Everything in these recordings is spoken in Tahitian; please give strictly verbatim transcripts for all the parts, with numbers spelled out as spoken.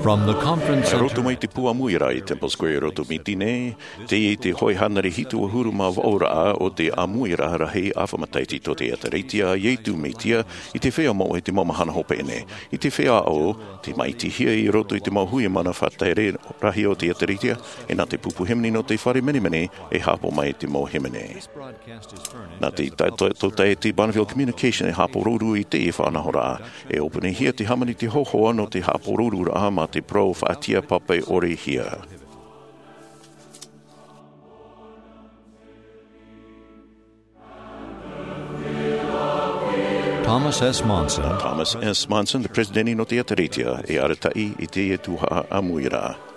From the conference center. Roto mai te pū ʻāmuiraʻa i Temple Square i roto Miti nei, teie te hōʻē hānere hitu ʻahuru mā vaʻu raʻa o te ʻāmuiraʻa rahi ʻāfa matahiti tō te ʻĒkālesia Iesu Mesia i te feiā moʻe i te mau mahana hopeʻa nei. I te feiā ʻo, tei māʻitihia i roto i te mau hui mana faʻatere rahi o te ʻĒkālesia, e nā te pupu hīmene nō te fare menemene e haʻapaʻo mai te mau hīmene. Nā te ta-, to-, tōtaiete Bonneville Communication e haʻapōrōru i teie faʻanahoraʻa. E ʻōpuahia te hāmani i te hōhoʻa nō te haʻapōrōruraʻa mā te parau faʻatiʻa pape ʻore hia. Thomas S. Monson. Thomas S. Monson, te peresideni nō te ʻĒkālesia, e arataʻi i teie tuhaʻa ʻāmuiraʻa.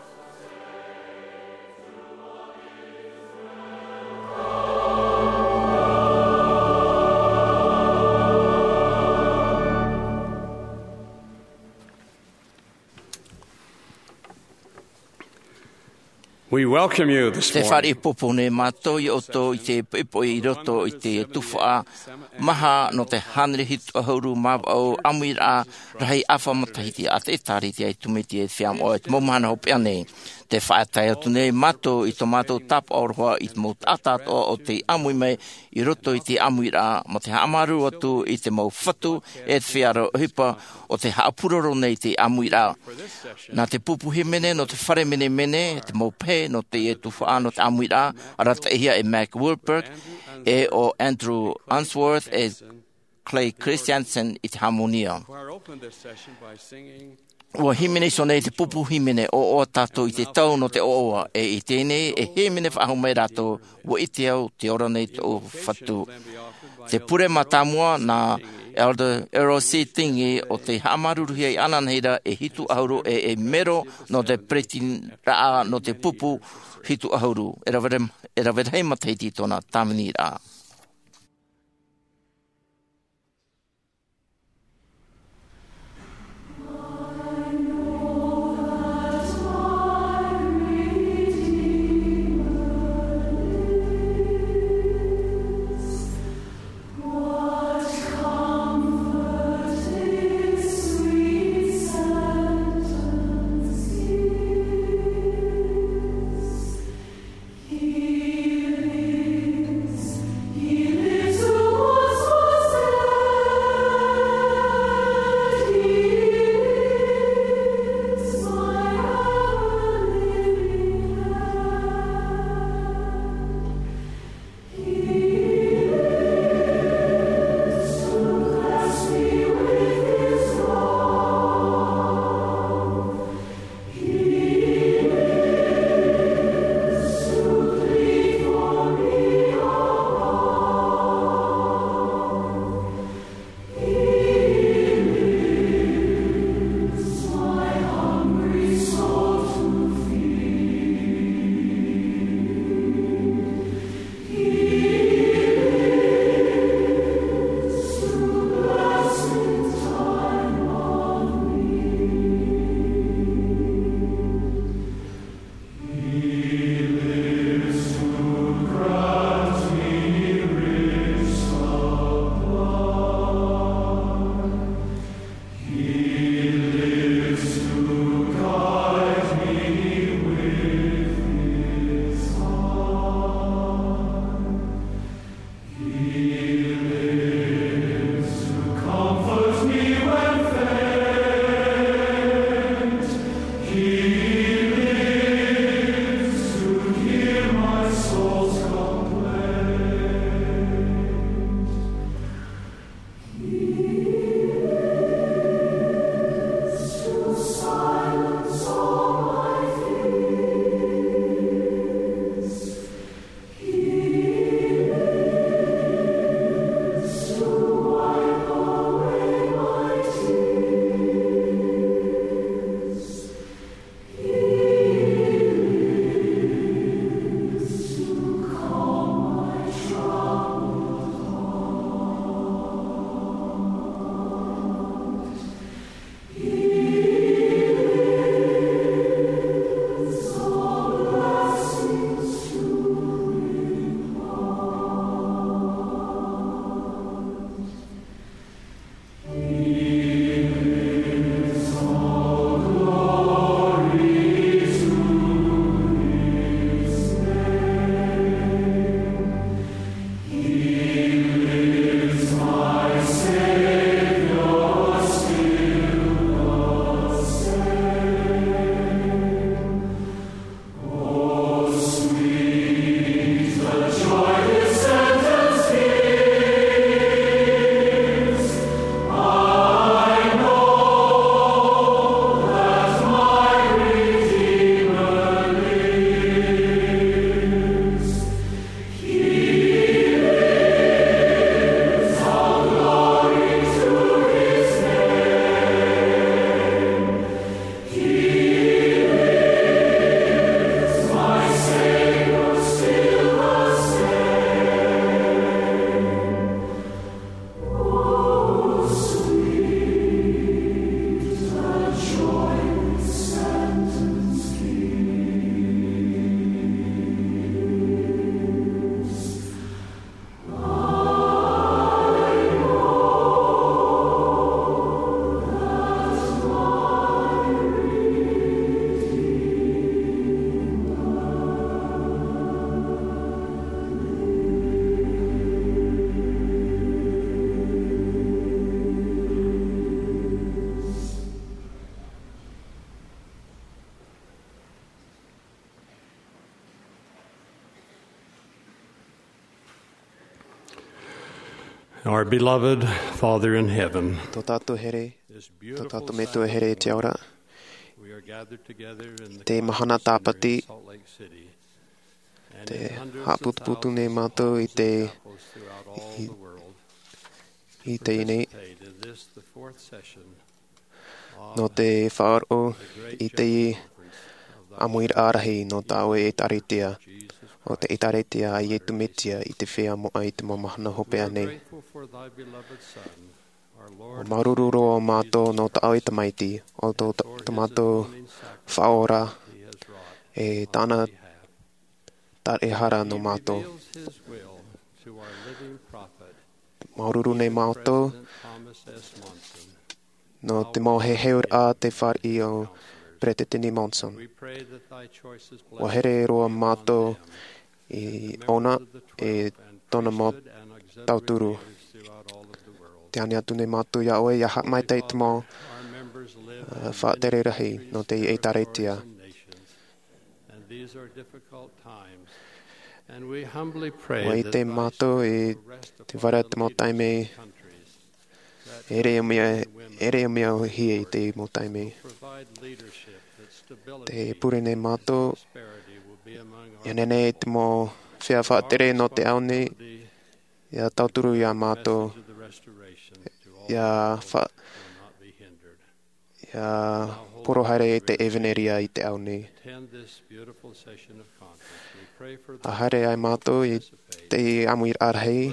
We welcome you this morning. Te fare popo nei mātou ia ʻoutou i te poʻipoʻi i roto i te tuhaʻa maha nō te hānere hitu ʻahuru mā vaʻu ʻāmuiraʻa rahi ʻāfa matahiti a te ʻĒkālesia Iesu Mesia i te feiā moʻe i te mau mahana hopeʻa nei. Te faʻatae atu nei mātou i tō mātou tāpaʻo roa i te mau taʻata atoʻa o tei ʻāmui mai i roto i te ʻāmuiraʻa, mā te haʻamāuruuru atu i te mau fatu e te feiā ʻohipa o tei haʻapuroro nei i te ʻāmuiraʻa. Nā te pupu hīmene nō te fare menemene, te mau pehe nō teie tuhaʻa nō te ʻāmuiraʻa, arataʻihia e Mac Wilberg, e ʻo Andrew Unsworth, e Clay Christensen i te hāmani. ʻUa hīmene iho nei te pupu hīmene, ʻOaʻoa Tātou i te Tau nō te ʻOaʻoa, e i teie nei e hīmene faʻahou mai rātou, ʻUa ʻite au, tē ora nei tōʻu Fatu. Te pure mātāmua nā Elder Errol C. Tingey ʻo tei haʻamāuruuruhia i ʻananahi ra e hitu ʻahuru e, e mero nō te peretiteniraʻa nō te pupu hitu ʻahuru. E rave, e rave rahi matahiti tōna tāviniraʻa. Our beloved Father in heaven, Tō tātou here, tō tātou Metua here i te ao ra, we are gathered together in the te mahana Tāpati, Salt Lake City. Te haʻaputuputu nei mātou i te, i, i teie nei, nō te faʻaroʻo i te ʻāmuiraʻa rahi nō tā ʻoe ʻēkālesia, ʻo te ʻēkālesia a Iesu Mesia i te feiā moʻa i te mau mahana hopeʻa nei. ʻUa māuruuru roa mātou nō tā ʻoe Tamaiti, ʻo tō, tō mātou Faʻaora, e tāna tāraʻehara nō mātou. Māuruuru nei mātou nō te mau heheuraʻa a te fāriʻi o Peresideni Monson. ʻUa here roa mātou i ʻōna e tōna mau tauturu. Tē ani atu nei mātou iā ʻoe, ʻia haʻamaitaʻi i te mau, ā, faʻatere rahi nō te ʻēkālesia. ʻUa ʻite mātou i te vara te mau taime, ʻeʻere mea, ʻeʻere mea ʻōhie i te mau taime. Tē pure nei mātou, ʻia nehenehe te mau feiā faʻatere nō te ao nei, ʻia tauturu iā mātou, ʻia fa-, ʻia poro haere i te ʻevanelia i te ao nei. ʻA haere ai mātou i te ʻāmuiraʻa rahi,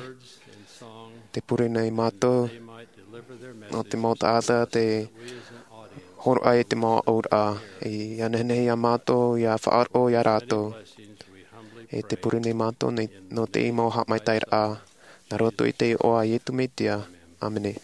tē pure nei mātou nō te mau taʻata tē hōroʻa i te mau auraʻa, ʻia nehenehe iā mātou ʻia faʻaroʻo iā rātou. E tē pure nei mātou nei, nō te mau haʻamaitaʻiraʻa, nā roto i te iʻoa o Iesu Mesia. ʻĀmene.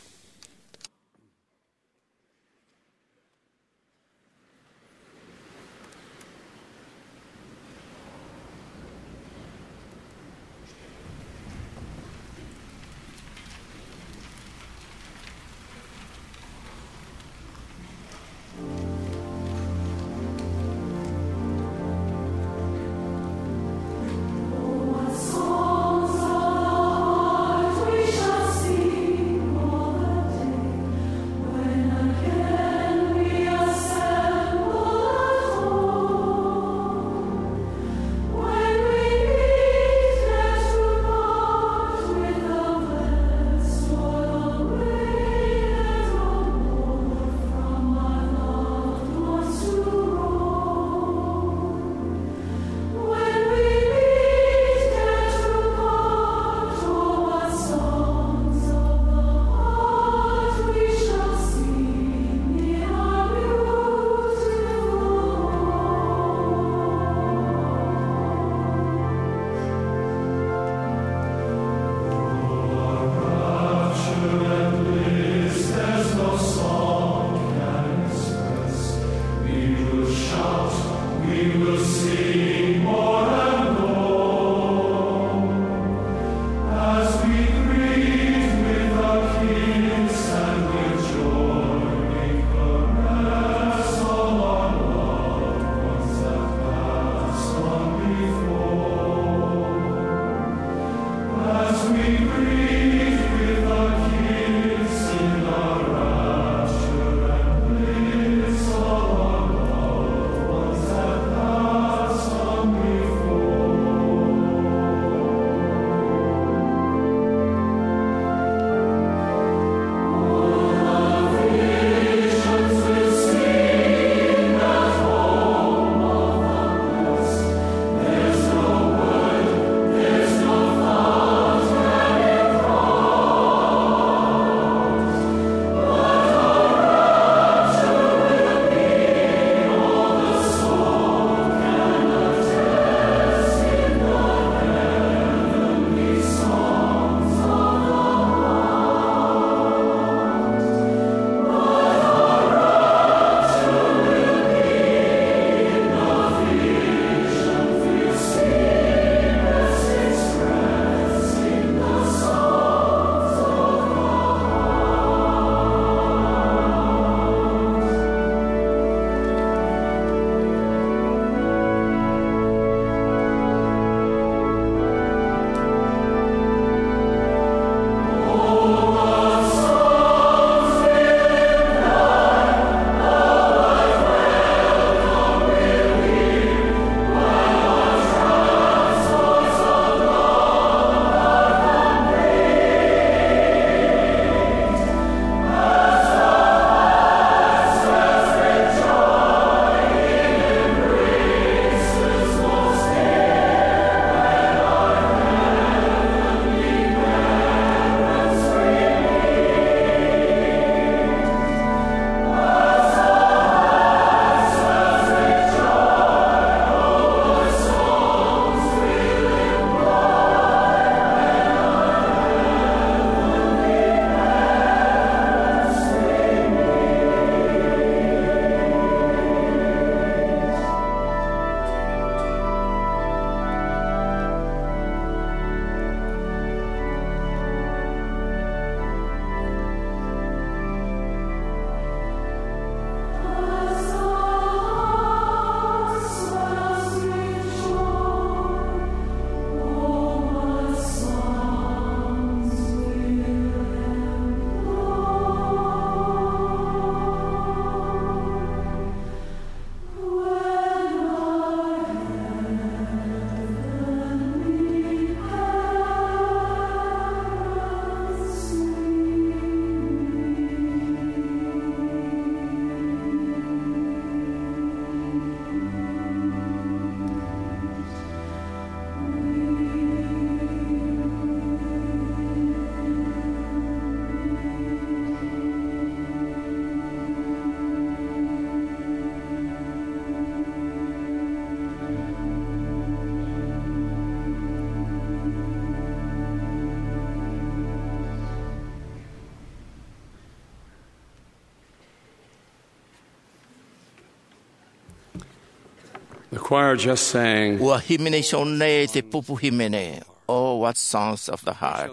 The choir just sang. Ua hīmene iho nei te pupu hīmene, "Oh, what songs of the heart."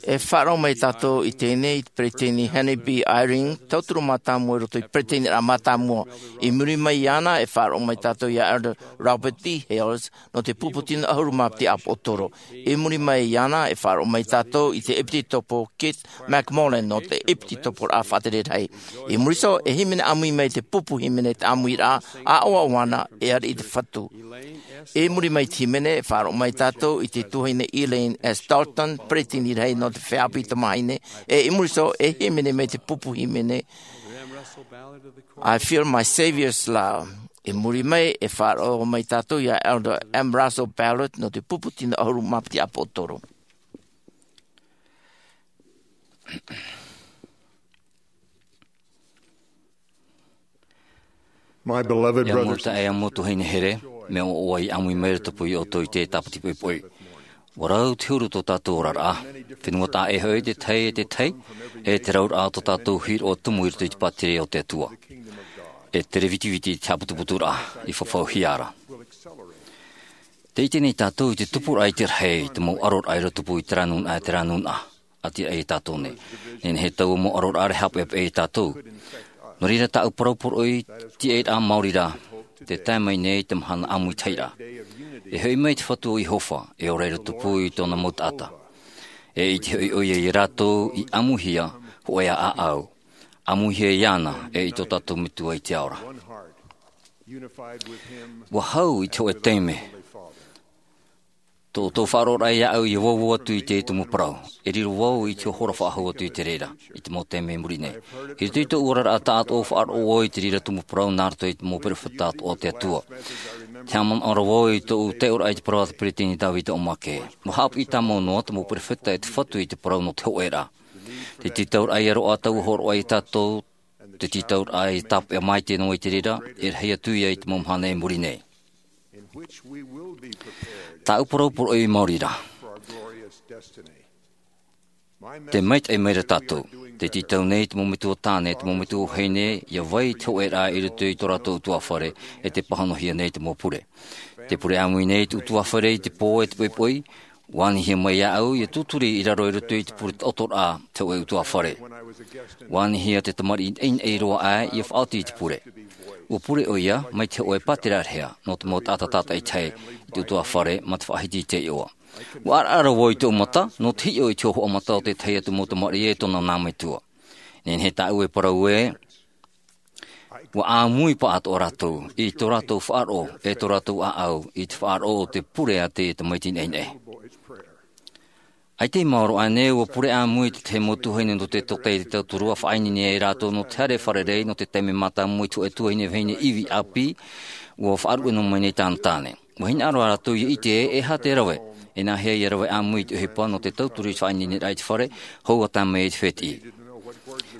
E faʻaroʻo mai tātou i teie nei i te peresideni Henry B. Eyring, tauturu mātāmua i roto i te peresideniraʻa mātāmua. I muri mai iāna, e faʻaroʻo mai tātou iā Elder Robert D. Hales, nō te pupu tino ʻahuru mā piti ʻāpōsetolo. I muri mai iāna, e faʻaroʻo mai tātou i te ʻEpitopo Keith McMullen nō te ʻEpitoporaʻa Faʻatere Rahi. I muri iho, e hīmene ʻāmui mai te pupu hīmene te ʻāmuiraʻa ʻaʻoaʻo ana e ʻāreʻa i te Fatu. I muri mai te hīmene, e faʻaroʻo mai tātou i te tuahine Elaine S. Dalton, peresideni rahi nō te feiā ʻāpī tamāhine, e i muri iho, e hīmene mai te pupu hīmene, "I Feel My Savior's Love." I muri mai, e faʻaroʻo mai tātou iā Elder M. Russell Ballard nō te pupu tino ʻahuru mā piti ʻāpōsetolo. My beloved brothers, e ʻamu tuahine here, mea ʻoaʻoa i ʻāmui mai ra te pū i ʻoutou i te tāpati poʻipoʻi. Ua rau te huru tō tātou oraraʻa. Fenua taʻa ʻē hoʻi te tahi e te tahi, e te rauraʻa tō tātou hīroʻa tumu i roto i te pātireia o te Atua. E tere vitiviti i te haʻaputuputuraʻa i fafauhia ra. Tē ʻite nei tātou i te tupuraʻa i te rahi, te mau ʻaroraʻa i roto pū i terā nūnaʻa, terā nūnaʻa. ʻĀtīraʻa iā tātou nei. Nehenehe taua mau ʻaroraʻa e haʻapeʻapeʻa iā tātou. Nō reira tāʻu parau poroʻi, tiʻairaʻa maori ra, tē tae mai nei te mahana ʻāmuitahiraʻa. E hoʻi mai te Fatu o Iehova, e ora i roto pū i tōna mau taʻata. E ʻite hoʻi ʻoia iā rātou i ʻāmuihia, hōʻē ā ʻāʻau. ʻĀmuihia iāna, e i tō tātou Metua i te ao ra. Ua hau i te hōʻē taime. Tō ʻoutou faʻaroʻoraʻa iāʻu ʻia vau atu i te tumu parau. E riro vau i te hora faʻahou atu i te reira, i te mau taime i muri nei. I roto i tōʻu oraraʻa tāʻatoʻa faʻaroʻo vau i te reira tumu parau nā roto i te mau perofeta atoʻa o te Atua. Tē haʻamanaʻo ra vau i tōʻu taiʻoraʻa i te parau a te peresideni Davida O. McKay. Ua haʻapiʻi tāmau noa te mau perofeta e te Fatu i te parau nō te hōʻēraʻa. Te tītauraʻa ia roaʻa taua hōroʻa iā tātou, te tītauraʻa e tāpeʻa maitaʻi noa i te reira, e rahi atu ia i te mau mahana i muri nei. Tāʻu parau poroʻi maori ra. Tē maitaʻi mai ra tātou. Tē tītau nei te mau metua tāne, te mau metua vahine, ʻia vai i te hōʻēraʻa i roto i tō rātou ʻutuāfare, e tē pāhonohia nei te mau pure. Tē pure ʻāmui nei te ʻutuāfare i te pō e te poʻipoʻi, ua anihia mai iāʻu ʻia tūturi i raro i roto i te pure taʻotoraʻa te hōʻē ʻutuāfare. Ua anihia te tamariʻi naʻinaʻi roa aʻe ʻia faʻaoti i te pure. Ua pure ʻoia mai te hōʻē pātera rehea nō te mau taʻata tātaʻitahi i te ʻutuāfare mā te faʻahiti i te iʻoa. Ua ʻaraʻara vau i tōʻu mata, nō te hiʻo i te hōhoʻa mata o te tahi atu mau tamariʻi e tōna nā metua. Nehenehe tāʻu e parau ē, ua ʻāmui pāʻatoʻa rātou, i tō rātou faʻaroʻo, e tō rātou ʻāʻau, i te faʻaroʻo o te pure a te tamaiti naʻinaʻi. ʻAita i maoro aʻenei, ua pure ʻāmui te tahi mau tuahine nō te tōtaiete tauturu, ʻa faʻaineine ai rātou nō te haere fārerei, nō te taime mātāmua i te hōʻē tuahine vahine ivi ʻāpī, ua faʻaruʻe noa mai nei tāna tāne. Ua hinaʻaro rātou ʻia ʻite ē, e aha te rave, e nāhea ia rave ʻāmui i te ʻohipa nō te tauturu i te faʻaineineraʻa i te fare, hou ʻa tae mai i te fētiʻi.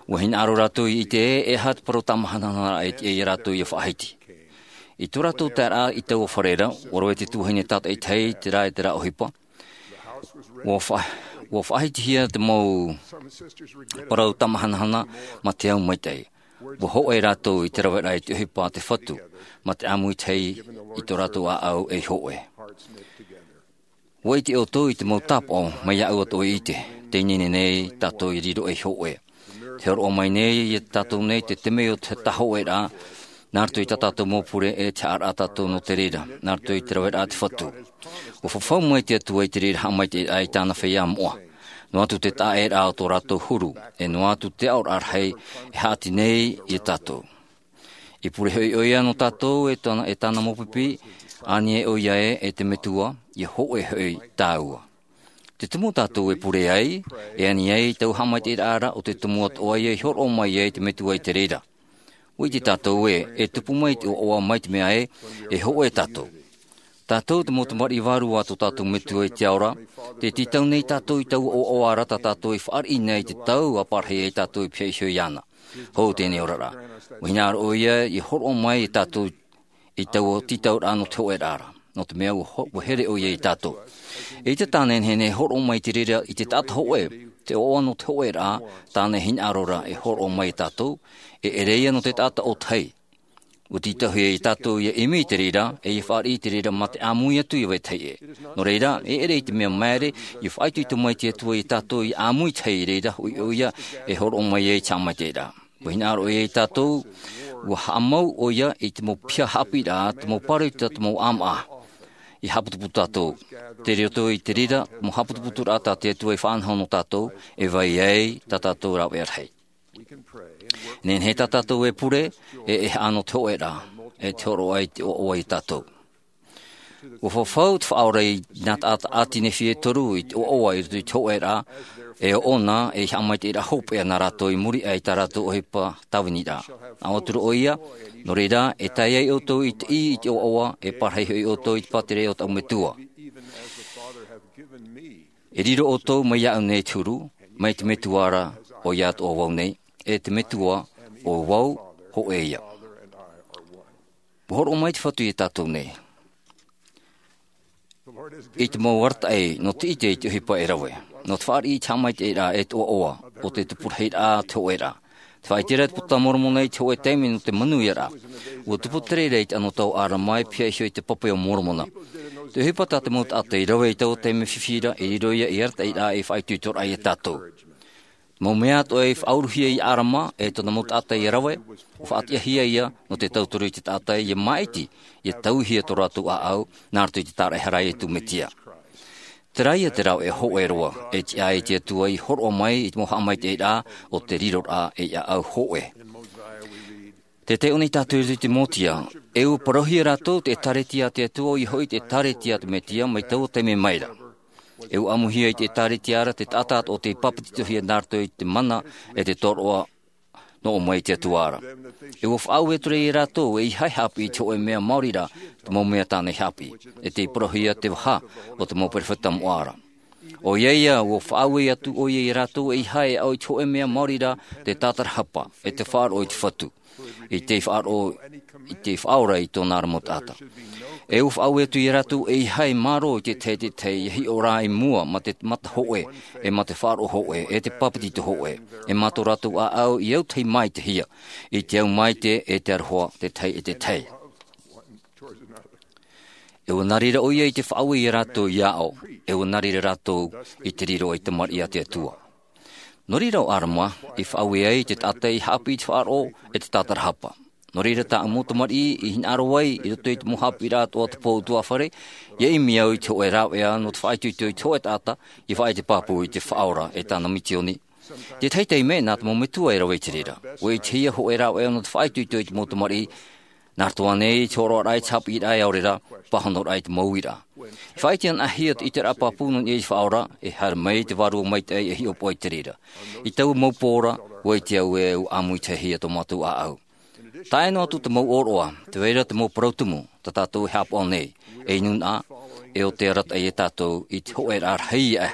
Ua hinaʻaro rātou ʻia ʻite ē, e aha te parau tāmahanahana i te, iā rātou ʻia faʻahiti. I tō rātou taeraʻa i taua fare ra, ua rave te tuahine tātaʻitahi i terā, i terā ʻohipa. Ua fa-, ua faʻahitihia te mau parau tāmahanahana mā te au maitaʻi. Ua hōʻē rātou i te raveraʻa i te ʻohipa a te Fatu, mā te ʻāmuitahiraʻa i tō rātou ʻāʻau ei hōʻē. ʻUa ʻite ʻoutou i te mau tāpaʻo, mai iāʻu atoʻa i ʻite, tē ineine nei tātou ʻia riro ei hōʻē. Tē hōroʻa mai nei iā tātou nei te temeio o te hōʻēraʻa, nā roto i tā tātou mau pure e te haʻaraʻa tātou nō te reira, nā roto i te raveraʻa a te Fatu. ʻUa fafau mai te Atua i te reira haʻamaitaʻiraʻa i tāna feiā moʻa. Noa atu te taʻaʻēraʻa o tō rātou huru, e noa atu te aʻoraʻa rahi e haʻati nei iā tātou. I pure hoʻi ʻoia nō tātou e tāna, e tāna mau pipi, ani e ʻoia ē, e te Metua, ʻia hōʻē hoʻi tāua. Te tumu tātou e pure ai, e ani ai taua haʻamaitaʻiraʻa ra, ʻo te tumu atoʻa ïa i hōroʻa mai ai te Metua i te reira. ʻUa ʻite tātou ē, e tupu mai te ʻoaʻoa mai te mea ē, e hōʻē tātou. Tātou te mau tamariʻi vārua a tō tātou Metua i te ao ra, tē tītau nei tātou i taua ʻoaʻoa ra tā tātou i fāriʻi nei i te tau ʻa parahi ai tātou i pihaʻi iho iāna. Hou teie oraraʻa. ʻUa hinaʻaro ʻoia ʻia hōroʻa mai iā tātou i taua tītauraʻa nō te hōʻēraʻa ra. Nō te mea ʻua ho-, ʻua here ʻoia iā tātou. E ʻite tāna e nehenehe e hōroʻa mai i te reira i te taʻata hōʻē, te ʻoaʻoa nō te hōʻēraʻa, tāna e hinaʻaro ra e hōroʻa mai iā tātou, e ʻere ïa nō te taʻata ʻōtahi. Ua tītauhia ia tātou ia ʻimi i te reira, e ia fāriʻi i te reira mā te ʻāmui atu ia vetahi ʻē. Nō reira, e ʻere i te mea māere, ia faʻaitoito mai te Atua ia tātou ia ʻāmui i te hau i reira, hoʻi ʻoia e hōroʻa mai ai te haʻamaitaʻiraʻa. Ua hinaʻaro ʻoia ia tātou, ua haʻamau ʻoia i te mau piha haʻapiʻiraʻa, te mau pāroita, te mau ʻāmaʻa. Ia haʻaputuputu tātou. Tei roto i te reira, te mau haʻaputuputuraʻa tā te Atua i faʻanaho nō tātou, e vai ai tā tātou rāveʻa rahi. Nehenehe tā tātou e pure, e, e haʻano te hōʻēraʻa, e te hōroʻa i te ʻoaʻoa ia tātou. Ua fafau te Faʻaora i nā taʻata ʻĀti Nephi e toru i te ʻoaʻoa i roto i te hōʻēraʻa, e ʻoʻona, e haʻamaitaʻiraʻa hopeʻa nā rātou i muri aʻe i tā rātou ʻohipa tāviniraʻa. ʻĀua atu ra ʻoia, nō reira, e tae ai ʻoutou i te ʻī i te ʻoaʻoa, e parahi hoʻi ʻoutou i te pātireia o taʻu Metua. E riro ʻoutou mai iāʻu nei te huru, mai te Metua ra, ʻoia atoʻa vau nei, e te Metua, ʻo vau, hōʻē ia. Ua hōroʻa mai te Fatu ia tātou nei. I te mau arataʻi, nō te ʻite i te ʻohipa e rave. Nō te fāriʻi i te haʻamaitaʻiraʻa e te ʻoaʻoa, ʻo te tupu rahi ra te hōʻēraʻa. Te faʻaʻite ra te Puta a Moromona i te hōʻē taime nō te manuiaraʻa. Ua tupu te reira i te anotau o ʻĀrama e pihaʻi iho i te pape o Moromona. Te ʻohipa tā te mau taʻata i rave i taua taime fifi ra, e riro ia ei arataʻiraʻa e faʻaitoitoraʻa ia tātou. Mau mea atoʻa i faʻauruhia ia ʻĀrama, e tōna mau taʻata ia rave, ua faʻatiʻahia ia, nō te tauturu i te taʻata ia māʻiti, ia tauihia tō rātou ʻāʻau, nā roto i te tāraʻehara a Iesu Mesia. Terā ia te rāveʻa hōʻē roa, e tiʻa ai te Atua i hōroʻa mai i te mau haʻamaitaʻiraʻa, ʻo te riroraʻa ei ʻāʻau hōʻē. Tē taiʻo nei tātou i roto i te Mōtia, e ua parauhia rātou te ʻĒtārētia a te Atua, ʻoia hoʻi te ʻĒtārētia a te Mesia, mai taua taime mai ra. E ua ʻāmuihia i te ʻĒtārētia ra te taʻata atoʻa tei pāpetitohia nā roto i te mana e te tōroʻa nō ʻō mai i te Atua ra. E ua faʻaue atu ra ia rātou, ʻeiaha e haʻapiʻi i te hōʻē mea maori ra, te mau mea tāna i haʻapiʻi, e tei parauhia te vaha o te mau perofeta moʻa ra. ʻOia ia, ua faʻaue atu ʻoia ia rātou, ʻeiaha e aʻo i te hōʻē mea maori ra, te tātarahapa, e te faʻaroʻo i te Fatu. I te faʻaroʻo, i te faʻaora i tōna ra mau taʻata. E ua faʻaue atu ia rātou, ʻeiaha e mārō i te tahi e te tahi, ia hiʻo rā i mua mā te mata hōʻē, e mā te faʻaroʻo hōʻē, e te pāpetito hōʻē, e mā tō rātou ʻāʻau i autahi maitehia, i te au maite e te aroha, te tahi e te tahi. E ua nā reira ʻoia i te faʻaue ia rātou ia aʻo, e ua nā reira rātou i te riro ei tamariʻi a te Atua. Nō reira ʻo ʻĀrama, i faʻaue ai te taʻata i haʻapiʻi i te faʻaroʻo e te tātarahapa. Nō reira tāʻu mau tamariʻi i hinaʻaro ai i roto i te mau haʻapiʻiraʻa atoʻa o te pō ʻutuāfare, ia ʻimi au i te hōʻē rāveʻa nō te faʻaitoito i te hōʻē taʻata, ia faʻaʻite pāpū i te Faʻaora e tāna misioni. Te tahi taime, nā te mau metua e rave i te reira. Ua ʻitehia hōʻē rāveʻa nō te faʻaitoito i te mau tamariʻi, nā roto ānei i te hōroʻaraʻa i te haʻapiʻiraʻa e ʻaore rā, pāhonoraʻa i te mau uiraʻa. I faʻaʻite anaʻe hia te ʻiteraʻa pāpū nō niʻa i te Faʻaora, e haere mai te Vārua Maitaʻi e hiʻopoʻa i te reira. I taua mau pō ra, ua ʻite au ē ua ʻāmuitahia tō mātou ʻāʻau. Tae noa atu te mau ʻōroʻa, tē vai ra te mau parau tumu, tā tātou e haʻapaʻo nei, ei nūnaʻa, e ʻo tē arataʻi ia tātou i te hōʻēraʻa rahi aʻe.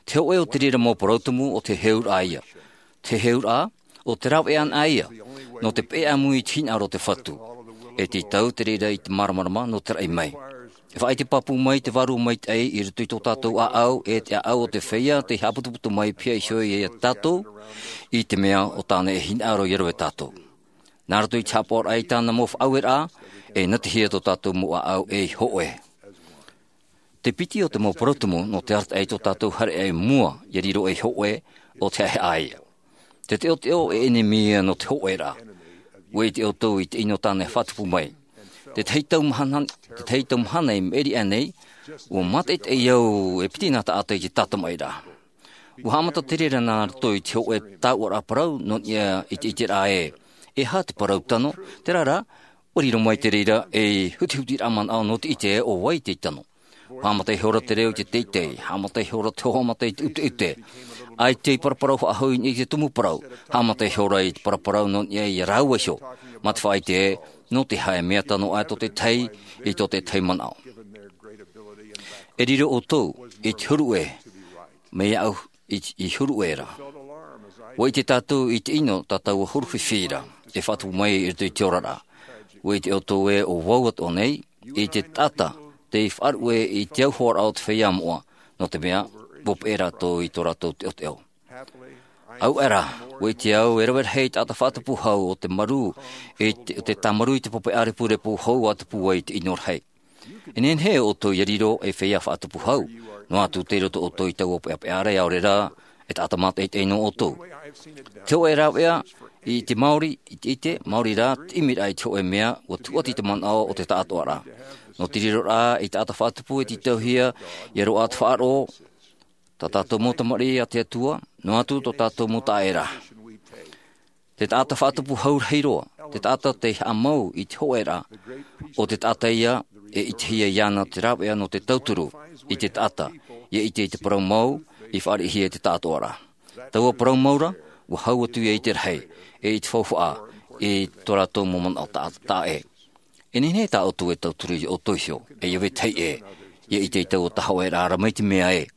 Te hōʻē o te reira mau parau tumu ʻo te heheuraʻa ia. Te heheuraʻa, ʻo te rāveʻa anaʻe ia, nō te peʻe ʻāmui i te hinaʻaro o te Fatu. E tītau te reira i te māramarama nō te raʻi mai. E faʻaʻite pāpū mai te Vārua Maitaʻi i roto i tō tātou ʻāʻau, e te ʻāʻau o te feiā tei haʻaputuputu mai pihaʻi iho ia tātou, i te mea ʻo tāna e hinaʻaro ia rave tātou. Nā roto i te haʻapaʻoraʻa i tāna mau faʻaueraʻa, e natihia tō tātou mau ʻāʻau ei hōʻē. Te piti o te mau parau tumu nō te arataʻi i tō tātou haereʻa i mua, ia riro ei hōʻē, ʻo te haʻehaʻa ia. Te teʻoteʻo e ʻenemi ia nō te hōʻēraʻa. Ua ʻite ʻoutou i te ʻino tāna e faʻatupu mai. Te tahi tau mahana, te tahi tau mahana i maʻiri aʻe nei, ua mātaʻitaʻi au e piti nā taʻata i te tātamaʻiraʻa. Ua haʻamata te reira nā roto i te hōʻē tauʻaraʻa parau nō niʻa i te ʻiteraʻa ē, e aha te parau tano, terā rā, ua riro mai te reira ei hutihutiraʻa manaʻo nō te ʻite ē ʻo vai tei tano. Haʻamata ihora te reo i te teitei, haʻamata ihora te hōhoʻa mata i te ʻuteʻute. ʻAita i paraparau faʻahou i niʻa i te tumu parau, haʻamata ihora i te paraparau nō niʻa ia rāua iho, mā te faʻaʻite ē, nō te aha e mea tano aʻe tō te tahi, i tō te tahi manaʻo. E riro ʻoutou, i te huru ʻē, mai iāʻu, i, i huru ʻē ra. Ua ʻite tātou i te ʻino tā taua huru fifi ra, e faʻatupu mai i roto i te oraraʻa. Ua ʻite ʻoutou ē ʻo vau atoʻa nei, i te taʻata, tei faʻaruʻe i te auhoaraʻa o te feiā moʻa, nō te mea, ua peʻe rātou i tō rātou teʻoteʻo. Au era, ua ʻite au e rave rahi te taʻata faʻatupu hau o te marū, e te, o te tāmarū i te pape ʻārepurepu hou a tupu ai i te ʻino rahi. E nehenehe ʻoutou ia riro ei feiā faʻatupu hau, noa atu tei roto ʻoutou i taua peʻapeʻa ra, ʻaore rā, e taʻata mātaʻitaʻi nō ʻoutou. Te hōʻē rāveʻa, i te maori, i te ʻite, maori rā, te ʻimiraʻa i te hōʻē mea, ua tūʻati te manaʻo o te taʻatoʻaraʻa. Nō te riroraʻa i te taʻata faʻatupu e tītauhia, ia roaʻa te faʻaroʻo, tā tātou mau tamariʻi a te Atua, noa atu tō tātou mau taʻaʻēraʻa. Te taʻata faʻatupu hau rahi roa, te taʻata tei haʻamau i te hōʻēraʻa, ʻo te taʻata ia e ʻitehia iāna te rāveʻa nō te tauturu i te taʻata, ia ʻite i te parau mau, i fāriʻihia i te taʻatoʻaraʻa. Taua parau mau ra, ua hau atu ia i te rahi, e i te faufaʻa, i tō rātou mau manaʻo tā, taʻa ʻē. E nehenehe tā ʻoutou e tauturu ia ʻoutou iho, e ia vetahi ʻē, ia ʻite i taua hōʻēraʻa ra mai te mea ē,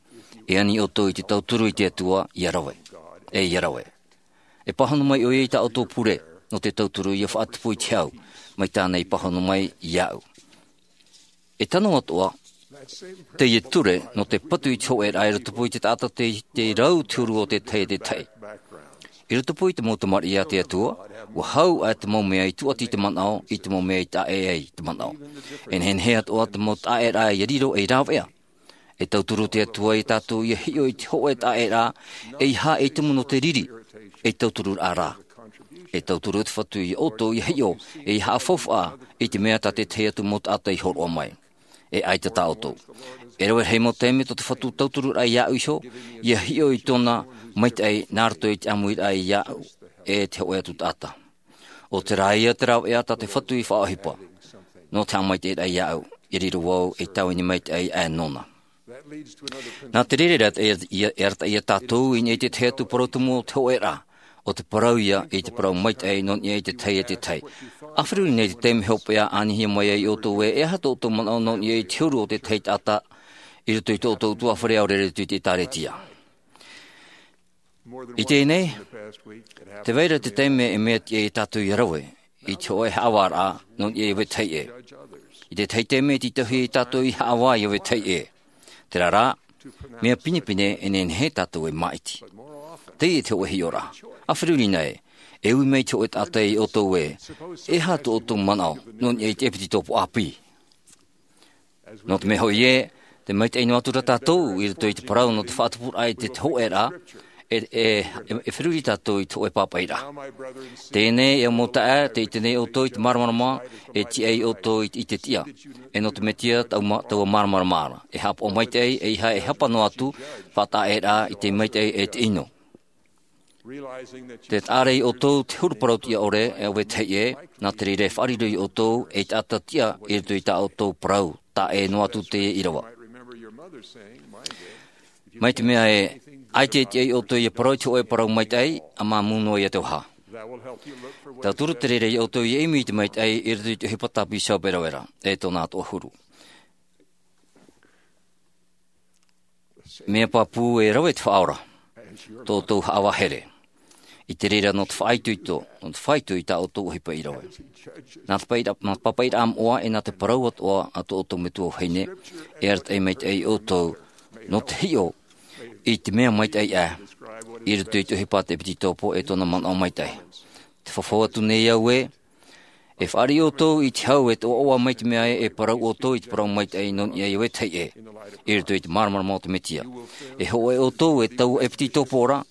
e ani ʻoutou i te tauturu i te Atua, ia rave, e ia rave. E pāhono mai ʻoia i tā ʻoutou pure, nō te tauturu ia faʻatupu i te hau, mai tāna i pāhono mai iāʻu. E tano atoʻa, teie ture, nō te patu i te hōʻēraʻa i rotopū i te taʻata tei, tei rau te huru o te tahi e te tahi. I rotopū i te mau tamariʻi a te Atua, ua hau ā te mau mea i tūʻati i te manaʻo, i te mau mea i taʻa ʻē ai te manaʻo. E nehenehe atoʻa te mau taʻaʻēraʻa ia riro ei rāveʻa. E tauturu te Atua ia tātou ia hiʻo i te hōʻē taʻaʻēraʻa, ʻeiaha ei tumu nō te riri, ei tautururaʻa rā. E tauturu te Fatu ia ʻoutou ia hiʻo, ʻeiaha faufaʻa, i te mea tā te tahi atu mau taʻata i hōroʻa mai. E ʻaita tā ʻoutou. E rave rahi mau taime tō te Fatu tautururaʻa iāʻu iho, ia hiʻo i tōna maitaʻi nā roto i te ʻāmuiraʻa iāʻu, e te hōʻē atu taʻata. ʻO terā ia te rāveʻa tā te Fatu i faʻaʻohipa. Nō te haʻamaitaʻiraʻa iāʻu, ia riro vau ei tāvini maitaʻi aʻe nōna. Nā te reira e, e, e arataʻi ia tātou i niʻa i te tahi atu parau tumu o te hōʻēraʻa, ʻo te parau ia i te parau maitaʻi nō niʻa i te tahi e te tahi. ʻA feruri nei te taime hopeʻa ʻa anihia mai ai ʻoutou ē, e aha tō ʻoutou manaʻo nō niʻa i te huru o te tahi taʻata, i roto i tō ʻoutou ʻutuāfare ʻaore rā i roto i te ʻĒtārētia. I teie nei, tē vai ra te taime e mea tiʻa ia tātou ia rave, i te hōʻē haʻavāraʻa, nō niʻa ia vetahi ʻē. I te tahi taime e tītauhia ia tātou ia haʻavā ia vetahi ʻē. Terā rā, mea pinepine e nehenehe tātou e māʻiti. Teie te hōʻē hiʻoraʻa. ʻA feruri na ē, e ui mai te hōʻē taʻata ia ʻoutou ē, e aha tō ʻoutou manaʻo, nō niʻa i te ʻepetitopo ʻāpī. Nō te mea hoʻi ē, te maitaʻi noa atu ra tātou, i roto i te parau nō te faʻatupuraʻa i te, te hōʻēraʻa, e, e, e, e feruri tātou i te hōʻē pāpaʻiraʻa. Teie nei e mau taeaʻe, tē ʻite nei ʻoutou i te māramarama, e tiʻa ia ʻoutou i te, i te tiʻa. E nō te Mesia, taua ma-, taua māramarama ra. E haʻapaʻo maitaʻi, ʻeiaha e hapa noa atu, faʻataʻaʻēraʻa i te maitaʻi e te ʻino. Tē taʻa ra ia ʻoutou te huru parau tiʻa ʻore, e vetahi ʻē, nā te reira e faʻariro ia ʻoutou, ei taʻata tiʻa, i roto i tā ʻoutou parau, taʻa ʻē noa atu teie ʻīrava. Mai te mea ē, ʻaita e tiʻa ia ʻoutou ia parau i te hōʻē parau maitaʻi, ʻa māmū noa ia te vaha. Tauturu te reira ia ʻoutou ia ʻimi i te maitaʻi, i roto i te ʻohipa tā Bishop e rave ra, e tōna atoʻa huru. Mea pāpū e rave te Faʻaora, tō ʻoutou haʻavā here. I te reira nō te faʻaitoito, nō te faʻaitoito i tā ʻoutou ʻohipa i rave. Nā te papaʻiraʻa, nā te papaʻiraʻa moʻa e nā te parau atoʻa a tō ʻoutou metua vahine, e arataʻi maitaʻi ia ʻoutou, nō te hiʻo, i te mea maitaʻi aʻe, i roto i te ʻohipa a te ʻepetitopo e tōna manaʻo maitaʻi. Tē fafau atu nei au ē, e fāriʻi ʻoutou i te hau e te ʻoaʻoa mai te mea ē e parau ʻoutou i te parau maitaʻi nō niʻa ia vetahi ʻē, i roto i te māramarama o te Mesia. E hōʻē ʻoutou e taua ʻepetitopo ra,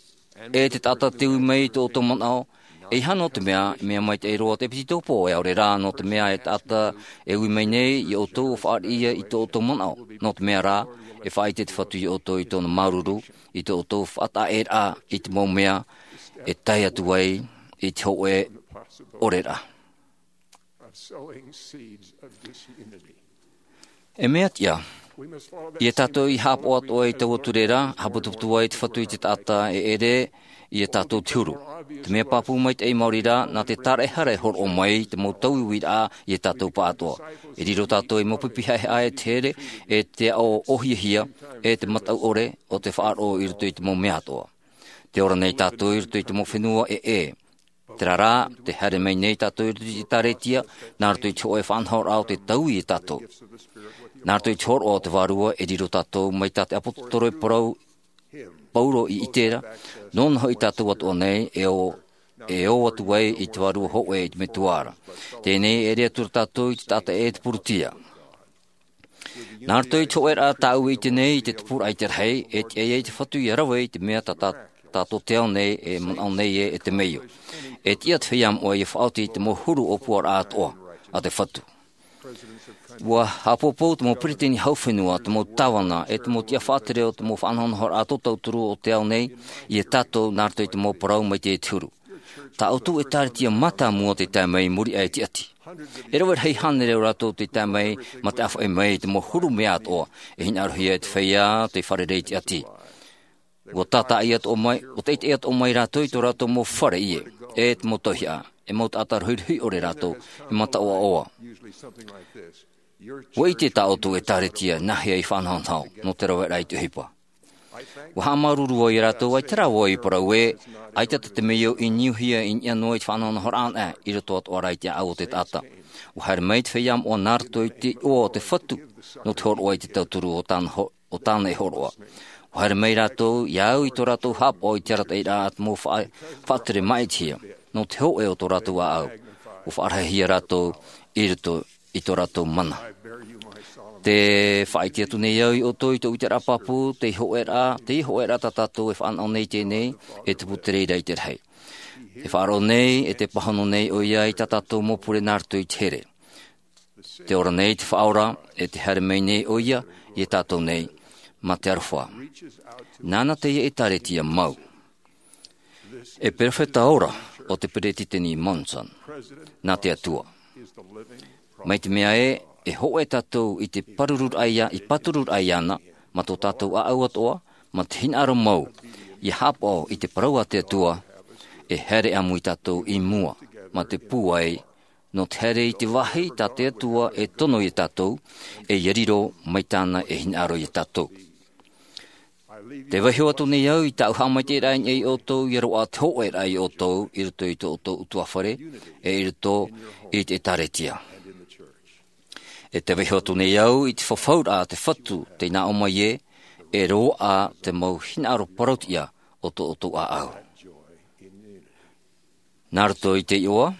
e te taʻata tē ui mai i tō ʻoutou manaʻo, ʻeiaha nō te mea, e mea maitaʻi roa te ʻepetitopo, e ʻaore rā nō te mea e taʻata e ui mai nei ia ʻoutou ʻua fāriʻi ia i tō ʻoutou manaʻo, nō te mea rā, e faʻaʻite te Fatu ia ʻoutou i tōna māuruuru, i tō ʻoutou faʻataʻaʻēraʻa i te mau mea, e tae atu ai i te hōʻē ʻoreraʻa. E mea tiʻa, ia tātou ia haʻapaʻo atoʻa i taua ture ra, haʻaputuputu ai te Fatu i te taʻata e ʻere, ia tātou te huru. Te mea pāpū maitaʻi maori rā, nā te tāraʻehara e hōroʻa mai, te mau tauiuiraʻa, ia tātou pāʻatoʻa. E riro tātou ei mau pipi haʻehaʻa e te here, e te aʻo ʻōhiahia, e te mataʻu ʻore, ʻo te faʻaroʻo i roto i te mau mea atoʻa. Tē ora nei tātou i roto i te mau fenua ʻē. Terā rā, tē haere mai nei tātou i roto i te ʻĒtārētia, nā roto i te hōʻē faʻanahoraʻa o te taui ia tātou. Nā roto i te hōroʻa o te Vārua e riro tātou mai tā te ʻāpōsetolo e parau, ʻauro i ʻite ra, nōna hoʻi tātou atoʻa nei e ō, e ō atu ai i te vārua hōʻē i te metua ra. Teie nei e ʻere atu ra tātou i te taʻata e te purutia. Nā roto i te hōʻēraʻa tāʻu i ʻite nei i te tupuraʻa i te rahi, e tiʻa ai te Fatu ia rave i te mea tā, tā, tātou te ao nei e manaʻo nei ē e te meio. E tiʻa te feiā moʻa ia faʻaoti i te mau huru ʻōpuaraʻa atoʻa a te Fatu. Ua haʻapōpou te mau peretiteni hau fenua, te mau tāvana, e te mau tiʻa faʻatere o te mau faʻanahonahoraʻa tōtauturu o te ao nei, ia tātou nā roto i te mau parau mai te huru. Tāʻu ʻēkālesia mātāmua tei tae mai i muri aʻe i te ʻati. E rave rahi hānere o rātou tei tae mai mā te ʻāfaʻi mai i te mau huru mea atoʻa, e hinaʻarohia e te feiā tei fārerei i te ʻati. Ua tātaʻi atoʻa mai, ua taʻitaʻi atoʻa mai rātou i tō rātou mau fare ʻie, e te mau tauihaʻa, e mau taʻata rohirohi ʻore rātou, e mataʻoaʻoa. Ua ʻite tā ʻoutou ʻēkālesia nā hea i faʻanahonaho, nō te raveraʻa i te ʻohipa. Ua haʻamāuruuru au ia rātou, ʻaita rā vau i parau ē, ʻaita te, te meio i niuhia i niʻa noa i te faʻanahonahoraʻa anaʻe, i roto atoʻa rā i te ʻāʻau o te taʻata. Ua haere mai te feiā moʻa nā roto i te iʻoa o te Fatu, nō te hōroʻa i te tauturu o tāna ho-, o tāna e hōroʻa. Ua haere mai rātou ia au i tō rātou haʻapaʻo i te arataʻiraʻa a te mau faʻa-, faʻatere māʻitihia, nō te hōʻē o tō rātou ʻāʻau. Ua faʻarahihia rātou i roto i tō rātou mana. Tē faʻaʻite atu nei au ia ʻoutou i tōʻu ʻiteraʻa pāpū, te hōʻēraʻa, te hōʻēraʻa tā tātou e faʻanaho nei i teie nei, e tupu te reira i te rahi. Tē faʻaroʻo nei, e tē pāhono nei ʻoia i tā tātou mau pure nā roto i te here. Tē ora nei te Faʻaora, e tē haere mai nei ʻoia ia tātou nei, mā te aroha. Nāna teie ʻēkālesia mau. E perofeta ora ʻo te Peretiteni Monson, nā te Atua. Mai te mea ē, e hōʻē tātou i te pārururaʻa ia, i pātururaʻa iāna, mā tō tātou ʻāʻau atoʻa, mā te hinaʻaro mau, ia haʻapaʻo i te parau a te Atua, e haere ʻāmui tātou i mua, mā te pūai, nō te haere i te vāhi tā te Atua e tono ia tātou, e ia riro mai tāna e hinaʻaro ia tātou. Tē vaiho atu nei au i tāʻu haʻamaitaʻiraʻa i niʻa ia ʻoutou, ia roaʻa te hōʻēraʻa ia ʻoutou, i roto i tō ʻoutou ʻutuāfare, e i roto i te ʻēkālesia. E tē vaiho atu nei au i te fafauraʻa a te Fatu, tei nā ʻō mai ē, e roaʻa te mau hinaʻaro parautiʻa o tō ʻoutou ʻāʻau. Nā roto i te iʻoa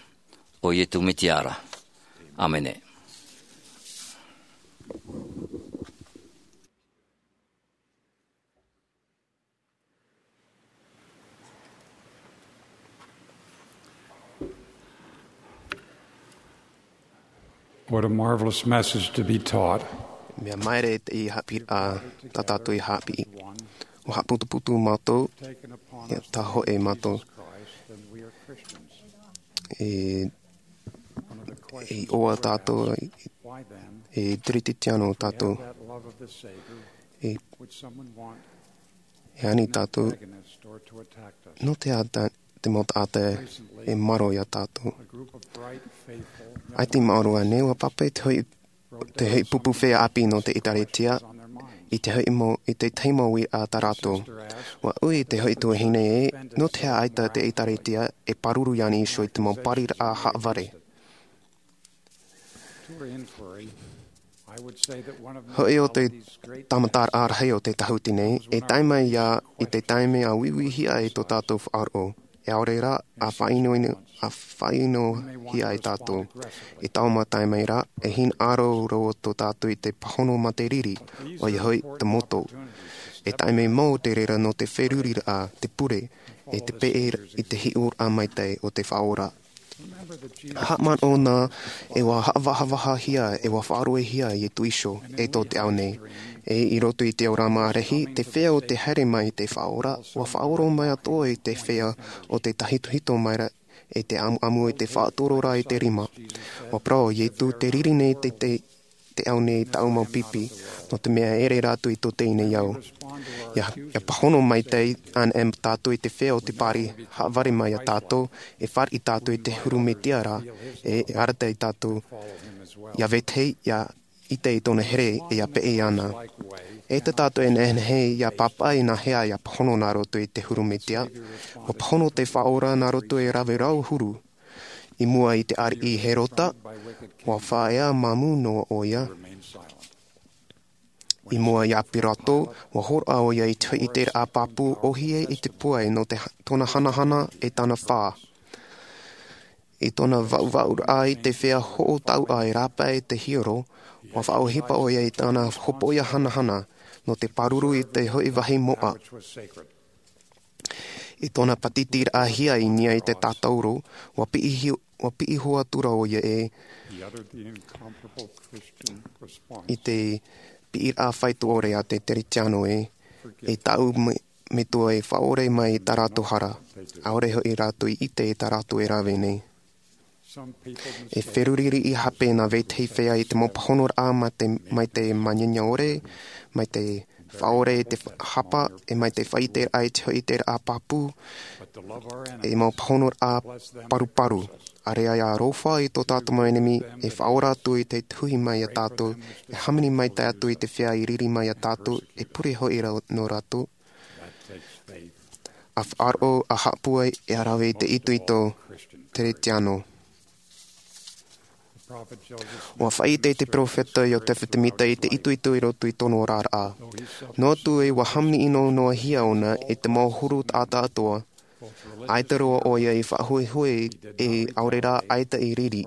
o Iesu Mesia ra. ʻĀmene. What a marvelous message to be taught. Mea maere te haʻapiʻiraʻa tā tātou i haʻapiʻi. ʻUa haʻaputuputu mātou, ia tā hōʻē mātou. E, e iʻoa tātou, e Kerisetiano tātou. E, e ani tātou, nō te aha te mau taʻata e maro ia tātou. ʻAita i maoro ānei, ʻua pāpaʻi te hoʻi, te hoʻi pupu feiā ʻāpī nō te ʻēkālesia, i te hoʻi mau, i te tahi mau uiraʻa tā rātou. ʻUa ui te hoʻi tuahine ē, nō te aha ʻaita te ʻēkālesia e pāruru iāna iho i te mau pariraʻa haʻavare. Hoʻi ʻo te tāmataraʻa rahi o te tāhuti nei, e tae mai ia i te taime ʻa uiuihia ai tō tātou faʻaroʻo, e ʻaore rā, ʻa faʻaʻino, ʻa faʻaʻinohia ai tātou. I taua mau taime ra, e hinaʻaro roa tō tātou i te pāhono mā te riri, ʻoia hoʻi te moto. E taime mau te reira nō te feruriraʻa, te pure, e te peʻe i te hiʻoraʻa maitaʻi o te Faʻaora. Haʻamanaʻo na, e ʻua haʻavahavahahia, e ʻua faʻaroʻohia Iesu Kristo, e tō te ao nei. E i roto i te ora mārahi, te feiā o te haere mai i te Faʻaora, ʻua faʻaora mai atoʻa i te feiā o te tāhitohito mai ra, e te ʻamuʻamu i te faʻatoro ra i te rima. ʻUa parau Iesu, tē riri nei te, te te ao nei tāʻu mau pipi, nō te mea e ʻere rātou i tō teie nei ao. ʻIa, ʻia pāhono maitaʻi anaʻe tātou i te feiā o te pari, haʻavare mai ia tātou, e fāriʻi tātou i te huru Mesia ra, e, e arataʻi tātou, ʻia vetahi, ʻia ʻite i tōna here, e ʻia peʻe iāna. E tā tātou e nehenehe ʻia pāpaʻi nā hea ʻia pāhono nā roto i te huru Mesia, ʻua pāhono te Faʻaora nā roto i te rave rau huru, i mua i te ariʻi Herota, ʻua faʻaea māmū noa ʻoia. I mua iā Pilato, ua hōroʻa ʻoia i te hoʻi ʻiteraʻa pāpū ʻōhie i te puai nō te, tōna hanahana e tāna fā. I tōna vaʻuvaʻuraʻa i te feiā hoʻo tauʻa e rāpae te hiero, ua faʻaʻohipa ʻoia i tāna hopoiʻa hanahana nō te pāruru i te hoʻi vāhi moʻa. I tōna pātitiraʻahia i niʻa i te tātauro, ua piʻi hi-, ua piʻi hua atu ra ʻoia e i te piʻiraʻa faito ʻore a te Teretiano e, e taʻu me, metua e faʻaʻore mai i tā rātou hara, ʻaore hoʻi rātou i ʻite i tā rātou e rave nei. E feruri riʻi hape nā vetahi feiā i te mau pāhonoraʻa mai te, mai te māniania ʻore, mai te faʻaʻore i te hapa, e mai te faʻaʻiteraʻa i te hoʻi ʻiteraʻa pāpū, e mau pāhonoraʻa paruparu. ʻAreʻa ia aroha i tō tātou mau ʻenemi, e faʻaora atu i te tuhi mai iā tātou, e hāmani maitaʻi atu i te feiā i riri mai iā tātou, e pure hoʻi ra nō rātou. A faʻaroʻo, a haʻapūai, e a rave i te itoito Teretiano. Ua faʻaʻite te peropheta Iotefa Temita i te itoito i roto i tōna oraraʻa. Noa atu ē ua hāmani ʻino noa hia ʻōna i te mau huru taʻata atoʻa, ʻaita roa ʻoia i faʻahuehue e ʻaore rā ʻaita i riri.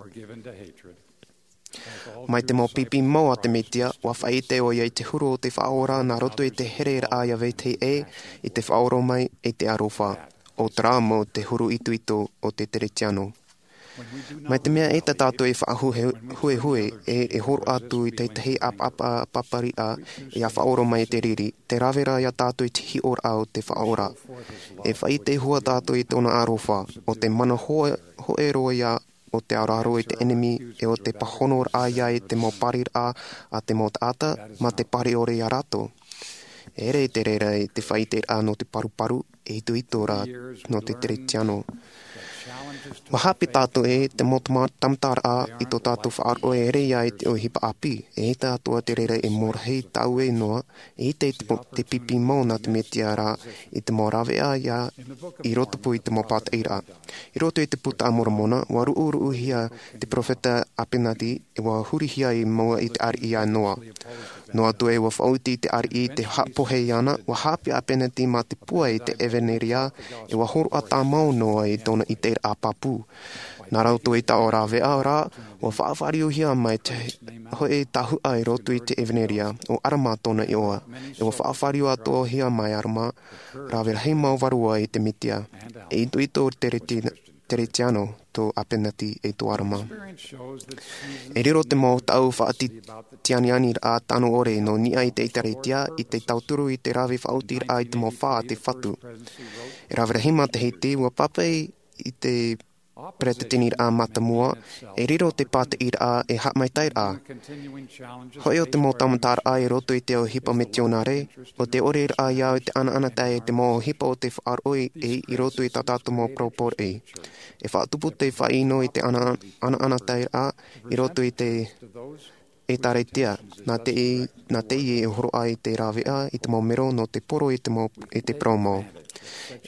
Mai te mau pipi mau a te Metia, ua faʻaʻite ʻoia i te huru o te Faʻaora nā roto i te hereraʻa iā vetahi ʻē, i te faʻaora mai, i te aroha. ʻO terā mau te huru itoito o te Teretiano. Mai te mea ē tā tātou e faʻahuehue, e, e hōroʻa atu i te tahi ʻapaʻapa, ʻapapariʻa, ia faʻaora mai te riri, tē rave ra iā tātou i te hiʻoraʻa o te Faʻaora. E faʻaʻite hua tātou i tōna aroha, ʻo te mana hō-, hōʻē roa ia, ʻo te aroaro i te ʻenemi, e ʻo te pāhonoraʻa ia i te mau pāriraʻa a te mau taʻata, mā te pāriʻore iā rātou. E ʻere i te reira i te faʻaʻiteraʻa nō te paruparu, e itoito ra nō te Teretiano. Ua haʻapiʻi tātou ē, te mau tama-, tāmataraʻa i tō tātou faʻaroʻo e ʻere ia i te ʻohipa ʻāpī, e ʻaita atoʻa te reira e mōrahi tāue noa, e ʻite i te po-, te pipi mau nā te Metia ra, i te mau rāveʻa ia i rotopū i te mau pātaʻiraʻa. I roto i te Puta a Moromona, ua ruʻuruʻuhia te peropheta ʻApenati, e ua hurihia i mua i te ariʻi a Noa. Noa atu ē ua faʻaoti te ariʻi i te haʻapohe iāna, ua haʻapiʻi ʻApenati mā te puai i te ʻevaneria, e ua hōroʻa tāmau noa i tōna ʻiteraʻa pāpū. Nā roto i taua rāveʻa rā, ua faʻafāriuhia mai te hoʻi tahuʻa i roto i te ʻevaneria, ʻo ʻAlama tōna iʻoa. E ua faʻafāriu atoʻahia mai ʻAlama, rave rahi mau vārua i te Metia. E itoito Tereti-, Teretiano tō ʻApenati e tō ʻAlama. E riro te mau taʻu faʻati-, tianianiraʻa tano ʻore nō niʻa i te ʻĒtārētia, i te tauturu i te rave faʻaotiraʻa i te mau fā a te Fatu. E rave rahi matahiti, ua pāpaʻi i te peretiteniraʻa mātāmua, e riro te pātiʻiraʻa e haʻamaitaʻiraʻa. Hoʻi ʻo te mau tāmataraʻa i roto i te ʻohipa mitionare, ʻo te ʻoreraʻa ia i te ʻanaʻanatae i te mau ʻohipa o te faʻaroʻo i, i roto i tā tātou mau parau pōroʻi. E faʻatupu te faʻaʻino i te ana-, ʻanaʻanataeraʻa i roto i te ʻĒtārētia, nā te, nā teie e hōroʻa i te rāveʻa, i te mau mero nō te poro i te mau, i te parau mau.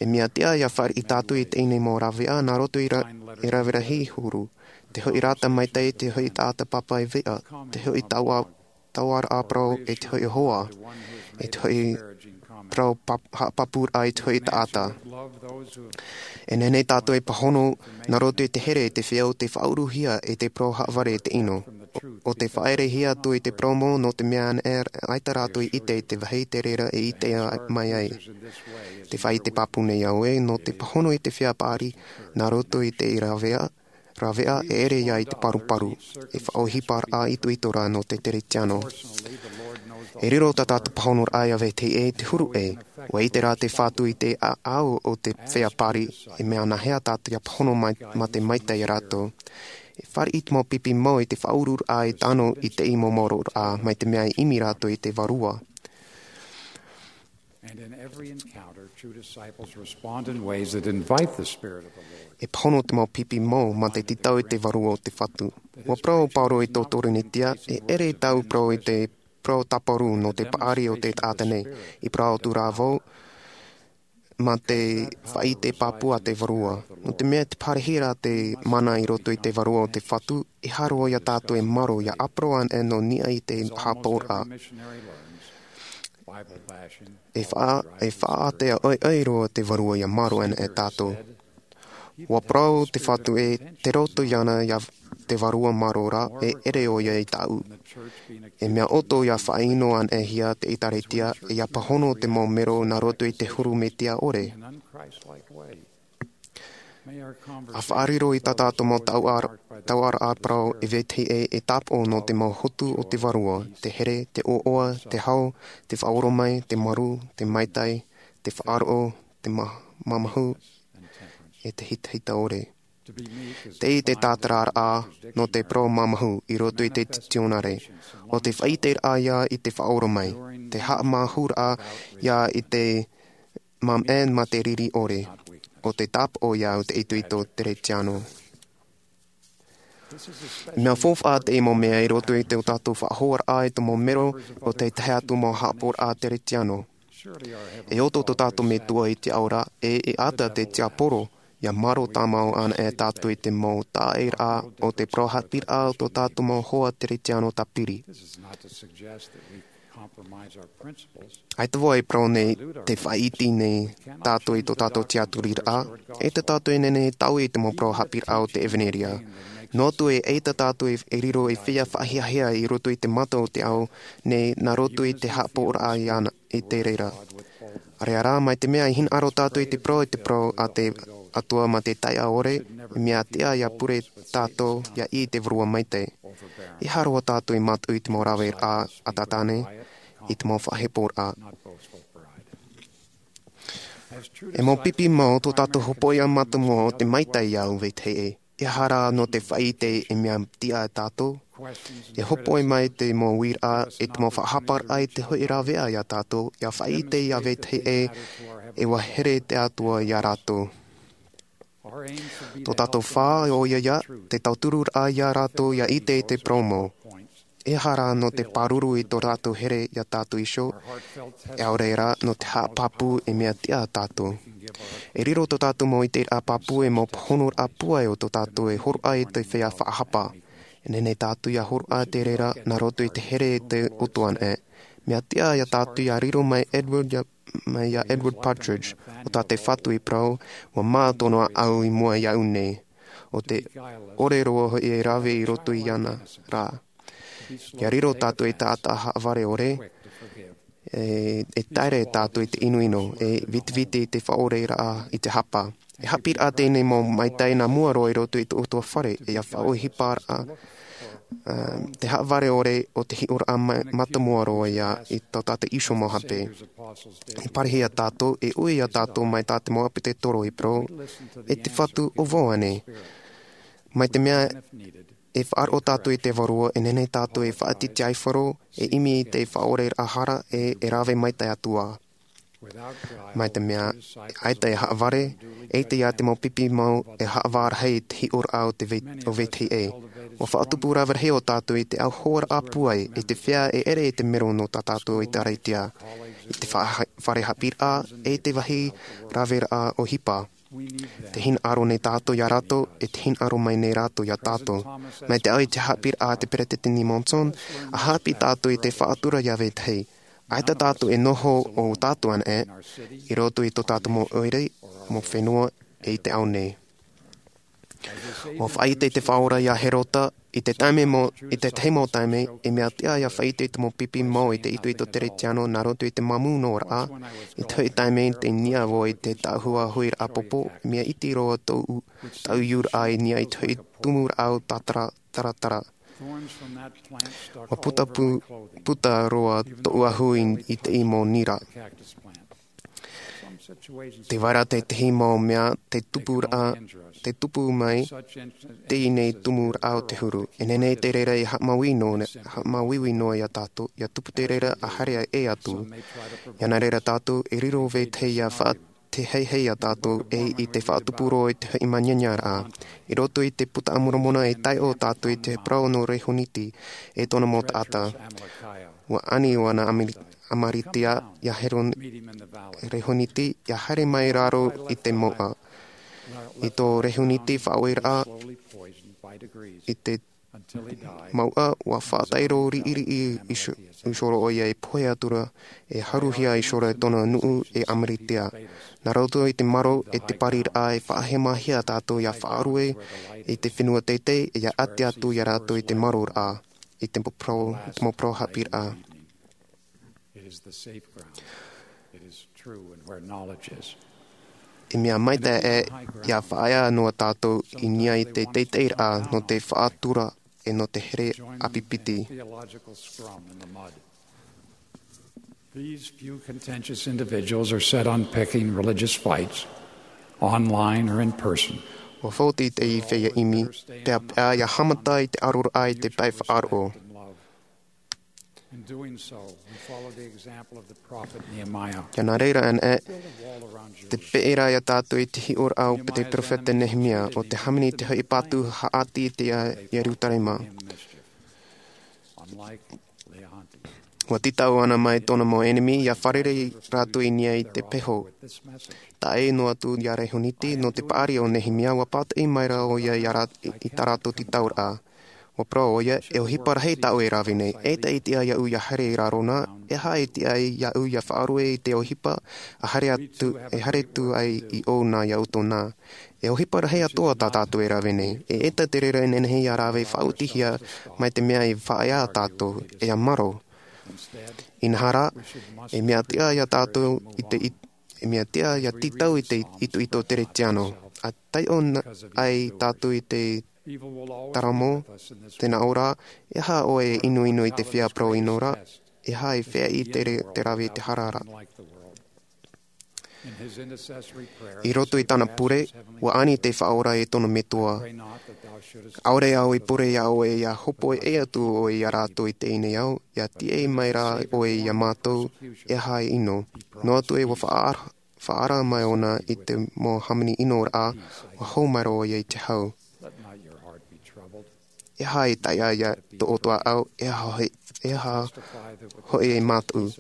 E mea tiʻa ia fāriʻi tātou i teie nei mau rāveʻa, nā roto i ra-, e rave rahi huru. Te hoʻi rata maitaʻi, te hoʻi taʻata pāpaʻi veʻa, te hoʻi taua-, tauaraʻa parau e te hoʻi hoa, e te hoʻi parau pap-, haʻapāpūraʻa i te hoʻi taʻata. E nehenehe tātou e pāhono, nā roto i te here, i te feiā, ʻo te faʻauruhia, e te parau haʻavare i te ʻino. ʻO, ʻo te faʻaʻerehia atu i te parau mau, nō te mea anaʻe, ʻaita rātou i ʻite i te vāhi te reira e ʻite mai ai. Te faʻaʻite pāpū nei au ē, nō te pāhono i te feiā paʻari, nā roto i te rāveʻa, rāveʻa e ʻere ia i te paruparu, e faʻaʻohiparaʻa itoito rā nō te Teretiano. E riro tā tātou pāhonoraʻa ia vetahi ʻē te huru ʻē, ua ʻite rā te Fatu i te ʻāʻau o te feiā paʻari, e mea nāhea tātou ia pāhono mai, mā te maitaʻi ia rātou. E fāriʻi te mau pipi mau i te faʻaururaʻa e tano i te mau maoroʻraʻa, mai te mea e ʻimi rātou i te Vārua. And in every encounter, true disciples respond in ways that invite the Spirit of the Lord. E pāhono te mau pipi mau mā te tītau i te Vārua o te Fatu. Ua parau ʻo Paulo i tō Korinetia, e ʻere tāʻu parau i te parau tāparu nō te paʻari o te taʻata nei, i parau atu rā vau, mā te faʻaʻite pāpū a te Vārua. Nō te mea tē pārahi ra te mana i roto i te Vārua o te Fatu, e haere ia tātou e maro ia ʻāparau anaʻe nō niʻa i te haʻapaʻoraʻa. E faʻa e faʻaʻātea ʻoiʻoi roa te vārua ia mārō ana e tātou. Ua parau te Fatu ē, te roto iāna ia te vārua mārō rā, e ʻere ʻoia i tāʻu. E mea ʻoto ia faʻaʻino ana e hia te ʻēkālesia, e ia pāhono te mau mero nā roto i te huru mesia ʻore. A faʻariro i tā tātou mau tauʻaraʻa parau e vetahi ʻē e tāpaʻo nō te mau hotu o te vārua, te here, te ʻoaʻoa, te hau, te faʻaoromai, te marū, te maitai, te faʻaroʻo, te ma- mamahu, e te hitahita ʻore. Tei te tātararaʻa nō te parau mamahu i roto i te titionare, o te faʻaʻiteraʻa ia i te faʻaoromai, te haʻamahuraʻa ia i te mamaʻe ma te riri ʻore, o te tāpaʻo ia au te itoito Teretiano. Mea faufaʻa te mau mea i roto i tō tātou faʻahoaraʻa i te mau mero o te tahi atu mau haʻapaʻoraʻa Teretiano. E ʻoto tō tātou Metua i te ao ra, e e ʻata te tiaporo, ia mārō tāmau ana e tātou i te mau taʻaʻēraʻa o te parau haʻapiʻiraʻa o tō tātou mau hoa Teretiano tāpiri. ʻAita vau e parau nei te faʻaʻite nei tātou i tō tātou tiaturiraʻa, ʻaita tātou e nehenehe e taui i te mau parau haʻapiʻiraʻa o te ʻevanelia. Noa atu ē, ʻaita tātou e riro ei feiā faʻahiahia i roto i te mata o te ao nei nā roto i te haʻapaʻoraʻa iāna i te reira. ʻĀreʻa rā, mai te mea e hinaʻaro tātou i te parau, i te parau a te Atua ma te taiʻa ʻore, mea tiʻa ia pure tātou ia ʻī i te Vārua Maitaʻi. E aha roa tātou e mātau i te mau raveraʻa a Tātane, i te mau faʻaheporaʻa. E mau pipi mau tō tātou hopoiʻa mātāmua o te maitaʻi ia au vetahi ʻē. E aha rā nō te faʻaʻite e mea tiʻa tātou? E hōpoi mai te mau uiraʻa, e te mau faʻahaparaʻa i te hoʻi raveʻa ia tātou, ia faʻaʻite ia vetahi ʻē, e ʻua here te Atua ia rātou. Tō tātou fā, ʻoia ia, te tautururaʻa ia rātou ia ʻite i te parau mau. E aha rā nō te pāruru i tō rātou here ia tātou iho, e ʻaore rā nō te haʻapāpū e mea tiʻa tātou. E riro tō tātou mau ʻiteraʻa pāpū e mau pāhonoraʻa pūai o tō tātou e hōroʻa i te feiā faʻahapa. E nehenehe tātou ia hōroʻa te reira nā roto i te here e te ʻOtua anaʻe. Mea tiʻa ia tātou ia riro mai Edward ia mai iā Edward Partridge, ʻo tā te Fatu i parau, ʻua mā tōna ʻāʻau i mua iāʻu nei. ʻO te ʻore roa hoʻi e rave i roto iāna rā. Ia riro tātou e taʻata haʻavare ʻore, e, e taere tātou i te ʻinoʻino, e vitiviti i te faʻaoreraʻa i te hapa. E haʻapiʻiraʻa teie nei mau maitaʻi nā mua roa i roto i tō ʻoutou fare, e ia faʻaʻohiparaʻa, ā, te haʻavare ʻore o te hiʻoraʻa ma-, mātāmua roa ia i tō tātou iho mau hape. E parahiraʻa tātou, e ui ia tātou mai tā te mau ʻāpōsetolo i parau, e te Fatu, ʻo vau ānei. Mai te mea e faʻaroʻo tātou i te Vārua, e nehenehe tātou e faʻatītīaifaro, e ʻimi i te faʻaoreraʻa hara, e, e rave maitaʻi atu ā. Mai te mea, ʻaita e haʻavare, ʻaita ia te mau pipi mau e haʻavā rahi i te hiʻoraʻa o te vē-, o vetahi ʻē. ʻUa faʻatupu rave rahi ō tātou i te ʻauhoaraʻa pūai, i te feiā e ʻere i te mero nō tā tātou ʻēkālesia, i te fa-, fare haʻapiʻiraʻa, e te vāhi raveraʻa ʻohipa. Te hinaʻaro nei tātou iā rātou, e te hinaʻaro mai nei rātou iā tātou. Mai te au i te haʻapiʻiraʻa a te Peresideni Monson, ʻa haʻapiʻi tātou i te faʻatura iā vetahi. ʻAita tātou e noho ʻo tātou anaʻe, i roto i tō tātou mau ʻoire, mau fenua, e i te ao nei. ʻUa faʻaʻite te Faʻaora iā Herota, i te taime mau, i te tahi mau taime, e mea tiʻa ia faʻaʻite i te mau pipi mau i te itoito Teretiano nā roto i te māmū noa raʻa, i te hoʻi taime i te niʻa vau i te tāʻuhu huiraʻa pōpō, mea iti roa tōʻu, tāʻu iuraʻa i niʻa i te hoʻi tumuraʻa o tātara, taratara. ʻUa puta pu-, puta roa tōʻu ahu i, i te ʻī mau nira. Tē vai ra tētahi mau mea te tupu ra, te tupu mai teie nei tumuraʻa o te huru. E nehenehe te reira e haʻamāuiui noa, haʻamāuiui noa iā tātou, ʻia tupu te reira ʻa haere ʻē atu. ʻIa nā reira tātou, e riro vetahi ʻia faʻa- te heihei iā tātou, e i te faʻatupu roa i te hoʻi manianiaraʻa. I roto i te Buka a Moromona e taiʻo tātou i te parau nō Rehoniti, e tōna mau taʻata. ʻUa ani ʻo Ana Amari-, Amaritia iā Heron-, Rehoniti, ʻia haere mai raro i te mouʻa. I tō Rehoniti faʻaoreraʻa, i te Mauʻa, ua faʻataʻero riʻiriʻi i so-, i soro ʻo ia e pohe atura, e haruhia i soro e tōna nuʻu e ʻāmiritia. Nā roto i te maro e te pariraʻa e faʻahemahia tātou ia faʻarue i te fenua teitei, e ia ʻati atu ia rātou i te maroraʻa, i te mau parau, i te mau parau haʻapiʻiraʻa. It is the safe ground. It is true and where knowledge is. E mea maitaʻi ia faʻaea noa tātou i niʻa i te teiteiraʻa nō te faʻatura e nō te here ʻāpipiti. Join the theological scrum in the mud. These few contentious individuals are set on picking religious fights, online or in person. Ua fauti te feiā ʻimi, pea, pea ia haʻamata i te aroraʻa i te pae faʻaroʻo. In doing so, we follow the example of the prophet Nehemiah. Ia nā reira anaʻe, te peʻe ra ia tātou i te hiʻoraʻa o te peropheta Nehemia, ʻo te hāmani i te hoʻi patu haʻati i te Ierutarema. Ua tītau ʻana mai tōna mau ʻenemi, ia fārerei rātou i niʻa i te peho. Tae noa atu ia Rehoniti, nō te paʻari o Nehemia, ua pātoʻi mai ra ʻo ia i a rā-, i, i tā rātou tītauraʻa. Ua parau ʻo ia, e ʻohipa rahi tāʻu e rave nei, eʻita e tiʻa iāʻu ia haere i raro na, e aha e tiʻa iāʻu ia faʻarue i te ʻohipa, a haere atu, e haere atu ai i ʻō na iā ʻoutou na. E ʻohipa rahi atoʻa tā tātou e rave nei, e eʻita te reira e nehenehe ia rave faʻaotihia mai te mea e faʻaea tātou, e ia maro. Inaha rā, e mea tiʻa ia tātou i te it-, e mea tiʻa ia tītau i te itoito Teretiano. A taiʻo na-, ai tātou i te taramo, tē nā ʻō ra, e aha ʻoe e ʻinoʻino i te feiā parau ʻino ra, e aha e feiā i te re-, te rave i te hara ra. I roto i tāna pure, ua ani te Faʻaora e tōna metua. ʻAore au i pure iā ʻoe ia hōpoiʻa atu ʻoe iā rātou i teie nei ao, ia tīaʻi mai rā ʻoe iā mātou, e aha e ʻino. Noa atu ē ua faʻaara-, faʻaara mai ʻōna i te mau hāmani ʻino ra, ua hau mai rā ʻoia i te hau. E aha e taiʻa ia tō ʻoutou ʻāʻau, e aha hoʻi, e aha hoʻi e mātou.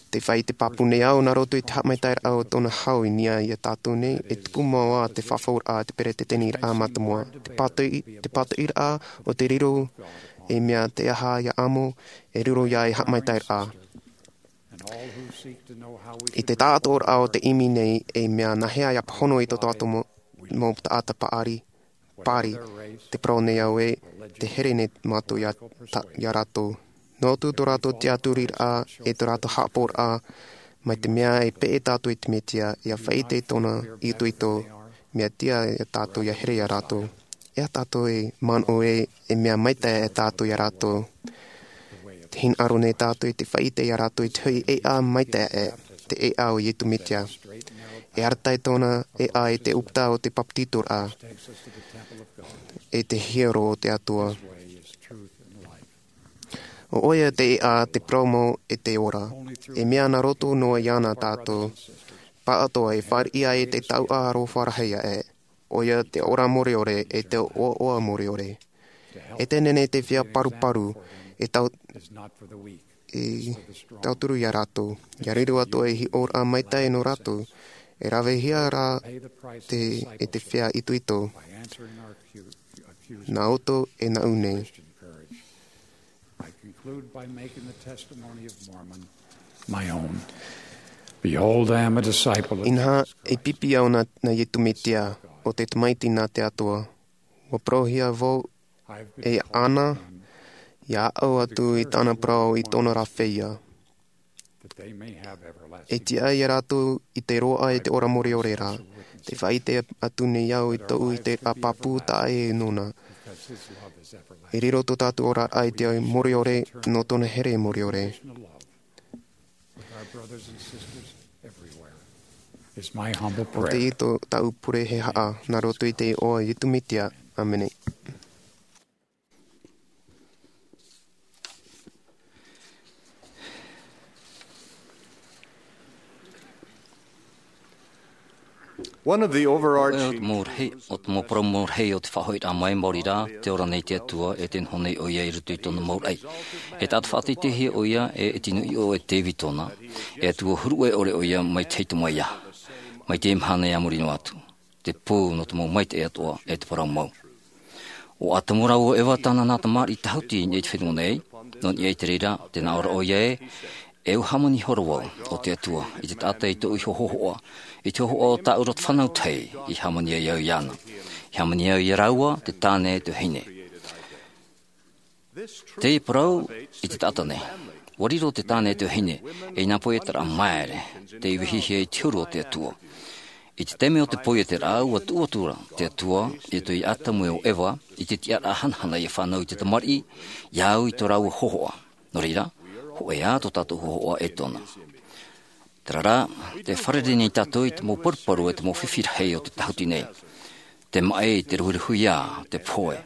Tē faʻaʻite pāpū nei au nā roto i te haʻamaitaʻiraʻa o tōna hau i niʻa iā tātou nei, e tupu mau ā te fafauraʻa, te peretiteniraʻa mātāmua. Te pātoʻi, te pātoʻiraʻa o te riro, e mea te aha ia amo, e riro ia e haʻamaitaʻiraʻa. I te taʻatoʻaraʻa o te ʻimi nei, e mea nāhea ia pāhono i tō tātou mau, mau taʻata paʻari, pāri, te parau nei au ē, te here nei mātou iā ta-, iā rātou. Noa atu tō rātou tiʻaturiraʻa, e tō rātou haʻapaʻoraʻa, mai te mea e peʻe tātou i te Metia, ia faʻaʻite tōna itoito, mea tiʻa ia tātou ia here iā rātou. E aha tātou e manaʻo ē, e mea maitaʻi ē tātou iā rātou. Tē hinaʻaro nei tātou i te faʻaʻite iā rātou i te hoʻi ʻēʻa maitaʻi ē, te ʻēʻa o Iesu Mesia. E arataʻi tōna ʻēʻa i te ʻūputa o te papetitoraʻa, e te hiero o te Atua. ʻO ʻoia te ʻēʻa, te parau mau, e te ora. E mea nā roto noa iāna tātou, pāʻatoʻa e fāriʻi ai te taoʻa aroha rahi aʻe. ʻOia te ora mure ʻore, e te ʻoaʻoa mure ʻore. E te nehenehe te feiā paruparu, e tau-, e tauturu iā rātou. Ia riro atu ei hiʻoraʻa maitaʻi nō rātou, e ravehia rā te, e te feiā itoito. Nā ʻoutou e nāʻu nei. I conclude by making the testimony of Mormon my own. Behold, I am a disciple of Inaha, Jesus Christ. E pipi au nā, nā Iesu Mesia, ʻo te Tamaiti nā te Atua. Ua parauhia vau e ana, ia aʻo atu i tāna parau i tōna rā feiā. That they may have everlasting E tiʻa ia rātou i te roaʻa e te ora mure ʻore ra. Tē faʻaʻite atu nei au i tōʻu ʻiteraʻa pāpū taʻa ʻē nōna. Because his love is everlasting. E riro tō tātou oraraʻa i te mure ʻore nō tōna here mure ʻore. With our brothers and sisters everywhere is my humble ʻO prayer. Teie tō tāʻu pure e haʻa, nā roto i te iʻoa o Iesu Mesia. ʻĀmene. One of the overarching ʻO te mau rahi, ʻo te mau parau mau rahi o te faʻahoʻiraʻa mai, maori rā, te ora nei te Atua, e te noho nei ʻoia i roto i tōna mau raʻi. E taʻata faʻateiteihia ʻoia, e, e tino ʻiʻo e Tēvita ʻōna, e Atua huru ʻore ʻoia mai te hau mai ia. Mai te mahana e a muri noa atu. Te pou nō te mau maitaʻi atoʻa, e te parau mau. ʻO ʻātamu rā ʻo Eva tāna nā tamariʻi tāhuti i niʻa i te fenua nei. Nō niʻa i te reira, tē nā ʻō ra ʻoia ē, e ʻua hāmani ihora vau ʻo te Atua i te taʻata i tōʻu iho hōhoʻa, i te hōhoʻa o tāʻu roto fānau tahi, i hāmani ai au iāna. I hāmani au iā rāua, te tāne, te vahine. Te parau i te taʻata nei. ʻUa riro te tāne te vahine, e nā poietaraʻa māere, tei vehihia i te huru o te Atua. I te taime o te poietaraʻa, ʻua tuʻu atu ra te Atua, i roto ia ʻĀtamu e ʻo Eva, i te tiʻaraʻa hanahana ʻia fānau i te tamariʻi, ia au i tō rāua hōhoʻa. Nō reira, hōʻē ā tō tātou hōhoʻa e tōna. Terā rā, tē fārerei nei tātou i te mau paruparu e te mau fifi rahi o te tāhuti nei. Te maʻi, te ruhiruhiā, te pohe.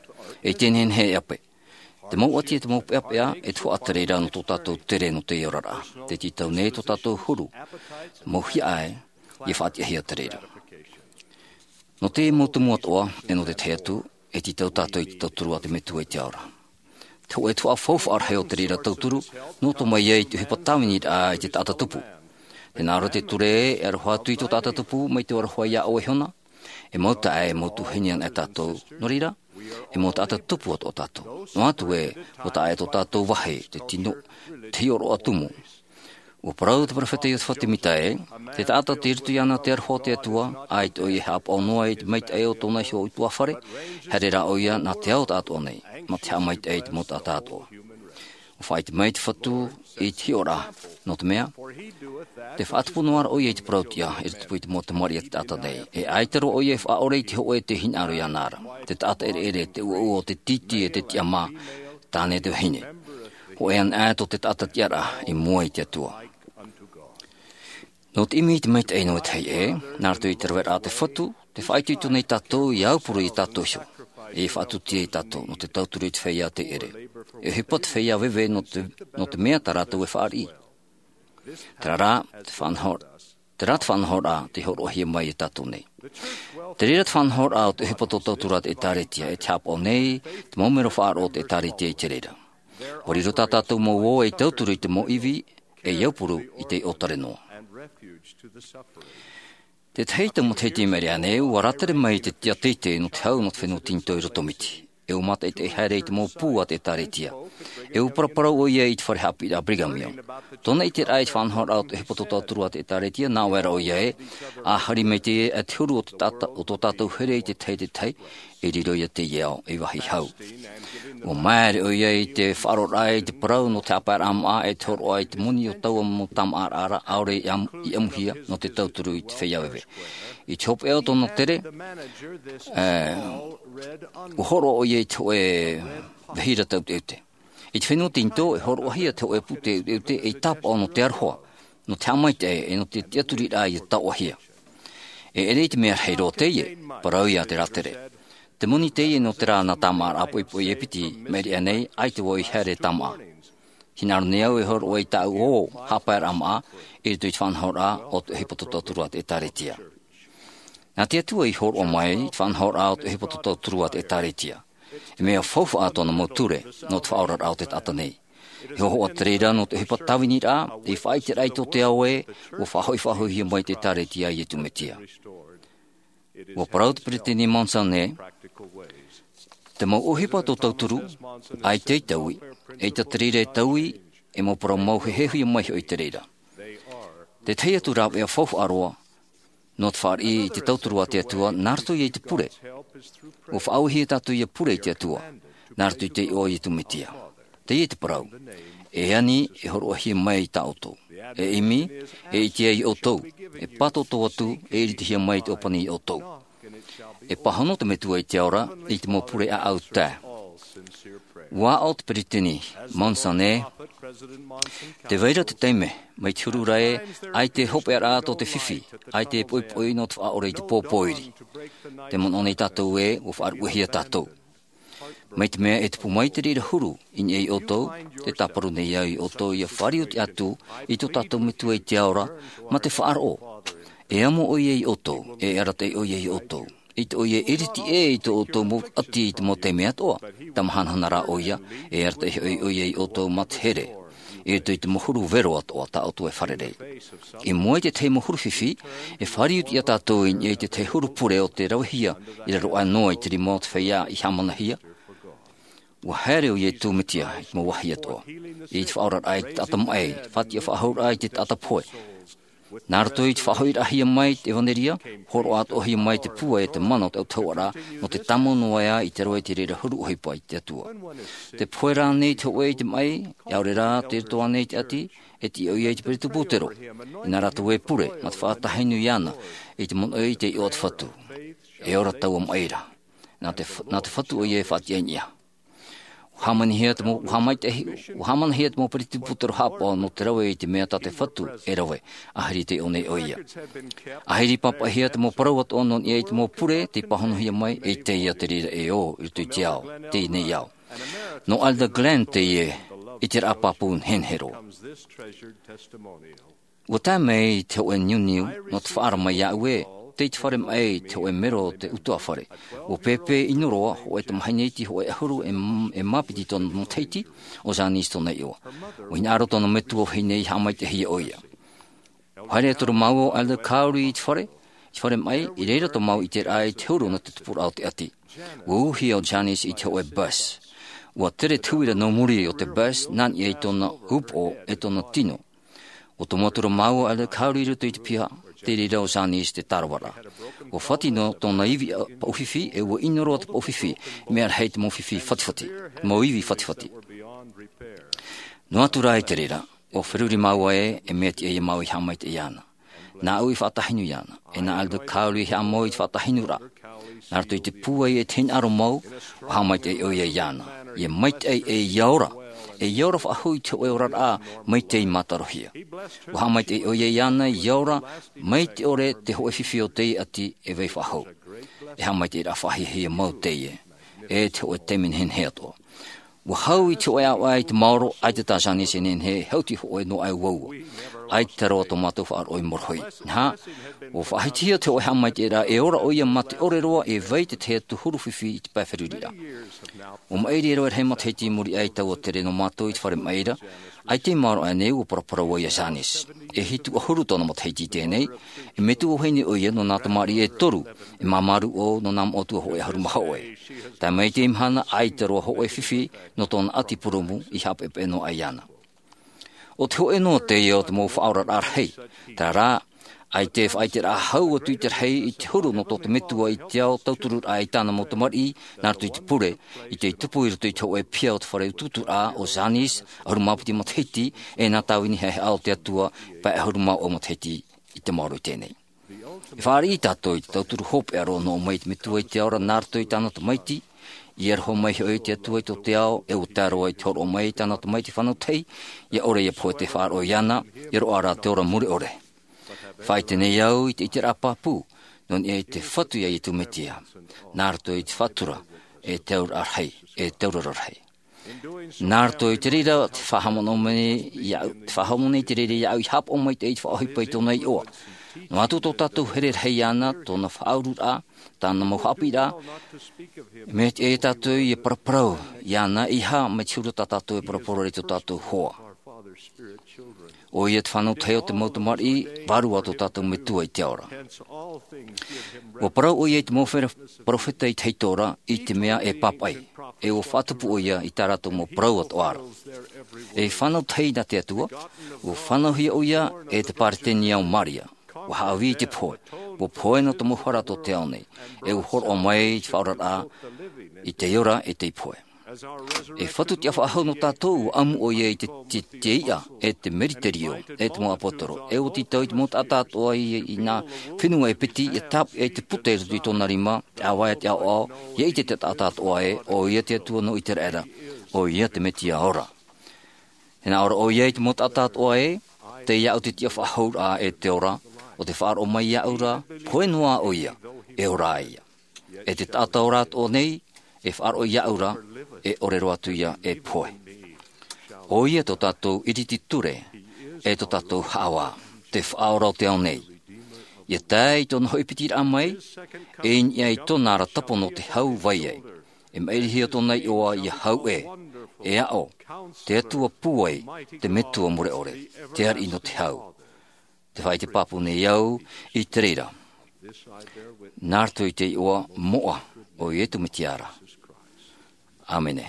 E te nehenehe e ʻape. Te mau ʻati e te mau peʻapeʻa, e te faʻatere ra nō tō tātou tere nō te oraraʻa. Tē tītau nei tō tātou huru, mau hiaʻai, ʻia faʻatiʻahia te reira. Nō te mau tumu atoʻa, e nō te tahi atu, e tītau tātou i te tauturu a te Metua i te ao ra. Te hōʻē tuhaʻa faufaʻa rahi o te reira tauturu, nō tō mai ai te ʻohipa tāviniraʻa i te taʻata tupu. Tē nā ʻō ra te ture ē, e aroha atu i tō taʻata tupu, mai te aroha iā ʻoe iho na, e mau taʻa, e mau tuahine anaʻe tātou. Nō reira, e mau taʻata tupu atoʻa tātou. Noa atu ē, ʻua taʻa ʻē tō tātou vāhi, te tino, te hiʻoroʻa tumu. ʻUa parau te perofeta Iosefa Semita ē, te taʻata tei roto iāna te aroha o te Atua, ʻaita ʻoia e haʻapaʻo noa i te maitaʻi o tōna iho ʻutuāfare, haere rā ʻoia nā te ao taʻatoʻa nei, mā te haʻamaitaʻi i te mau taʻata atoʻa. ʻUa faʻaʻite mai te Fatu i te hiʻoraʻa, nō te mea, tē faʻatupu noa ra ʻoia i te parau-tiʻa, i roto i te mau tamariʻi a te taʻata nei. E ʻaita roa ʻoia e faʻaʻore i te hōʻē tē hinaʻaro iāna ra. Te taʻata ʻereʻere, te ʻuaʻua o te tītī e te tiʻamā, tāne te vahine. Hōʻē anaʻe tō te taʻata tiʻaraʻa i mua i te Atua. Nō te ʻimi i te maitaʻi nō te vāhi ē, nā roto i te raveraʻa a te Fatu, tē faʻaitoito nei tātou ʻia aupuru iā tātou iho, e faʻatupu iā tātou, nō te tauturu i te feiā tei ʻere. E ʻohipa te feiā veve nō te, nō te mea tā rātou e fāriʻi. Terā rā, te faʻanaho, terā te faʻanahoraʻa tei hōroʻahia mai iā tātou nei. Te reira te faʻanahoraʻa o te ʻohipa tō tauturu a te ʻĒtārētia, e te haʻapaʻo nei, te mau mero faʻaroʻo o te ʻĒtārētia i te reira. ʻUa riro tā tātou mau ō ei tauturu i te mau ivi, ei aupuru i te ʻōtare noa. Te tahi tau matahiti i maʻiri aʻe nei, ʻua rātere mai te tiʻa teitei nō te hau nō te fenua Tinitō i Rotomiti. E ʻua mātaʻitaʻi haere i te mau pū a te ʻĒtārētia. E ʻua paraparau ʻoia i te fare haʻapiʻiraʻa Brigham Young. Tōna ʻiteraʻa i te faʻanahoraʻa o te ʻohipa tō tauturu a te ʻĒtārētia, nā ʻō ra ʻoia ē, ʻa haere mai te, e te huru o te tāta-, o tō tātou here i te tahi, te tahi, e riro ia teie ao, ei vāhi hau. ʻUa māere ʻoia i te faʻaroʻoraʻa i te parau nō te haʻapaeraʻa māʻa, e te hōroʻa i te moni o taua mau tāmāʻaraʻa, ʻaore i ʻam-, i ʻamuhia nō te tauturu i te feiā veve. I te hopeʻa o tōna tere, e, ʻua hōroʻa ʻoia i te hōʻē vahiraʻa ʻeuteʻeute. I te fenua Tinitō, e hōroʻahia te hōʻē pūtē ʻeuteʻeute ei tāpaʻo nō te aroha, nō te haʻamaitaʻi, e nō te tiʻaturiraʻa ʻia taoʻahia. E ʻere i te mea rahi roa teie, parau ia te rātere. Te moni teie nō terā nā tāmāʻaraʻa poʻipoʻi e piti, maʻiri aʻe nei, ʻaita vau i haere tāmāʻa. Hinaʻaro nei au e hōroʻa i tāʻu ō haʻapaeraʻa māʻa, i roto i te faʻanahoraʻa o te ʻohipa tō tauturu a te ʻĒtārētia. Nā te Atua i hōroʻa mai, i te faʻanahoraʻa o te ʻohipa tō tauturu a te ʻĒtārētia. E mea faufaʻa tōna mau ture, nō te faʻaoraraʻa o te taʻata nei. E hōhoʻa te reira nō te ʻohipa tāviniraʻa, ei faʻaʻiteraʻa i tō te ao ē, ʻua faʻahoʻi-faʻahoʻihia mai te ʻĒtārētia a Iesu Mesia. ʻUa parau te Peresideni Monson ē, te mau ʻohipa tō tauturu, ʻaita e taui, ʻaita te reira e taui, e mau parau mau heheuhia mai hoʻi te reira. Te tahi atu rāveʻa faufaʻa roa, nō te fāriʻi i te tauturu a te Atua, nā roto ia i te pure. ʻUa faʻaauhia tātou ʻia pure i te Atua, nā roto i te iʻoa o Iesu Mesia. Teie te parau, e ani, e hōroʻahia mai i tā ʻoutou. E ʻimi, e ʻite ai ʻoutou. E pātōtō atu, e iritihia mai i te ʻōpani ia ʻoutou. E pāhono te Metua i te ao ra, i te mau pure ʻāʻau tae. ʻUa aʻo te Peresideni Monson ē, tē vai ra te taime, mai te huru ra ē, ʻaita e hopeʻaraʻa tō te fifi, ʻaita e poʻipoʻi nō te faʻaʻore i te pō pōiri. Tē manaʻo nei tātou ē, ʻua faʻaruʻehia tātou. Mai te mea e tupu mai te reira huru i niʻa ia ʻoutou, tē tāparu nei au ia ʻoutou ʻia fāriʻi atu i tō tātou Metua i te ao ra, mā te faʻaroʻo. E amo ʻoia ia ʻoutou, e arataʻi ʻoia ia ʻoutou. ʻAita ʻoia e iriti ʻē i tō ʻoutou mau ʻati i te mau taime atoʻa, tamahanahana rā ʻoia, e arataʻi hoʻi ʻoia ia ʻoutou mā te here. I roto i te mau huru vero atoʻa tā ʻoutou e fārerei. I mua i te tahi mau huru fifi, e fāriʻi atu ia tātou i niʻa i te tahi huru pure o tē ravehia, i raro aʻe noa i te rima o te feiā i hāmanahia, Ua haere ʻo Iesu Mesia i te mau vāhi atoʻa, i te faʻaoraraʻa i te taʻata maʻi, faʻatiʻa faʻahou raʻa i te taʻata pohe. Nā roto i te faʻahoʻiraʻahia mai te ʻevanelia, hōroʻa atoʻahia mai te pūai e te mana o te autahuʻaraʻa, nō te tāmau noa ā i te roa i te reira huru ʻohipa i te Atua. Tē pohe ra ānei te hōʻē i te maʻi, ʻaore rā tei roto ānei i te ʻati, e tiʻa ʻoia i te peresideni pūtero, i nā rātou e pure, mā te faʻatahi nui iāna, i te manaʻo i te iʻoa o te Fatu. E ora taua maʻi ra. Nā te, nā te Fatu ʻoia e faʻatiʻa i niʻa. Ua hāmanihia te mau, ua hāmaitaʻi, ua hāmanihia te mau peresideni pūtero haʻapaʻo nō te rave i te mea tā te Fatu e rave, ʻahiri tei ʻō nei ʻoia. ʻAhiri pāpaʻihia te mau parau atoʻa nō niʻa i te mau pure, tei pāhonohia mai, e teie te reira e ō, i roto i te ao, teie nei ao. Nō Elder Glenn teie, i te raʻa pāpū nehenehe roa. Ua tae mai te hōʻē niuniu, nō te faʻaara mai iāʻu ē, tei te fare maʻi te hōʻē mero o te ʻutuāfare. Ua pēpē ʻino roa, hōʻē tamahine iti hōʻē ʻahuru e m-, e mā piti tōna matahiti, ʻo Janice tōna iʻoa. Ua hinaʻaro tōna metua vahine i haʻamaitaʻihia ʻoia. Ua haere atoʻa ra māua ʻo Elder Cowley i te fare, i te fare maʻi, i reira tō māua i te raʻa i te huru nō te tupuraʻa o te ʻati. Ua ūhia ʻo Janice i te hōʻē bus. Ua tere te huira nō muri o te bus, nā niʻa i tōna upoʻo e tōna tino. Ua tomo atu ra māua ʻo Elder Cowley i roto i te piha, te reira ʻo Janice te tāravaraʻa. Ua fati noa tōna ivi paʻufifi, e ua ʻino roa te paʻufifi, mea rahi te mau fifi fatifati, mau ivi fatifati. Noa atu rā i te reira, ua feruri māua ē, e mea tiʻa ia māua i haʻamaitaʻi iāna. Nāʻu i faʻatahi nui iāna, e nā Elder Cowley i haʻamau i te faʻatahi nui ra. Nā roto i te pūai e te hinaʻaro mau, ua haʻamaitaʻi ʻoia iāna. ʻIa maitaʻi e ʻia ora, e ʻia ora faʻahou i te hōʻē oraraʻa, maitaʻi mātarohia. Ua haʻamaitaʻi ʻoia iāna, ʻia ora, mai te ʻore te hōʻē fifi o teie ʻati e vai faʻahou. E haʻamaitaʻiraʻa faʻahiahia mau teie, e te hōʻē taime nehenehe atoʻa. Ua hau i te hōʻē ʻāvaʻe i te maoro, ʻaita tā Janice e nehenehe, hau te hōʻē noa ʻē uaua. ʻAita roa tō mātou faʻaroʻo i morohi. Nā, ua faʻahitihia te hōʻē haʻamaitaʻiraʻa, e ora ʻoia mā te ʻore roa, e vai te tahi atu huru fifi i te pae feruri ra. Ua maʻiri e rave rahi matahiti i muri aʻe i taua tere nō mātou i te fare maʻi ra, ʻaita i maoro aʻe nei ua paraparau ai ia Janice. E hitu ʻahuru tōna matahiti i teie nei, e metua vahine ʻoia nō nā tamariʻi e toru, e māmā rūʻau nō nā moʻotua hōʻē ʻahuru mā hōʻē. Tae mai i teie mahana, ʻaita roa hōʻē fifi nō tōna ʻati purōmu i haʻapeʻepeʻe noa aʻe iāna. ʻO te hōʻē noa teie o te mau faʻaoraraʻa rahi, terā rā, ʻaita e faʻaʻiteraʻa hau atu i te rahi i te huru nō tō te metua i te ao tautururaʻa i tāna mau tamariʻi, nā roto i te pure, i te tupu i roto i te hōʻē piha o te fare utuuturaʻa ʻo Janice, ʻahuru mā piti matahiti, e nā tāvini haʻehaʻa o te Atua, pae ʻahuru mā vaʻu matahiti i te maoro i teie nei. E fāriʻi tātou i te tauturu hopeʻa roa nō ʻō mai i te Metua i te ao ra nā roto i tāna Tamaiti, i aroha mai hoʻi te Atua i tō te ao, e ʻua tae roa i te hōroʻa mai i tāna Tamaiti fānau tahi, ʻia ʻore ʻia pohe te faʻaroʻo iāna, ʻia roaʻa rā te ora mure ʻore. Faʻaʻite nei au i te ʻiteraʻa pāpū, nō niʻa i te Fatu ia Iesu Mesia, nā roto i te faʻatura, e te auraʻa rahi, e te auraro rahi. Nā roto i te reira, te faʻahaʻamanaʻo mai iāʻu, te faʻahaʻamanaʻo i te reira iāʻu i haʻapaʻo maitaʻi i te faʻaʻohipa i tōna iʻoa. Noa atu tō tātou here rahi iāna, tōna faʻaururaʻa, tāna mau haʻapiʻiraʻa, mea tiʻa ia tātou ʻia paraparau iāna, ʻeiaha mai te huru tā tātou e paraparau ra i tō tātou hoa. ʻOia te fānau tahi o te mau tamariʻi, vārua tō tātou Metua i te ao ra. ʻUa parau ʻoia i te mau fera-, perofeta i te tahito ra, i te mea e pāpaʻi, e ʻua faʻatupu ʻoia i tā rātou mau parau atoʻa ra. E fānau tahi nā te Atua, ʻua fānauhia ʻoia e te Peresideni o Maria. ʻUa haʻavī i te pohe, ʻua pohe nō te mau hara tō te ao nei, e ʻua hōroʻa mai i te faʻaoraraʻa, i te ora e te pohe. E Fatu tiʻa faʻahou nō tātou, ʻua ʻamu ʻoia i te, te, te iʻa, e te meriterio, e te mau ʻāpōsetolo, e ʻua tītau i te mau taʻata atoʻa i, i nā fenua e piti, ʻia tāpeʻa i te puta i roto i tōna rima, te ʻāvae, te ʻaoʻao, ʻia ʻite te taʻata atoʻa ē, ʻoia te Atua nō ʻĪteraʻera, ʻoia te Mesia ora. E nā ʻō ra ʻoia i te mau taʻata atoʻa ē, tei iāʻu te tiʻa faʻahou ra e te ora, ʻo tē faʻaroʻo mai iāʻu ra, pohe noa ʻoia, e ora ïa. E te taʻata ora atoʻa nei, e faʻaroʻo iāʻu ra, e ʻore roa atu ïa e pohe. ʻOia tō tātou ʻiriti ture, e tō tātou haʻavā, te Faʻaora o te ao nei. ʻIa tae i tōna hoʻi pitiraʻa mai, e i niʻa i tōna ara tapo nō te hau vai ai. E maʻirihia tōna iʻoa ʻia hau ē, e aʻo, te Atua pūai, te Metua mure ʻore, te ariʻi nō te hau. Tē faʻaʻite pāpū nei au i te reira. Nā roto i te iʻoa moʻa o Iesu Mesia ra. ʻĀmene.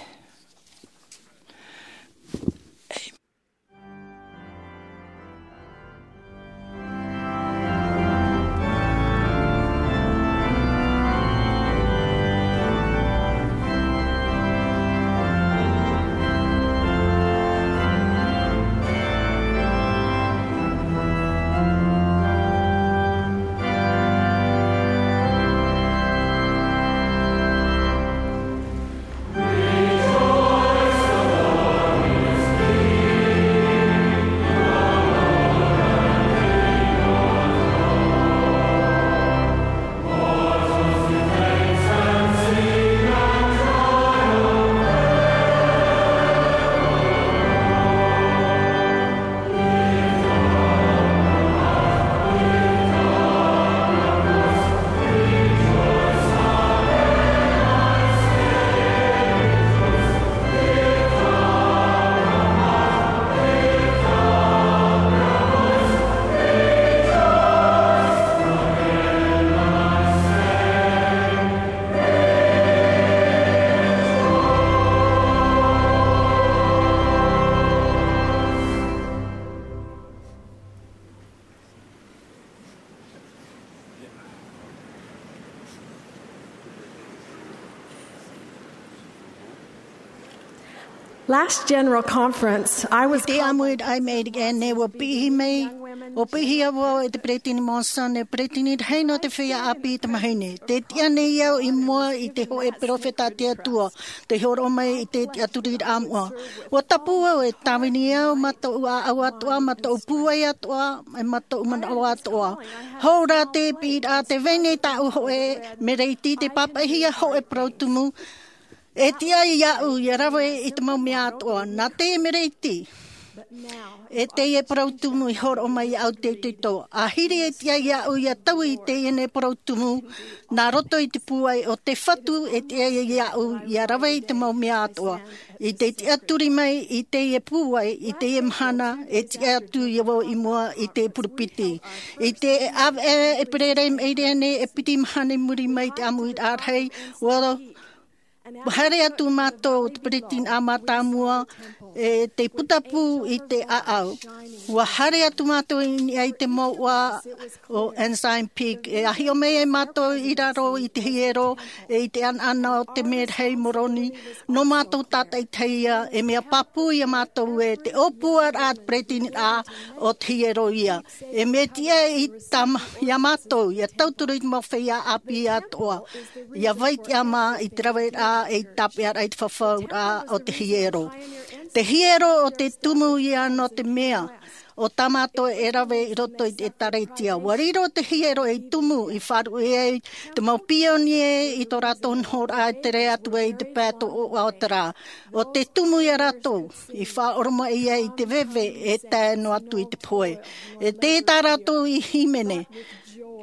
Last general conference, I was I te ʻāmuiraʻa i maʻiri aʻe nei, ua piʻi mai, ua piʻihia vau e te Peresideni Monson, e peresideni rahi nō te feiā ʻāpī i te mahine. Tē tiʻa nei au i mua i te hōʻē peropheta a te Atua, tei hōroʻa mai i te tiʻaturiraʻa moʻa. Ua tapu au e tāvini au, mā tōʻu ʻāʻau atoʻa, mā tōʻu pūai atoʻa, e mā tōʻu manaʻo atoʻa. Hou rā te piʻiraʻa, tē vai nei tāʻu hōʻē mereiti, tē pāpaʻihia hōʻē parau tumu, e tiʻa iāʻu ʻia rave i te mau mea atoʻa. Nā teie mereiti, e teie parau tumu i hōroʻa mai iāʻu te itoito. ʻĀhiri e tiʻa iāʻu ʻia taui i teie nei parau tumu, nā roto i te pūai o te Fatu, e tiʻa iāʻu ʻia rave i te mau mea atoʻa. I te tiʻaturi mai i teie pūai, i teie mahana, e tiʻa atu ia vau i mua i te purupiti. I te ʻāvaʻe ʻEperēra i maʻiri aʻe nei, e piti mahana i muri mai i te ʻāmuiraʻa rahi, ua haere atu mātou, te peresideni mātāmua, e tei putapū i te ʻāʻau. Ua haere atu mātou i niʻa i te mouʻa o Ensign Peak. E ʻāhiʻo mai ai mātou i raro i te hiero, e i te ʻanaʻana o te merahi Moroni, nō mātou tātaʻitahi ia, e mea pāpū ia mātou ē, te ʻōpuaraʻa a te peresideni o te hiero ia. E mea tiʻa i tā ma-, ia mātou, ʻia tauturu i te mau feiā ʻāpī atoʻa, ʻia vai tiʻamā i te raveraʻa, e i tāpeʻaraʻa i te fafauraʻa o te hiero. Te hiero o te tumu ia nō te mea, o tā mātou e rave i roto i te ʻĒtārētia. Ua riro te hiero ei tumu i faʻaruʻe ai te mau pionie i tō rātou nohoraʻa e tere atu ai i te pae tōʻoʻa o te rā. ʻO te tumu ia rātou i faʻaoromaʻi ai i te veve e tae noa atu i te pohe. E tē tā rātou i hīmene,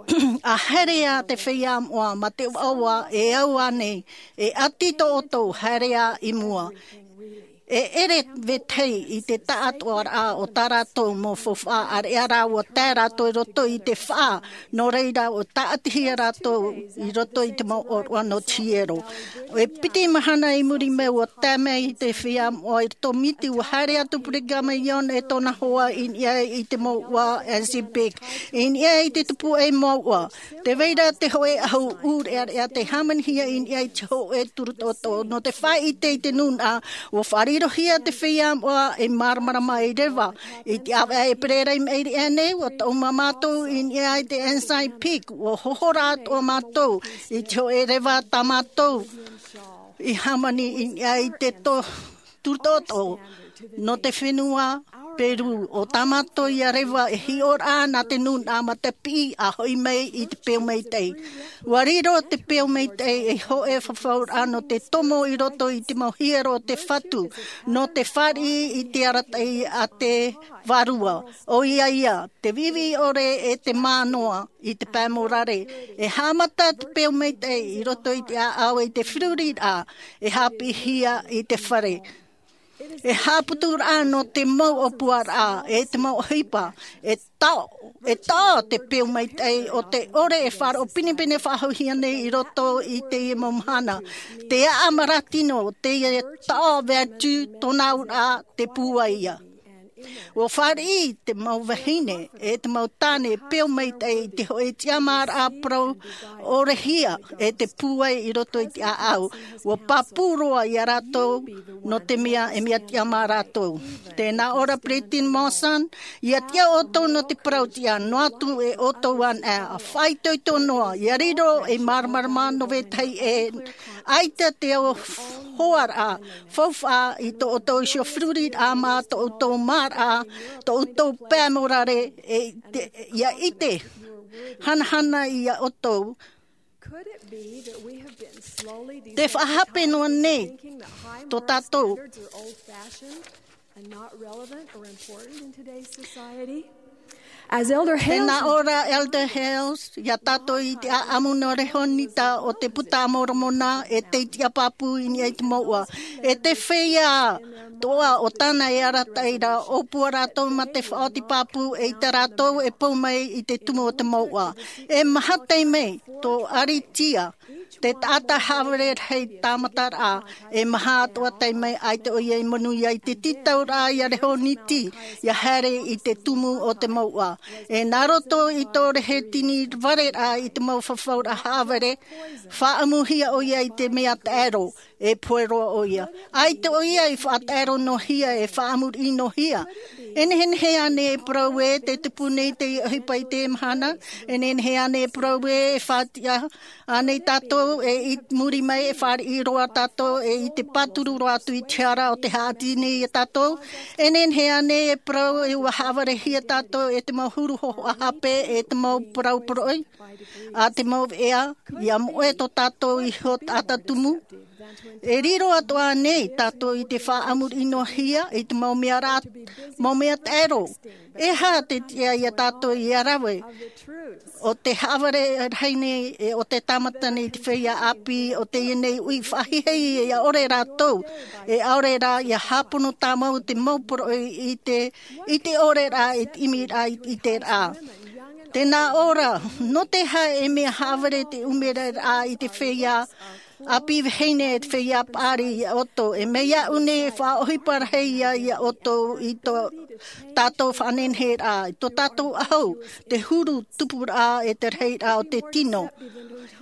ʻa haere ā te feiā moʻa mā te ʻoaʻoa, e au ānei, e ʻati tō ʻoutou, haere ā i mua. E ʻere vetahi i te taʻatoʻaraʻa o tā rātou mau faufaʻa, ʻāreʻa rā ua tae rātou i roto i te faʻa, nō reira ua tāʻatihia rātou i roto i te mau ʻōroʻa nō te hiero. E piti mahana i muri mai ua tae mai te feiā moʻa i roto miti, ua haere atu Brigham Young e tōna hoa i niʻa i te mouʻa Ensign Peak, i niʻa i te tupuaʻi mouʻa. Tē vai ra te hōʻē ʻahu ʻūreʻareʻa tei hāmanihia i niʻa i te hōʻē turu toto. Nō te faʻaʻite i te nūnaʻa, ua faʻarirohia te feiā moʻa ei māramarama ei reva. I te ʻāvaʻe ʻEperēra i maʻiri aʻe nei, ua taʻu mā mātou i niʻa i te Ensign Peak, ua hohora atoʻa mātou i te hōʻē reva tā mātou i hāmani i niʻa i te to-, turu toto nō te fenua Perū. ʻO tā mātou ia reva e hiʻoraʻa nā te nūnaʻa mā te piʻi ʻa hoʻi mai i te peu maitaʻi. Ua riro te peu maitaʻi ei hōʻē fafauraʻa nō te tomo i roto i te mau hiero o te Fatu, nō te fāriʻi i te arataʻi a te Vārua. ʻOia ia, te viʻiviʻi ʻore e te mā noa i te pae morare. E haʻamata te peu maitaʻi i roto i te ʻāʻau i te feruriraʻa, e haʻapiʻihia i te fare. E haʻaputuraʻa nō te mau ʻōpuaraʻa, e te mau ʻohipa, e taʻo, e taʻo te peu maitaʻi o te ʻore e faʻaroʻo pinepine faʻahouhia nei i roto i teie mau mahana. Te aʻa marautino, teie taʻo veatu tōna auraʻa te pūai ia. Ua fāriʻi te mau vahine, e te mau tāne, peu maitaʻi i te hōʻē tiʻamāraʻa parau ʻorehia, e te pūai i roto i te ʻāʻau. Ua pāpū roa ia rātou, nō te mea e mea tiʻa mā rātou. Tēnā ʻō ra Peresideni Monson, ʻia tiʻa ʻoutou nō te parau tiʻa, noa atu e ʻoutou anaʻe, ʻa faʻaitoito noa, ʻia riro ei māramarama nō vetahi ʻē, ʻaita te hoaraʻa faufaʻa i tō ʻoutou iho feruriraʻa mā tō ʻoutou māraʻa, tō ʻoutou pae morare, e te, ʻia ʻite, hanahana ia ʻoutou. Could it be that we have been slowly Te faʻahape noa nei desensitized, thinking that high moral tō tātou standards are old-fashioned and not relevant or important in today's society? As Elder Hales Tēnā ʻō ra Elder Hales, ia tātou i te ʻāʻamu nō Rehonita o te Puta a Moromona, e tei tiʻa pāpū i niʻa i te mouʻa. E te feiā toʻa o tāna e arataʻi ra, ʻōpua rātou mā te faʻaoti pāpū, eʻita rātou e pou mai i te tumu o te mouʻa. E maha taime, tō ʻaritia, Te taʻata haʻavare rahi tāmataraʻa, e maha atoʻa taime ʻaita ʻoia i manuia i te tītauraʻa ia reho niti, ia haere i te tumu o te mouʻa. E nā roto i tō rehe tini vareraʻa i te mau fafauraʻa haʻavare, faʻaʻamuhia ʻoia i te mea taʻero, e pohe roa ʻoia. ʻAita ʻoia i faʻataʻero noa hia, e faʻamuriʻi noa hia. E nehenehe ānei e parau ē te tupu nei te ʻohipa i te mahana? E nehenehe ānei e parau ē e faʻatiʻa ānei tātou, e i muri mai e fāriʻi roa tātou, e i te pāturu roa atu i te hara o te haʻati nei ia tātou? E nehenehe ānei e parau ē ʻua haʻavarehia tātou e te mau huru hōhoʻa hape, e te mau parau poroʻi, a te mau veʻa, ia moʻe tō tātou iho taʻata tumu? E riro atoʻa nei tātou i te faʻamuriʻi noa hia i te mau mea rā, mau mea taʻero. E aha te tiʻa ia tātou ia rave o te haʻavare rahi nei, e o te tāmata nei i te feiā ʻāpī o teie nei uʻi faʻahiahia, ʻaore rātou, e ʻaore rā ia hāpono tāmau te mau poroʻi i te, i te ʻore rā, i te ʻimiraʻa, i te rā. Tēnā ʻō ra, nō te aha e mea haʻavare te ʻumeraʻa i te feiā ʻāpī vahine, e te feiā paʻari ia ʻoutou? E mai iāʻu nei e faʻaʻohipa rahi ia, ia ʻoutou i tō tātou faʻanehenehe rā, i tō tātou ʻahu, te huru tupuraʻa, e te rahiraʻa o te tino.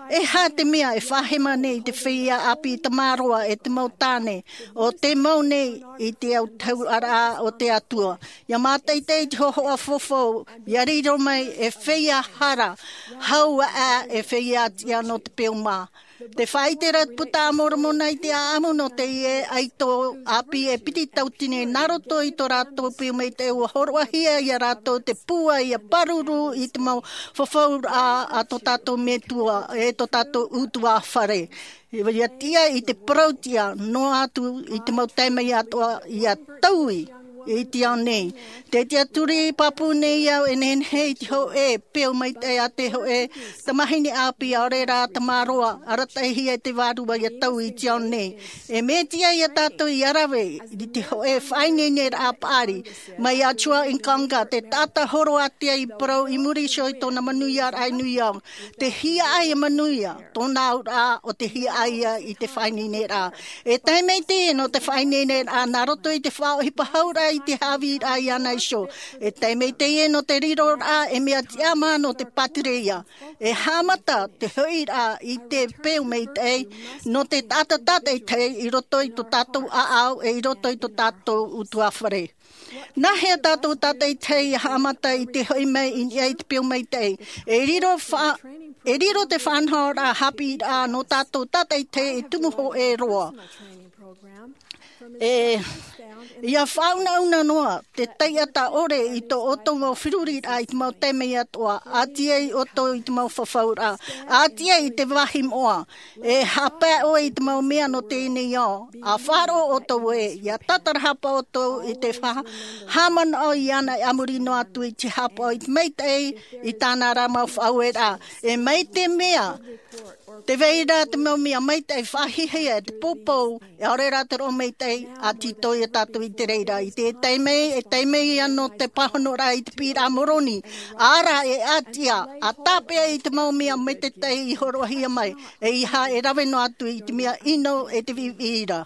E aha te mea e faʻahema nei i te feiā ʻāpī tamaroa, e te mau tāne, o te mau nei i te autahuʻaraʻa o te Atua? Ia mātaʻitaʻi i te hōhoʻa fofo, ia riro mai e feiā hara, hau aʻe e feiā tiʻa nō te peu mā. Te faʻaʻite ra te puta a Moromona i te ʻāʻamu nō teie ʻaito ʻāpī e piti tautini, nā roto i tō rātou peu maitaʻi ʻua hōroʻahia ia rātou te pūai ia pāruru i te mau fafauraʻa a tō tātou Metua, e tō tātou ʻutuāfare. Ia tiʻa i te parau tiʻa, noa atu i te mau taime atoʻa ia taui i te ao nei. Te tiʻaturi pāpū nei au, e nehenehe i te hōʻē peu maitaʻi a te hōʻē tamahine ʻāpī, ʻaore rā tamaroa, arataʻihia e te Vārua ia taui i te ao nei. E mea tiʻa ia tātou ia rave i te hōʻē faʻaineineraʻa paʻari mai iā Chua ʻIkanga, te taʻata hōroʻahia i parau i muri iho i tōna manuiaraʻa i New York. Te hiaʻai e manuia tōna auraʻa, ʻo te hiaʻai ia i te faʻaineineraʻa. E tae mai teie nō te faʻaineineraʻa nā roto i te faʻaʻohipa hauraʻa i te haʻavīraʻa iāna iho. E tae mai teie nō te riroraʻa e mea tiʻamā nō te pātireia. E haʻamata te hoʻiraʻa i te peu maitaʻi nō te taʻata tātaʻitahi i roto i tō tātou ʻāʻau, e i roto i tō tātou ʻutuāfare. Nāhea tātou tātaʻitahi ia haʻamata i te hoʻi mai i niʻa i te peu maitaʻi? E riro fa-, e riro te faʻanahoraʻa haʻapiʻiraʻa nō tātou tātaʻitahi e tumu hōʻē roa. E, ia faʻaunauna noa te taiʻata ʻore i tō ʻoutou mau feruriraʻa i te mau taime atoʻa, ʻati ai ʻoutou i te mau fafauraʻa, ʻati ai i te vāhi moʻa. E haʻapae ʻoe i te mau mea nō teie nei ao, ʻa faʻaroʻo ʻoutou ē, ia tātarahapa ʻoutou i te fa-, haʻamanaʻo iāna, e a muri noa atu i te haʻapaʻo i te maitaʻi i tāna ra mau faʻaueraʻa. E mai te mea, tē vai ra te mau mea maitaʻi faʻahiahia, te poupou, e ʻaore rā te roʻo maitaʻi, ʻa tītau ia tātou i te reira. I te taime, e taime ia nō te pāhonoraʻa i te piʻiraʻa a Moroni. ʻĀ rā, e ʻati ā, ʻa tāpeʻa i te mau mea maitaʻi i hōroʻahia mai, ʻeiaha e rave noa atu i te mea ʻino e te viʻiviʻi ra.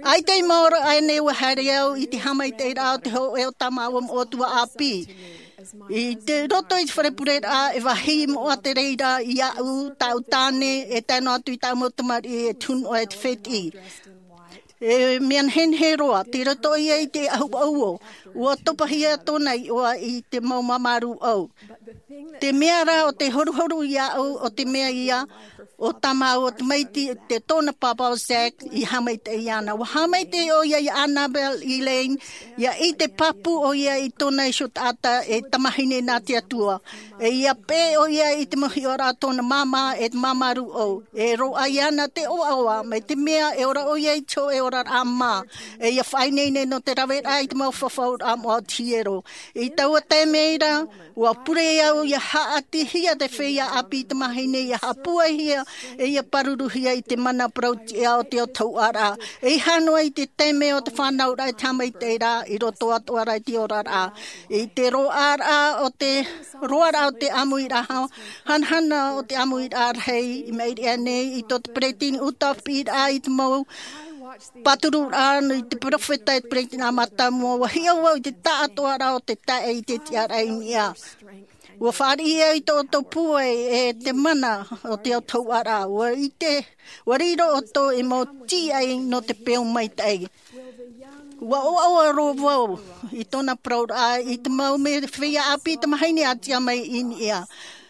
ʻAita i maoro aʻenei ʻua haere au i te haʻamaitaʻiraʻa o te hōʻē o tā māua moʻa tuaʻāpī. I te roto i te fare pureraʻa, e vāhi moʻa te reira iāʻu, tāʻu tāne, e tae noa atu i tāʻu mau tamariʻi, e te hunuʻa, e te fētiʻi. E mea nehenehe roa, tei roto ia i te ʻahu ʻauʻau, ʻua topahia tōna iʻoa i te mau māmārū ʻau. Te mea rā ʻo te horuhoru iāʻu, ʻo te mea ia, ʻo tā māua tamaiti, te tōna pāpā ʻo Zach i haʻamaitaʻi iāna. ʻUa haʻamaitaʻi ʻoia iā Annabelle Elaine, ia ʻite pāpū ʻoia i tōna iho taʻata e tamahine nā te Atua. E ia peʻe ʻoia i te mau hiʻoraʻa a tōna māmā e te māmārū ʻau. E roaʻa iāna te ʻoaʻoa, mai te mea e ora ʻoia i te hōʻē oraraʻa mā. E ia faʻaineine nō te raveraʻa i te mau fafauraʻa moʻa o te hiero. I taua taime ra, ʻua pure au ia haʻatihia te feiā ʻāpī tamahine ia haʻapūaihia E ia pāruruhia i te mana parau-tiʻa o te autahuʻaraʻa. E ia hānoa i te taime o te fānauraʻa i te haʻamaitaʻiraʻa, i roto atoʻa rā i te oraraʻa. I te roaraʻa o te, roaraʻa o te ʻāmuiraʻa, hanahana o te ʻāmuiraʻa rahi, i maʻiri aʻe nei, i tō te peresideni ʻUta piʻiraʻa i te mau pāturuʻraʻa i te peropheta e te peresideni mātāmua, ʻua hiʻo vau i te taʻatoʻaraʻa o te taeaʻe i te tiʻaraʻa i niʻa. ʻUa fāriʻi au i tō ʻoutou pūai e te mana o te autahuʻaraʻa. ʻUa ʻite, ʻua riro ʻoutou ei mau tīaʻi nō te peu maitaʻi. ʻUa ʻoaʻoa roa vau i tōna parauraʻa, i te mau mea feiā ʻāpī tamāhine a tiʻa mai i niʻa.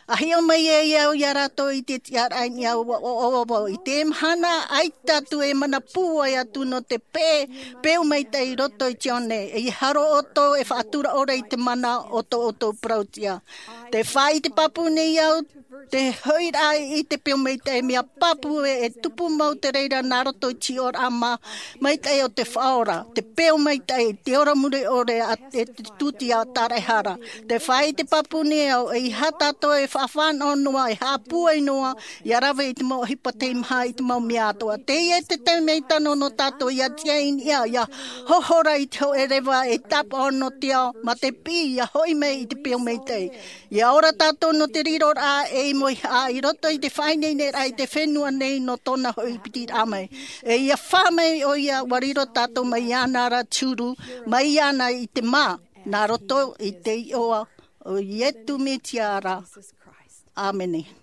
ʻA hiʻo mai ai au ia rātou i te tiʻaraʻa i niʻa, ʻua ʻoaʻoa vau. I te mahana, ʻaita atu e mana pūai atu nō te peu, peu maitaʻi i roto i te ao nei. E ia haro ʻoutou e faʻatura ʻore i te mana o tō ʻoutou parau-tiʻa. Tē faʻaʻite pāpū nei au, te hoʻiraʻa i te peu maitaʻi, mea pāpū ē, e tupu mau te reira nā roto i te hiʻoraʻa mā, maitaʻi o te Faʻaora, te peu maitaʻi, te ora mure ʻore, ʻa, e te tūtia tāraʻehara. Tē faʻaʻite pāpū nei au, ʻeiaha tātou e faʻafānaʻo noa, e haʻapūai noa, ʻia rave i te mau ʻohipa teimaha, i te mau mea atoʻa. Teie te taime tano nō tātou ʻia tiʻa i niʻa, ʻia hohora i te hōʻē reva e tāpaʻo nō te ao, mā te piʻi ʻia hoʻi mai i te peu maitaʻi. ʻIa ora tātou nō te riroraʻa ei mauhaʻa i roto i te faʻaineineraʻa i te fenua nei nō tōna hoʻi pitiraʻa mai. E ʻia fā mai ʻoia, ʻua riro tātou mai iāna ra te huru, mai iāna i te mā, nā roto i te iʻoa o Iesu Mesia ra. ʻĀmene.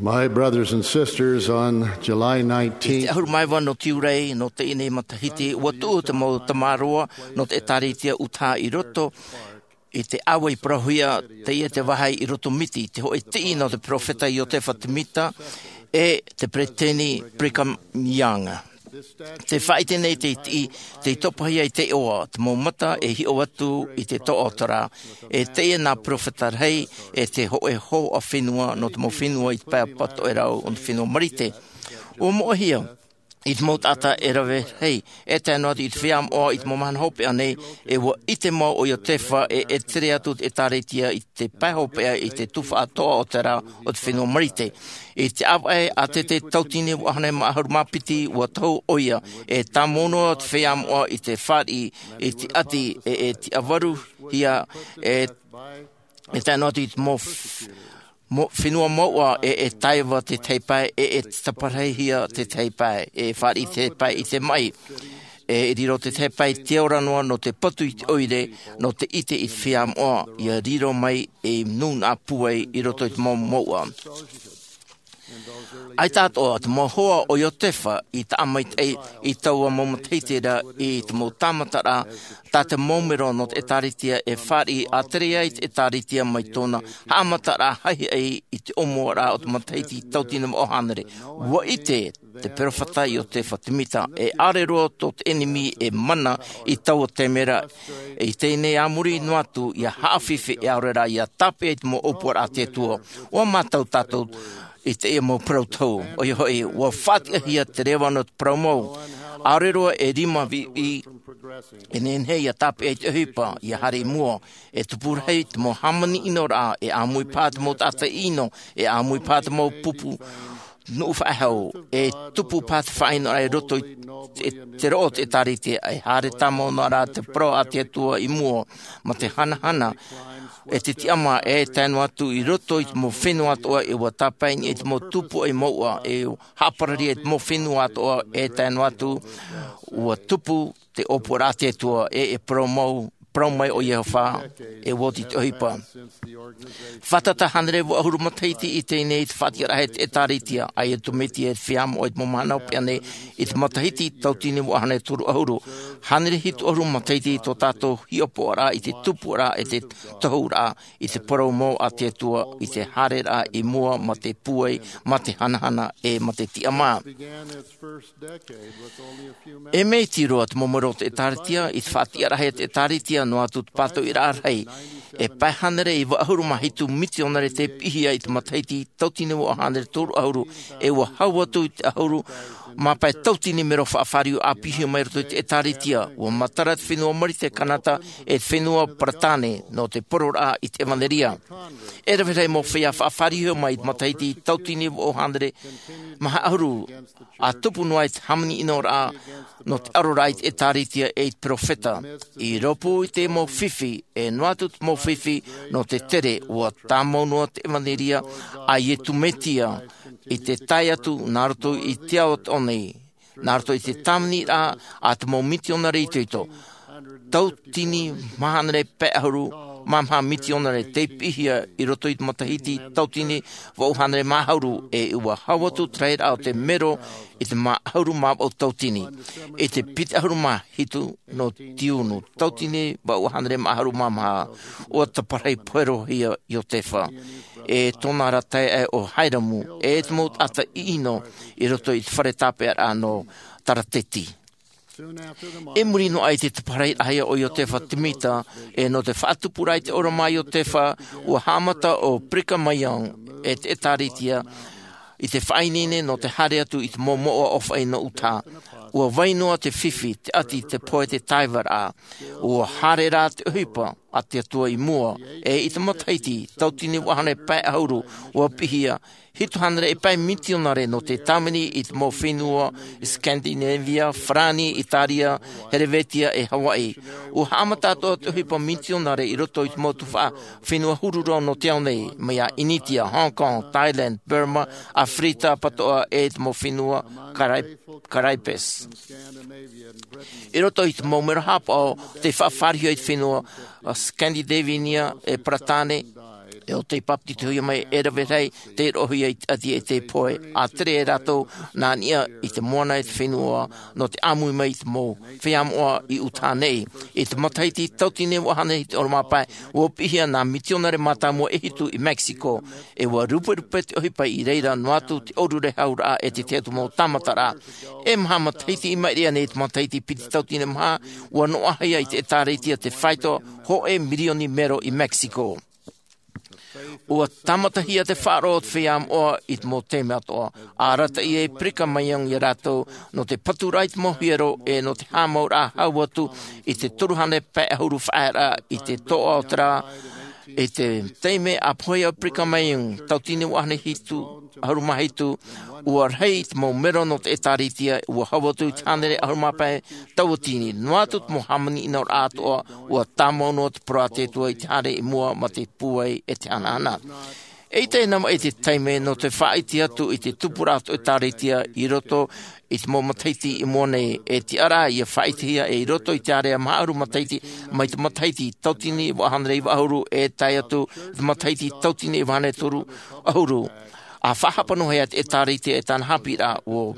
My brothers and sisters, on July nineteenth, te ʻahuru mā iva nō Tiurai, nō teie nei matahiti, ua tuʻu te mau tamaroa nō te ʻĒtārētia ʻĪtaha i roto i te ʻāua i parauhia, teie te vāhi i roto Miti, te hōʻē tiʻi nō te peropheta Iotefa Temita, e te peresideni Brigham Young. Te faʻaʻite nei te tiʻi, tei topahia i te iʻoa, te mau mata e hiʻo atu i te toʻotoʻa, e teie nā peropheta rahi, e te hōʻē hoa fenua nō te mau fenua i te pae pātoʻi rau o te fenua Marite. Ua moʻehia i te mau taʻata e rave rahi, e tae noa atu i te feiā moʻa i te mau mahana hopeʻa nei, e ua ʻite mau ʻo Iotefa e, e tere atu te ʻĒtārētia i te pae hopeʻa i te tuhaʻa toʻotoʻa o te fenua Marite. I te ʻāvaʻe ʻātete tauatini vaʻu hānere mā ʻahuru mā piti, ua tohu ʻoia, e tāmau noa te feiā moʻa i te fāriʻi i te ʻati, e, e tiʻavaruhia, e, e tae noa atu i te mau f-, mau fenua mouʻa, e, e taiva te tahi pae, e, e taparahihia te tahi pae, e fāriʻi te tahi pae i te maʻi. E riro te tahi pae te ora noa nō te patu i te ʻoire, nō te ʻite i te feiā moʻa, ʻia riro mai ei nūnaʻa pūai i roto i te mau mouʻa. ʻAita atoʻa te mau hoa o Iotefa i taʻa maitaʻi i taua mau matahiti ra i te mau tāmataraʻa, tā te mau mero nō te ʻĒtārētia e fāriʻi a tere ai te ʻĒtārētia mai tōna haʻamataraʻa haʻihaʻi i te ʻōmuaraʻa o te matahiti tauatini vaʻu hānere. Ua ʻite te peropheta Iotefa Temita, e ʻaore roa tō te ʻenemi e mana i taua taime ra. I teie nei a muri noa atu, ʻia haʻafifi e ʻaore rā ʻia tāpeʻa i te mau ʻōpuaraʻa a te Atua. Ua mātau tātou i teie mau parau tohu, ʻoia hoʻi, ua faʻatiʻahia te reva nō te parau mau. ʻAore roa e rima viʻiviʻi e nehenehe ʻia tāpeʻa i te ʻohipa, ʻia haere i mua, e tupu rahi te mau hāmani ʻinoraʻa, e ʻāmui paha te mau taʻata ʻino, e ʻāmui paha te mau pupu nuʻu faʻehau, e tupu paha te faʻaʻinoraʻa i roto i te, te roʻo o te ʻĒtārētia, e haere tāmau noa rā te parau a te Atua i mua, mā te hanahana, e te tiʻamā, e tae noa atu i roto i te mau fenua atoʻa, e ua tāpae i te mau tupu e mouʻa, e haʻaparari i te mau fenua atoʻa, e tae noa atu, ua tupu te ʻōpuaraʻa a te Atua, e, e parau mau, parau mai ʻo Iehova, e oti te ʻohipa. Fātata hānere vaʻu ʻahuru matahiti i teie nei te faʻatiʻaraʻa e te ʻĒtārētia, a Iesu Mesia e te feiā moʻa i te mau mahana hopeʻa nei, i te matahiti tauatini vaʻu hānere toru ʻahuru. Hānere hitu ʻahuru matahiti tō tātou hiʻopoʻaraʻa i te tupuʻaraʻa, e te tohuraʻa, i te parau mau a te Atua, i te haereraʻa i mua mā te pūai, mā te hanahana, e mā te tiʻamā. E mea iti roa te mau mero o te ʻĒtārētia, i te faʻatiʻaraʻa e te ʻĒtārētia, noa atu te pātoʻiraʻa rahi. E pae hānere iva ʻahuru mā hitu mitionare tei piʻihia i te matahiti tauatini vaʻu hānere toru ʻahuru, e ua hau atu i te ʻahuru mā pae tauatini mero faʻafāriu ʻāpīhia mai roto i te ʻĒtārētia. Ua matara te fenua Marite, Kanata, e te fenua Peretāne, nō te pororaʻa i te ʻevanelia. E rave rahi mau feiā faʻafāriu mai i te matahiti tauatini vaʻu hānere maha ʻahuru, ʻa tupu noa i te hāmani ʻinoraʻa nō te ʻaroraʻa i te ʻĒtārētia e i te peropheta. I rōpū i te mau fifi, e noa atu te mau fifi nō te tere, ua tāmau noa te ʻevanelia a Iesu Mesia i te tae atu nā roto i te ao atoʻa nei, nā roto i te tāviniraʻa a te mau mitionare itoito. Tauatini maha hānere pae ʻahuru mā maha mitionare tei piʻihia i roto i te matahiti tauatini vaʻu hānere mā ʻahuru, e ua hau atu te rahiraʻa o te mero i te mā ʻahuru mā vaʻu tauatini. I te piti ʻahuru mā hitu nō tiunu, tauatini vaʻu hānere mā ʻahuru mā maha, ua taparahi poherohia Iotefa, e tōna ra taeaʻe ʻo Hairamu, e te mau taʻata ʻino i roto i te fare tāpeʻaraʻa nō Tarateti. I muri noa i te taparahiraʻahia o Iotefa Temita, e nō te faʻatupuraʻa i te ʻōrama a Iotefa, ua haʻamata ʻo Brigham Young e te ʻĒtārētia i te faʻaineine nō te haere atu i te mau mouʻa ʻōfaʻi nō ʻĪtaha. Ua vai noa te fifi, te ʻati, te pohe, te taivaraʻa. Ua haere rā te ʻohipa a te Atua i mua, e i te matahiti tauatini vaʻu hānere pae ʻahuru, ua piʻihia hitu hānere e pae mitionare nō te tāvini i te mau fenua Scandinavia, Farāni, Itāria, Helevītia, e Hawaiʻi. Ua haʻamata atoʻa te ʻohipa mitionare i roto i te mau tuhaʻa fenua huru roa nō te ao nei, mai iā ʻInitia, Hong Kong, Thailand, Burma, ʻAfirika Patoʻa, e te mau fenua Karai-, Karaibes. I roto i te mau mero haʻapaʻo, tei faʻafārihia i te fenua, ā, Scandinavia, e Peretāne, ʻE ʻo tei papetitohia mai e rave rahi te roʻohia i te ʻati e te pohe, a tere e rātou nā niʻa i te moana e te fenua nō te ʻāmui mai i te mau feiā moʻa i Utah nei. I te matahiti tauatini e vaʻu hānere hitu ʻahuru mā pae, ua piʻihia nā mitionare mātāmua e hitu i Mexico, ʻe ua ruperupe te ʻohipa i reira noa atu te ʻōrurehau raʻa e te tahi atu mau tāmataraʻa. E maha matahiti i maʻiri aʻe nei te matahiti piti tauatini e maha, ua noaʻahia i te ʻĒtārētia te faito hōʻē mirioni mero i Mexico. Ua tāmatahia te faʻaroʻo o te feiā moʻa i te mau taime atoʻa, ʻa arataʻi e Brigham Young ia rātou nō te paturaʻa i te mau hiero ʻe nō te haʻamauraʻa hau atu i te toru hānere pae ʻahuru faʻaearaʻa i te toʻa o te rā. I te taime a pohe ai Brigham Young, tauatini e vaʻu hānere hitu ʻahuru mā hitu, ua rahi te mau mero nō te ʻĒtārētia, ua hau atu i te hānere ʻahuru mā pae tauatini, noa atu te mau hāmani ʻino raʻa atoʻa, ua tāmau noa te parau a te Atua i te haere i mua mā te pūai e te hanahana. ʻEita e nā mua i te taime nō te faʻaʻite atu i te tupuraʻa o te ʻĒtārētia i roto i te mau matahiti i mua nei, e tiʻa raʻa ia faʻaʻitehia ʻe i roto i te ārea maha ʻahuru matahiti, mai te matahiti tauatini e vaʻu hānere iva ʻahuru e tae atu i te matahiti tauatini e vaʻu hānere toru ʻahuru, ʻa faʻahapa noa hia te ʻĒtārētia e tāna haʻapiʻiraʻa. Ua,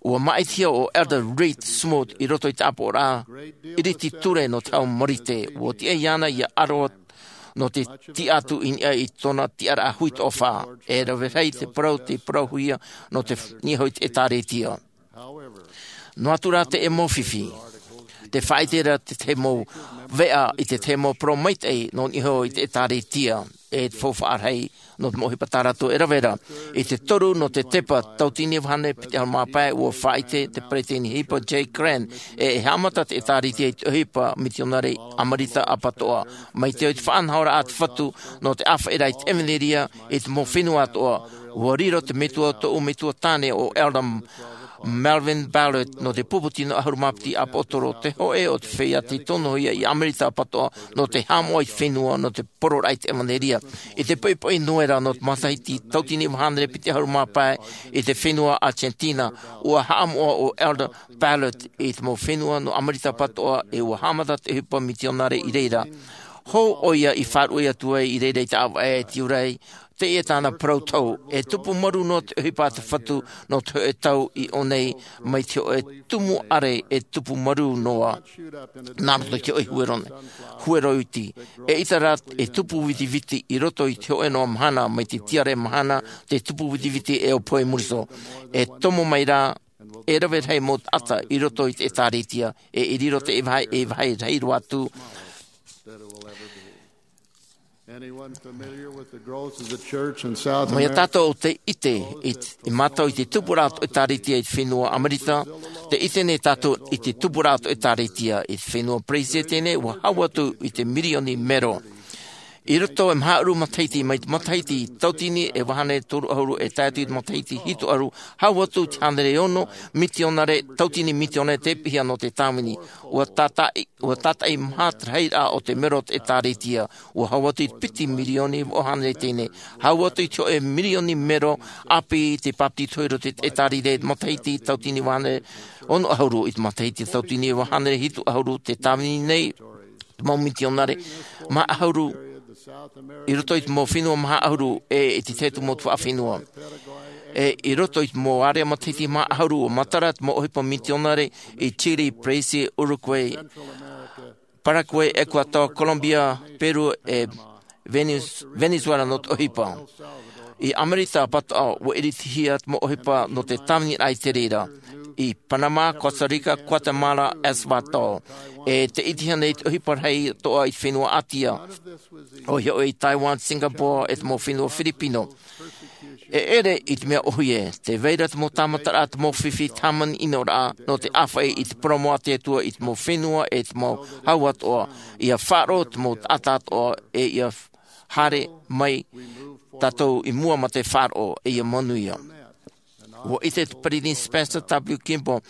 ua māʻitihia ʻo Elder Reed Smoot i roto i te ʻāpoʻoraʻa ʻiriti ture nō te hau Marite, ua tiʻa iāna ia ʻaro nō te tiʻa atu i niʻa i tōna tiʻaraʻa hui toʻa fā. E rave rahi te parau tei parauhia nō te niʻa hoʻi te ʻĒtārētia. Noa atu rā te ʻemo fifi, te faʻaʻite ra te tahi mau veʻa i te tahi mau parau maitaʻi nō niʻa hoʻi te ʻĒtārētia, e te faufaʻa rahi nō te mau ʻohipa tā rātou e rave ra. I te toru nō te tepa tauatini e vaʻu hānere piti ʻahuru mā pae, ua faʻaʻite te peresideni ʻohipa Jay Grant ʻe e haʻamata te ʻĒtārētia i te ʻohipa mitionare ʻAmerika ʻapatoʻa. Mai te au i te faʻanahoraʻa a te Fatu nō te ʻāfaʻiraʻa i te ʻevanelia i te mau fenua atoʻa, ua riro te metua, tōʻu metua tāne ʻo Elder Melvin Ballard nō te pupu tino ʻahuru mā piti ʻāpōsetolo, te hōʻē o te feiā tei tonohia i ʻAmerika ʻapatoʻa nō te haʻamoʻa i te fenua nō te poroʻraʻa i te ʻevanelia. I te poʻipoʻi Noera nō te matahiti tauatini e vaʻu hānere piti ʻahuru mā pae i te fenua Argentina, ua haʻamoʻa ʻo Elder Ballard i te mau fenua nō ʻAmerika ʻapatoʻa ʻe ua haʻamata te ʻohipa mitionare i reira. Hou ʻoia i faʻaruʻe atu ai i reira i te ʻāvaʻe e te ʻūrai, teie tāna parau tau, e tupu marū noa te ʻohipa a te Fatu nō te hōʻē tau i ʻō nei, mai te hōʻē tumu ʻare e tupu marū noa nā roto i te hōʻē huero, huero iti. ʻEita rā e tupu vitiviti i roto i te hōʻē noa mahana, mai te tiare mahana, te tupu vitiviti e ʻo Poe Muriso. E tomo mai rā, e rave rahi mau taʻata i roto i te ʻĒtārētia, ʻe i riro te vāhi, e vāhi rahi roa atu. Anyone familiar with the growth of the church in South Mai America? Tātou te ʻite, i, i mātau i te tupuraʻa o te ʻĒtārētia i te fenua ʻAmerika, te ʻite nei tātou i te tupuraʻa o te ʻĒtārētia i te fenua Peresia teie nei, ua hau atu i te mirioni mero. I roto e maha ʻahuru matahiti, mai te matahiti tauatini e vaʻu hānere toru ʻahuru e tae atu i te matahiti hitu ʻahuru, hau atu i te hānere ono mitionare, tauatini mitionare tei piʻihia nō te tāvini. Ua tātaʻi, ua tātaʻi maha te rahiraʻa o te mero o te ʻĒtārētia. Ua hau atu i te piti mirioni e vaʻu hānere teie nei. Hau atu i te hōʻē mirioni mero ʻāpī tei papetitohia i roto i te ʻĒtārētia i te matahiti tauatini e vaʻu hānere ono ʻahuru, i te matahiti tauatini e vaʻu hānere hitu ʻahuru, te tāvini nei te mau mitionare maha ʻahuru i roto i te mau fenua maha ʻahuru, ʻe i te tahi atu mau tuhaʻa fenua. ʻE i roto i te mau ārea matahiti maha ʻahuru, ua matara te mau ʻohipa mitionare i Chile, Brazil, Uruguay, Paraguay, Ecuador, Colombia, Peru, ʻe Venez-, Venezuela nō te ʻohipa. I ʻAmerika ʻapatoʻa, ua ʻiritihia te mau ʻohipa nō te tāviniraʻa i te reira. I Panama, Costa Rica, Guatemala, El Salvador. ʻE tei ʻitehia nei te ʻohipa rahi atoʻa i te fenua ʻĀtia. ʻOia hoʻi i Taiwan, Singapore, ʻe te mau fenua Filipino. E ʻere i te mea ʻōhie, tē vai ra te mau tāmataraʻa, te mau fifi, te hāmani ʻino raʻa, nō te ʻāfaʻi i te parau mau a te Atua i te mau fenua ʻe te mau hau atoʻa, ʻia faʻaroʻo te mau taʻata atoʻa, ʻe ʻia haere mai tātou i mua mā te faʻaroʻo, ʻe ʻia manuia. Ua ʻite te Peresideni Spencer W. Kimball,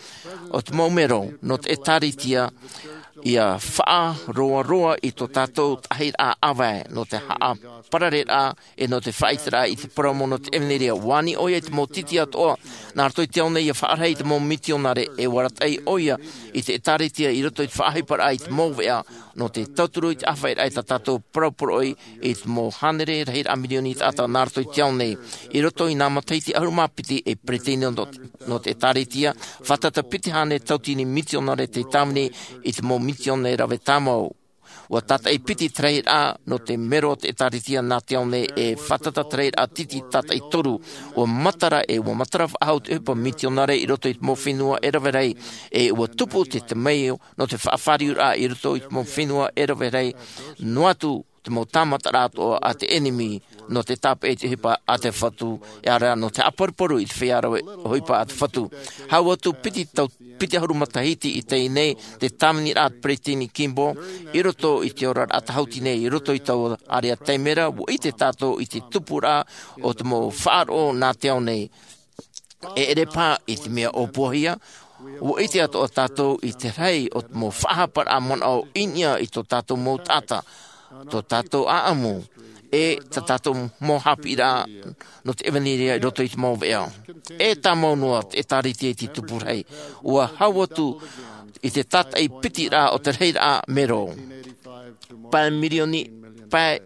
ʻo te mau mero nō te ʻĒtārētia, ʻia faʻaroaroa i tō tātou taʻahiraʻa ʻāvae, nō te haʻaparareraʻa, ʻe nō te faʻaʻiteraʻa i te parau mau nō te ʻevanelia. Ua ani ʻoia i te mau titi atoʻa, nā roto i te ao nei ʻia faʻarahi i te mau mitionare, ʻe ua arataʻi ʻoia i te ʻĒtārētia i roto i te faʻaʻohiparaʻa i te mau veʻa, nō te tauturu i te ʻāfaʻiraʻa i tā tātou parauparau i te mau hānere rahiraʻa mirioni taʻata nā roto i te ao nei. I roto i nā matahiti ʻahuru mā piti e peresideni nō, nō te ʻĒtārētia, fātata piti hānere tautini mitionare tei tāvini i te mau misiona rave tāmau. ʻUa tātaʻi piti te rahiraʻa nō te mero o te ʻĒtārētia nā te ao nei e fātata te rahiraʻa titi tātaʻi toru. ʻUa matara e ʻua matara faʻahou te ʻohipa mitionare i roto i te mau fenua e rave rahi, e ʻua tupu te temeio nō te faʻafāriuraʻa i roto i te mau fenua e rave rahi, noa atu te mau tāmataraʻa atoʻa a te ʻenemi nō te tāpeʻa i te ʻohipa a te Fatu, e ʻaore rā nō te haʻaparuparu i te feiā rave ʻohipa a te Fatu. Hau atu piti tau, piti ʻahuru matahiti i teie nei, te tāviniraʻa a te Peresideni Kimball, i roto i te oraraʻa tāhuti nei, i roto i taua ʻārea taime ra, ʻua ʻite tātou i te tupuraʻa o te mau faʻaroʻo nā te ao nei. E ʻere paha i te mea ʻōpuahia, ʻua ʻite atoʻa tātou i te rahi o te mau faʻahaparaʻa manaʻo i niʻa i tō tātou mau taʻata, tō tātou ʻāʻamu, e tā tātou mau haʻapiʻiraʻa nō te ʻevanelia i roto i te mau veʻa. E tāmau noa te ʻĒtārētia i te tupu rahi. ʻUa hau atu i te tātaʻi pitiraʻa o te rahiraʻa mero. Pae mirioni, pae,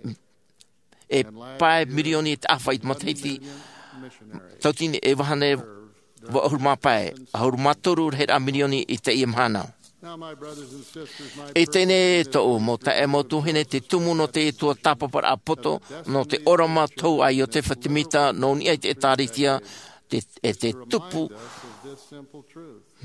e pae mirioni te ʻāfaʻi i te matahiti, tautini e vaha nei ʻahuru mā pae, ʻahuru mā toru rahiraʻa mirioni i teie mahana. I teie nei tōʻu mau taeaʻe, mau tuahine, te tumu nō te Atua tāpaparaʻa poto, nō te ʻōrama tohu a Iotefa Temita, nō niʻa i te ʻĒtārētia, te, e te tupu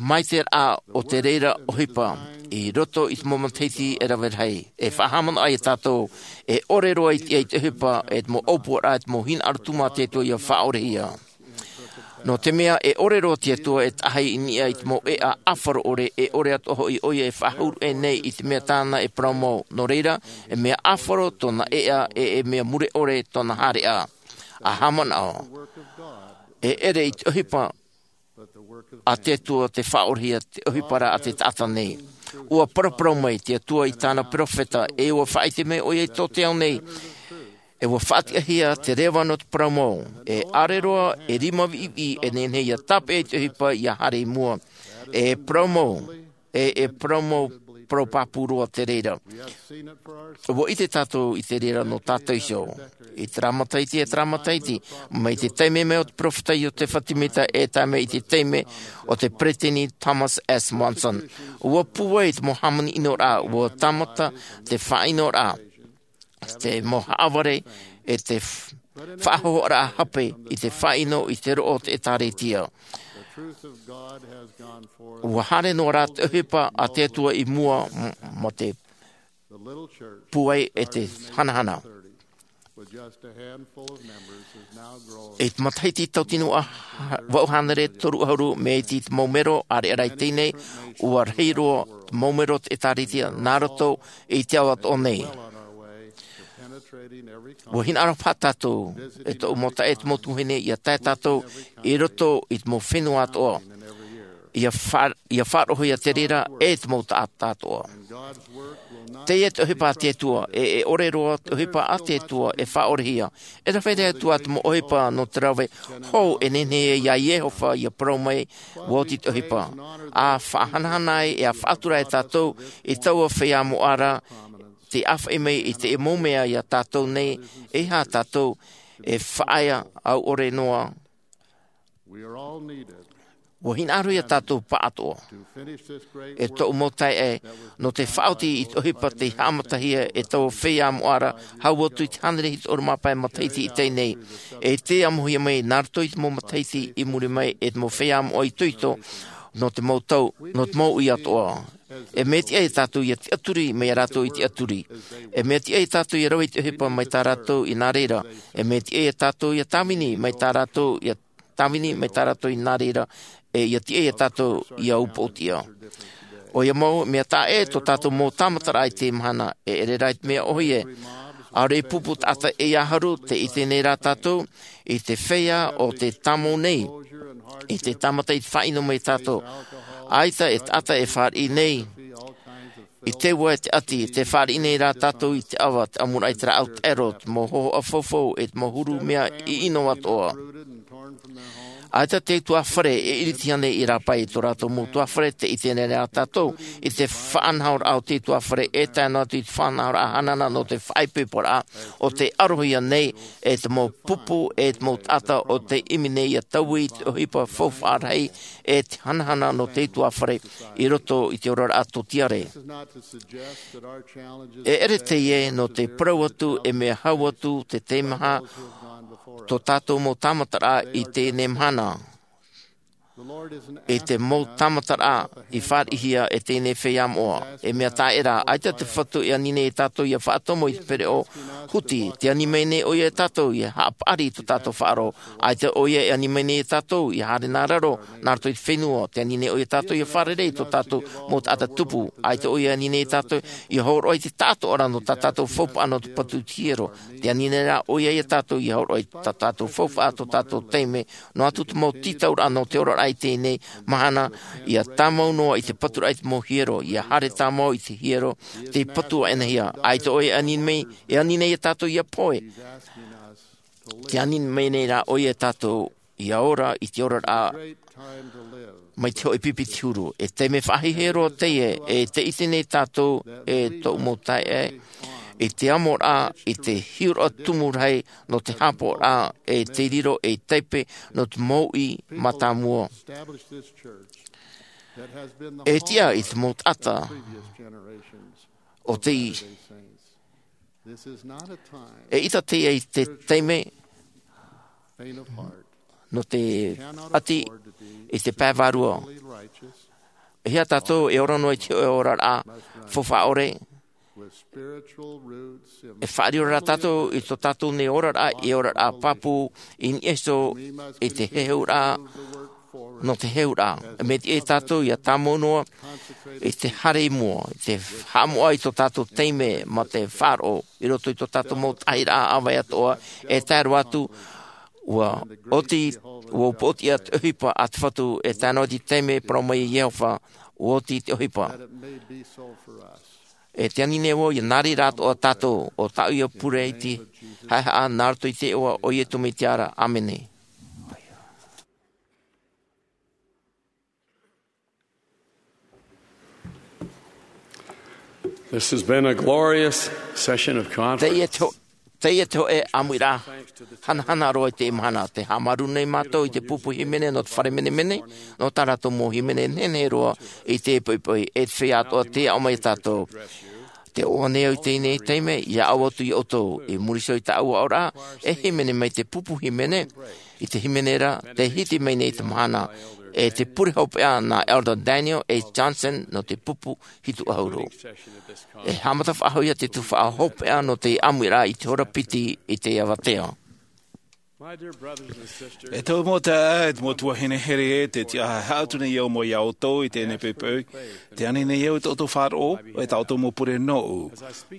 maitaʻiraʻa o te reira ʻohipa i roto i te mau matahiti e rave rahi. E faʻahaʻamanaʻo ai tātou, e ʻore roa i te, i te ʻohipa, e te mau ʻōpuaraʻa, e te mau hinaʻaro tumu a te Atua ʻia faʻaorehia. Nō te mea e ʻore roa te Atua e taʻahi i niʻa i te mau ʻēʻa ʻāfaro ʻore, e ʻore atoʻa hoʻi ʻoia e faʻahuru aʻe nei i te mea tāna e parau mau. Nō reira, e mea ʻāfaro tōna ʻēʻa, e, e mea mure ʻore tōna haereʻa. ʻA haʻamanaʻo, e ʻere i te ʻohipa a te Atua te faʻaorehia, te ʻohipa ra a te taʻata nei. ʻUa paraparau mai te Atua i tāna peropheta, e ʻua faʻaʻite mai ʻoia i tō te ao nei, e ʻua faʻatiʻahia te reva nō te parau mau, e ʻaore roa e rima viʻiviʻi e nehenehe ʻia tāpeʻa i te ʻohipa ʻia haere i mua. E parau mau, e, e parau mau, parau pāpū roa te reira. ʻUa ʻite tātou i te reira nō tātou iho. I terā matahiti, e terā matahiti, mai te taime mai o te peropheta Iotefa Temita e tae mai i te taime o te peresideni Thomas S. Monson. ʻUa pūai te mau hāmani ʻinoraʻa, ʻua tāmata te faʻaʻinoraʻa, te mau haʻavare, e te f-, faʻahōhoʻaraʻa hape i te faʻaʻino i te roʻo o te ʻĒtārētia. ʻUa haere noa rā te ʻohipa a te Atua i mua m-, mā te pūai e te hanahana. I te matahiti tautini vaʻu hānere toru ʻahuru, mea iti te mau mero ʻāreʻa i teie nei, ʻua rahi roa te mau mero o te ʻĒtārētia nā roto i te ao atoʻa nei. ʻUa hinaʻaro paha tātou, e tōʻu mau taeaʻe, e te mau tuahine, ʻia tae tātou i roto i te mau fenua atoʻa, ʻia fa-, ʻia faʻaroʻohia te reira e te mau taʻata atoʻa. Teie te ʻohipa a te Atua, e, e ʻore roa te ʻohipa a te Atua e faʻaorehia. E rave rahi atu ā te mau ʻohipa nō te rave hou e nehenehe ai iā Iehova ʻia parau mai, ʻua oti te ʻohipa. ʻA faʻahanahana ai, e ʻa faʻatura ai tātou i taua feiā moʻa ra, tei ʻāfaʻi mai i te mau mea iā tātou nei, e aha tātou e faʻaea au ʻore noa. ʻUa hinaʻaro iā tātou pāʻatoʻa, e tōʻu mau taeaʻe, nō te faʻaoti i te ʻohipa tei haʻamatahia e taua feiā moʻa ra, hau atu i te hānere hitu ʻahuru mā pae matahiti i teie nei. E tē amohia mai nā roto i te mau matahiti i muri mai, e te mau feiā moʻa itoito, nō te mau tau, nō te mau ʻī atoʻa. E mea tiʻa iā tātou ʻia tiʻaturi mai iā rātou i tiʻaturi. E mea tiʻa iā tātou ʻia rave i te ʻohipa mai tā rātou i nā reira. E mea tiʻa iā tātou ʻia tāvini mai tā rātou, ʻia tāvini mai tā rātou i nā reira. E ʻia tiʻa iā tātou ʻia upoʻotiʻa. ʻOia mau, mea taʻa ʻē tō tātou mau tāmataraʻa i teie mahana, e ʻere rā i te mea ʻōhie. ʻAore i pupu taʻata e ʻia haru, tē ʻite nei rā tātou, i te feiā o te tāmau nei, i te tāmata i te faʻaʻino mai tātou. ʻAita e taʻata e fāriʻi nei, i te ua e te ʻati, tē fāriʻi nei rā tātou i te ʻava, te ʻamuraʻa i te rāʻau taʻero, te mau hōhoʻa faufau, e te mau huru mea ʻino atoʻa. ʻAita te utuāfare e ʻiriti ānei i rāpae i tō rātou mau utuāfare, te ʻite nei rā tātou i te faʻanahoraʻa o te utuāfare, e tae noa atu i te faʻanahoraʻa hanahana nō te faʻaipoiporaʻa o te ʻarohia nei, e te mau pupu, e te mau taʻata o te ʻimi nei ia taui i te ʻohipa faufaʻa rahi, e te hanahana nō te utuāfare i roto i te oraraʻa tōtiare. E ʻere teie nō te parau atu e mea hau atu te teimaha tō tātou mau tāmataraʻa i teie mahana, i te mau tāmataraʻa i fāriʻihia e teie feiā moʻa. E mea taʻera, ʻaita te Fatu e ani nei iā tātou ia faʻatomo i te pereʻoʻo huti. Te ani mai nei ʻoia iā tātou ia haʻapaʻari i tō tātou faʻaroʻo. ʻAita ʻoia e ani mai nei iā tātou ia haere nā raro, nā roto i te fenua. Te ani nei ʻoia iā tātou ia fārerei i tō tātou mau taʻata tupu. ʻAita ʻoia e ani nei iā tātou ia hōroʻa i te taʻatoʻaraʻa nō tā tātou faufaʻa nō te patu i te hiero. Te ani nei rā ʻoia iā tātou ia hōroʻa i tā tātou faufaʻa, tō tātou taime, noa atu te mau tītauraʻa nō te oraraʻa i teie mahana, ia tāmau noa i te paturaʻa i te mau hiero, ia haere tāmau i te hiero, te patu ʻānaʻanahia. ʻAita ʻoia e ani mai, e ani nei iā tātou ia pohe. Te ani mai nei rā ʻoia iā tātou ia ora i te oraraʻa mai te hōʻē pipi i te huru. E taime faʻahiahia roa teie, e te ʻite nei tātou e tōʻu mau taeaʻe, i te amoraʻa, i te hiʻoraʻa tumu rahi nō te hāpaʻoraʻa, e te riro, e taipe nō te mau uʻi mātāmua. E tiʻa i te mau taʻata o te E ʻita teie i te taime nō te ʻati i te pae vārua. E hia tātou e ora noa i te hōʻē oraraʻa faufaʻa ʻore. E faʻariro rā tātou i tō tātou nei oraraʻa, i oraraʻa pāpū, i niʻa iho i te heheuraʻa, nō te heheuraʻa. E mea tiʻa iā tātou ia tāmau noa i te haere i mua, i te haʻamoʻa i tō tātou taime mā te faʻaroʻo i roto i tō tātou mau tahiraʻa ʻāvae atoʻa, e tae roa atu, ʻua oti, ʻua upoʻotiʻa te ʻohipa a te Fatu, e tae noa atu i te taime e parau mai iā Iehova, ʻua oti te ʻohipa. E te ani nei vau ia nā reira atoʻa tātou, ʻo tāʻu ia pure i te haʻehaʻa nā roto i te iʻoa o Iesu Mesia ra. ʻĀmene. This has been a glorious session of conference. Teie te ho-, teie te hōʻē ʻāmuiraʻa hanahana roa i teie mahana. Tē haʻamāuruuru nei mātou i te pupu hīmene nō te fare menemene, nō tā rātou mau hīmene nehenehe roa i te poʻipoʻi, e te feiā atoʻa tei aʻo mai iā tātou. Tē ʻoaʻoa nei au i teie taime, ia ʻau atu iā ʻoutou, i muri iho i tāʻu aʻoraʻa, e hīmene mai te pupu hīmene, i te hīmene ra, tē hiti mai nei te mahana, e te pure hopeʻa nā Elder Daniel A. Johnson nō te pupu hitu ʻahuru. E haʻamata faʻahou ia te tuhaʻa hopeʻa nō te ʻāmuiraʻa i te hora piti i te avatea. E tōʻu mau taeaʻe, e te mau tuahine here, tē tiʻa haʻatu nei au mai iā ʻoutou i teie poʻipoʻi, tē ani nei au i tō ʻoutou faʻaroʻo, e tā ʻoutou mau pure nōʻu.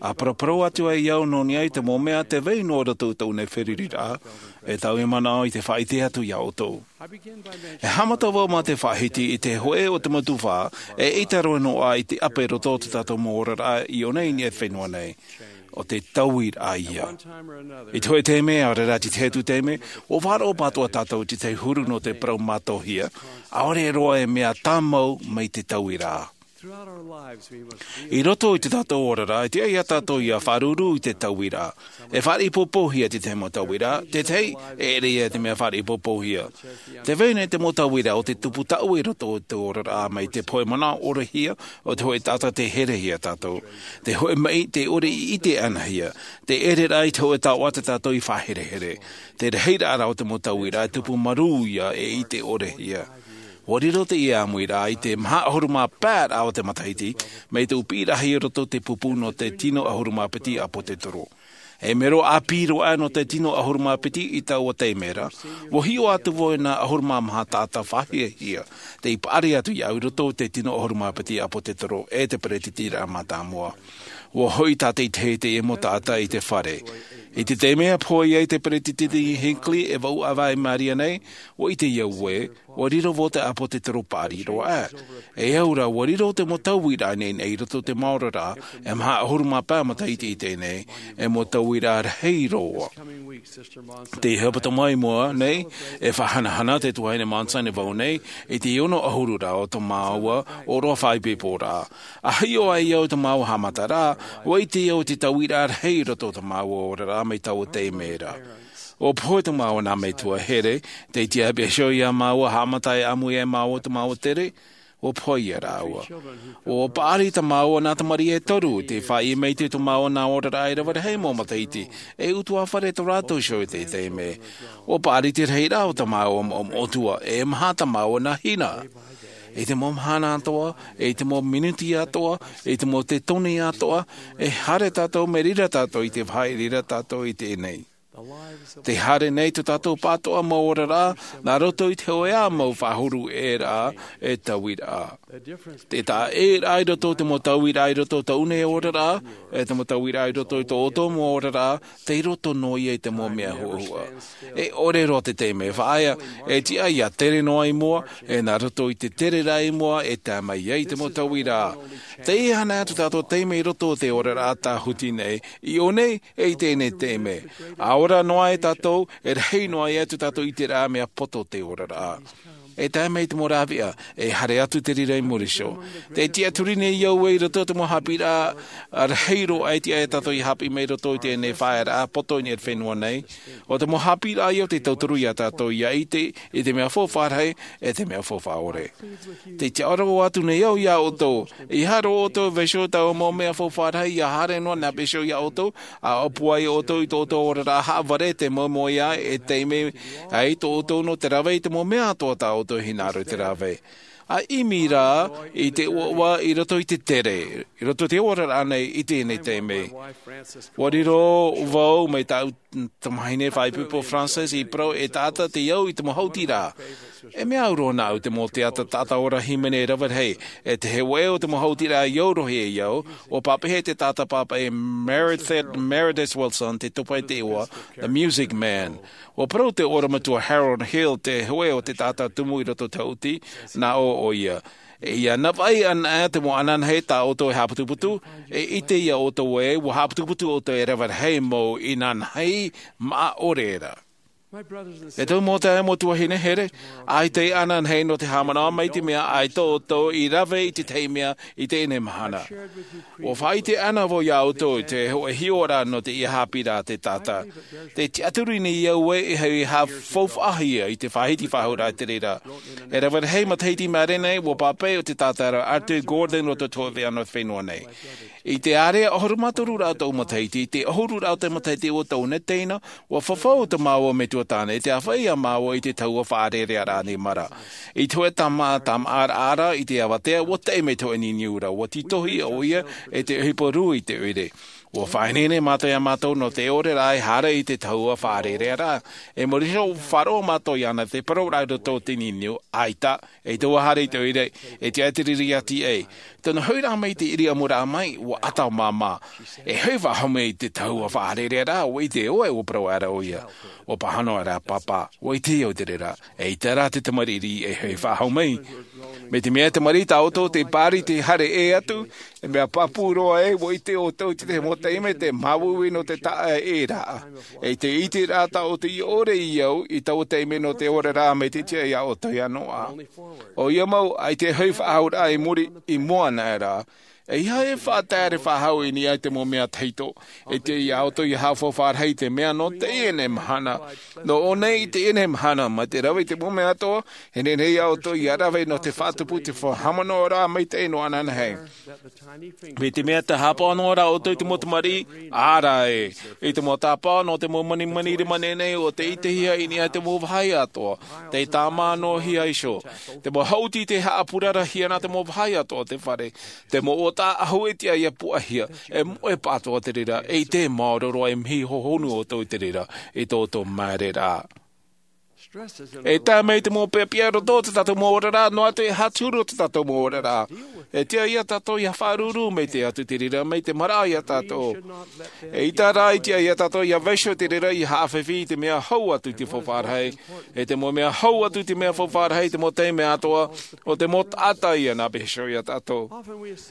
ʻA paraparau atu ai au nō niʻa i te mau mea tē vai noa i roto i tōʻu nei feruriraʻa, e tāʻu e manaʻo i te faʻaʻite atu iā ʻoutou. E haʻamata vau mā te faʻahiti i te hōʻē o te mau tuhaʻa, e ʻaita roa noa i te ʻape i roto o tā tātou mau oraraʻa i ʻō nei i niʻa i te fenua nei. ʻO te tauiraʻa ia. I te hōʻē taime, ʻaore rā te tahi atu taime, ʻua faʻaroʻo pātoʻa tātou i te tahi huru nō te parau mātauhia, ʻaore roa e mea tāmau mai te tauiraʻa. I roto i tō tātou oraraʻa, e tiʻa iā tātou ia faʻaruru i te tauiraʻa. E faʻaʻāpī pōpōhia te tahi mau tauiraʻa, te tahi, e ʻere ia te mea faʻaʻāpī pōpōhia. Tē vai nei te mau tauiraʻa ʻo te tupu taʻu i roto i te oraraʻa mai te hōʻē manaʻo ʻorehia, ʻo te hōʻē taʻata tē herehia iā tātou. Te hōʻē maʻi, tē ʻore i ʻite ʻanahia. Te ʻereraʻa i te hōʻē taoʻa tā tātou i faʻaherehere. Te rahiraʻa rā o te mau tauiraʻa e tupu marū ia e ʻite ʻorehia. ʻUa riro teie ʻāmuiraʻa i te maha ʻahuru mā pae raʻa o te matahiti, mai tōʻu piʻiraʻahia i roto i te pupu nō te tino ʻahuru mā piti ʻāpōsetolo. E mero ʻāpī roa nō te tino ʻahuru mā piti i taua taime ra, ʻua hiʻo atu vau i nā ʻahuru mā maha taʻata faʻahiahia, tei paʻari atu iāʻu i roto i te tino ʻahuru mā piti ʻāpōsetolo e te peretiteniraʻa mātāmua. ʻUa hoʻi tātaʻitahi teie mau taʻata i te fare. I te taime ʻa pohe ai te peretiteni Hinckley e vaʻu ʻāvae i Maria nei, ʻua ʻite au ē, Ua riro vau te ʻāpōsetolo paʻari roa ʻā. E au rā, ua riro te mau tauiraʻa nei i roto i te maoro rā, e maha ʻahuru mā pae matahiti i teie nei, e mau tauiraʻa rahi roa. Te hepetoma i mua nei, e faʻahanahana te tuahine Monson e vau nei, i te ono ʻahuru rā o tō māua ʻōroʻa faʻaipoipo rā. ʻA hiʻo ai au i tō māua haʻamata rā, ua ʻite au i te tauiraʻa rahi i roto i tō māua oraraʻa mai taua taime ra. ʻUa pohe tō māua nā metua here, tē tiʻa pea iho ia māua haʻamata e ʻāmui ia māua tō māua tere, ʻua pohe ia rāua. ʻUa paʻari tā māua nā tamariʻi e toru, tē faʻaʻī mai te tō māua nā oraraʻa e rave rahi mau matahiti, e ʻutuāfare tō rātou iho i te taime. ʻUa paʻari te rahiraʻa o tā māua moʻomoʻotua, e maha tā māua nā hina. I te mau mahana atoʻa, i te mau minuti atoʻa, i te mau tetone atoʻa, e haere tātou, mai reira tātou i te vāhi, i reira tātou i teie nei. Tē haere nei tō tātou pātoʻa mau oraraʻa, nā roto i te hōʻē ā mau faʻahou ʻē rā, e tauiraʻa. Te taʻa ʻē rā i roto i te mau tauiraʻa i roto i tōʻu nei oraraʻa, e te mau tauiraʻa i roto i tō ʻoutou mau oraraʻa, tei roto noa ia i te mau mea huʻahuʻa. E ʻore roa te taime e faʻaea, e tiʻa ia tere noa i mua, e nā roto i te tere rā i mua, e tae mai ai te mau tauiraʻa. Teie ana atu tātou taime i roto i te oraraʻa tāhuti nei, i ʻō nei, e i teie nei taime. ʻA ora noa ai tātou, e rahi noa ia tō tātou ʻiteraʻa mea poto te oraraʻa. E tae mai te mau rāveʻa, e haere atu te reira i muri iho. Tē tiʻaturi nei au ē i roto i te mau haʻapiʻiraʻa rahi roa e tiʻa ia tātou ia haʻapiʻi mai i roto i teie nei faʻaearaʻa poto i niʻa i te fenua nei. ʻO te mau haʻapiʻiraʻa ia tē tauturu ia tātou ia ʻite i te mea faufaʻa rahi, e te mea faufaʻa ʻore. Tē tiʻaoro atu nei au ia ʻoutou, ʻeiaha rā ʻoutou e vaiiho i taua mau mea faufaʻa rahi ia haere noa nā pīhaʻi iho ia ʻoutou, ʻa ʻōpua ai ʻoutou i tō ʻoutou oraraʻa haʻavare, te mau moeʻa e taime ai tō ʻoutou nō te rave i te mau mea atoʻa tā ʻoutou e hinaʻaro i te rave. ʻA ʻimi rā i te ʻoaʻoa i roto i te tere, i roto i te oraraʻa nei i teie nei taime. ʻUa riro vau mai tāʻu tamahine faʻaipoipo Frances i parau, e taʻata tei au i te mau hautiraʻa. E mea au roa nāʻu te mau teata taʻata ora hīmene e rave rahi, e te hōʻē o te mau hautiraʻa i au roa ia au, ʻua pāpaʻi e te taʻata pāpaʻi Meredith, Meredith Willson, te topa e te iva, The Music Man. ʻUa parau te ʻorometua Harold Hill, te hōʻē o te taʻata tumu i roto i te hauti, nā ʻō ʻoia. E ia navaʻi anaʻe te mau ananahi tā ʻoutou e haʻaputuputu, e ʻite ia ʻoutou ē, ʻua haʻaputuputu ʻoutou e rave rahi mau inanahi maʻa ʻore ra. E tōʻu mau taeaʻe, mau tuahine here, ʻaita e ananahi nō te haʻamanaʻo mai te mea ʻaita ʻoutou i rave i te tahi mea i teie nei mahana. ʻUa faʻaʻite ana vau ia ʻoutou i te hōʻē hiʻoraʻa nō teie haʻapiʻiraʻa te taʻata. Tē tiʻaturi nei au ē e haʻafaufaʻahia i te faʻahiti faʻahou raʻa i te reira. E rave rahi matahiti i maʻiri nei, ʻua pāpaʻi ʻo te taʻata ra Arthur Gordon nō te hōʻē ʻāvaʻe nō te fenua nei. I te ārea ʻahuru mā toru rā o tōʻu matahiti, i te ʻahuru rā o te matahiti ʻo tōʻu nei teina, ʻua fafau tā māua metua tāne, i te āfaʻi ia māua i te tahua faʻarerearaʻa nei mara. I te hōʻē tama, tamaʻaraʻa i te avatea, ʻua taʻi mai te hōʻē niuniu ra, ʻua tītohi ʻoia, e te ʻohipa rū i te ʻoire. ʻUa faʻaineine mātou ia mātou nō te ʻore ra e haere i te tahua faʻarerearaʻa. E muri iho, faʻaroʻo mātou iāna te parau ra i roto i te niuniu, ʻaita, e tō ʻoe haere i te ʻoire, e tiʻa te riri ʻati ai. Tōna hoʻi rā mai te ʻiriʻamuraʻa mai, ʻua ʻata māmā. E hoʻi faʻahou mai i te tahua faʻarerearaʻa, ʻua ʻite ʻoe, ʻua parau aʻera ʻoia. ʻUa pāhono aʻera, Pāpā, ʻua ʻite au i te reira. Eʻita rā te tamariʻi e hoʻi faʻahou mai. Mai te mea e tamariʻi tā ʻoutou, tē pāri te haere ʻē atu, e mea pāpū roa ē, ʻua ʻite ʻoutou i te mau taime te māuiui nō te taʻa ʻē ra. E te ʻiteraʻa tā ʻoutou i ʻore i au, i taua taime nō te oraraʻa mai te tiʻa ia ʻoutou ia noa. ʻOia mau, ʻaita e hoʻi faʻahouraʻa i muri, i mua anaʻe ra. ʻEiaha e faʻataere faʻahou i niʻa i te mau mea tahito. E tiʻa ia ʻoutou ia haʻafaufaʻa rahi i te mea nō teie nei mahana. Nō ʻō nei i teie nei mahana, mai te rave i te mau mea atoʻa, e nehenehe ia ʻoutou ia rave nō te faʻatupu i te faʻahaʻamanaʻoraʻa maitaʻi nō ananahi. Mai te mea tē haʻapaʻo noa ra ʻoutou i te mau tamariʻi, ʻaore ē, i te mau tāpaʻo nō te mau manimani rima nehenehe ʻo tē ʻitehia i niʻa i te mau vāhi atoʻa, tē tāmā noa hia iho. Te mau hauti tē haʻapurarahia nā te mau vāhi atoʻa o te fare, te mau ʻōtaʻa ʻahu e tiʻa ia puʻahia, e moʻe pātoʻa te reira, e ʻite maoro roa e mihi hohonu ʻoutou i te reira, i tō ʻoutou māere ra. E tae mai te mau peʻapeʻa roto o te tātou mau oraraʻa, noa atu e hāturu o te tātou mau oraraʻa. E tiʻa ia tātou ia faʻaruru mai te atu te reira mai te maraʻa ia tātou. E ʻaita rā e tiʻa ia tātou ia vaiiho te reira ia haʻafifi i te mea hau atu i te faufaʻa rahi. E te mau mea hau atu i te mea faufaʻa rahi te mau taime atoʻa, o te mau taʻata ia nā vaiiho ia tātou.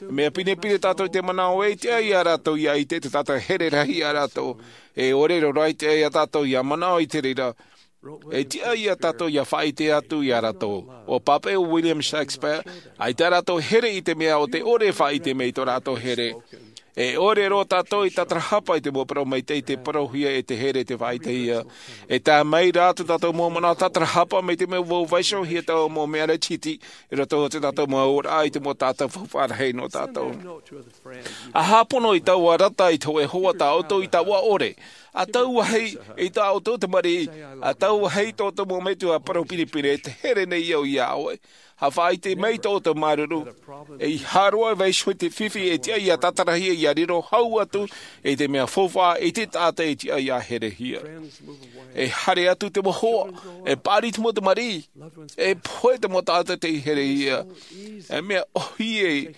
Mea pinepine tātou i te manaʻo e tiʻa ia rātou ia ʻite te taʻata here rahi ia rātou. E ʻore roa e tiʻa ia tātou ia manaʻo i te reira. E tiʻa ia tātou ia faʻaʻite atu ia rātou. ʻUa pāpaʻi ʻo William Shakespeare, ʻaita rātou here i te mea o te ʻore e faʻaʻite mai i tō rātou here. E ʻore roa tātou i tātarahapa i te mau parau maitaʻi te parauhia e te here te faʻaʻitehia. E tae mai rā tō tātou mau manaʻo tātarahapa mai te mea ʻua vaiihohia taua mau mea rahi iti i roto o tō tātou mau oraraʻa i te mau taʻata faufaʻa rahi nō tātou. ʻA hāpono i taua rata i te hōʻē hoa tā ʻoutou i taua ʻore. ʻA tauahi i tā ʻoutou tamariʻi, ʻa tauahi i tō ʻoutou mau metua parau pinepine, te here nei au ia ʻoe. ʻA faʻaʻite mai tō ʻoutou māuruuru. E ʻeiaha roa e vaiiho i te fifi e tiʻa ia tātarahia ia riro hau atu i te mea faufaʻa i te taʻata e tiʻa ia herehia. E haere atu te mau hoa, e paʻari te mau tamariʻi, e pohe te mau taʻata tei herehia. E mea ʻōhie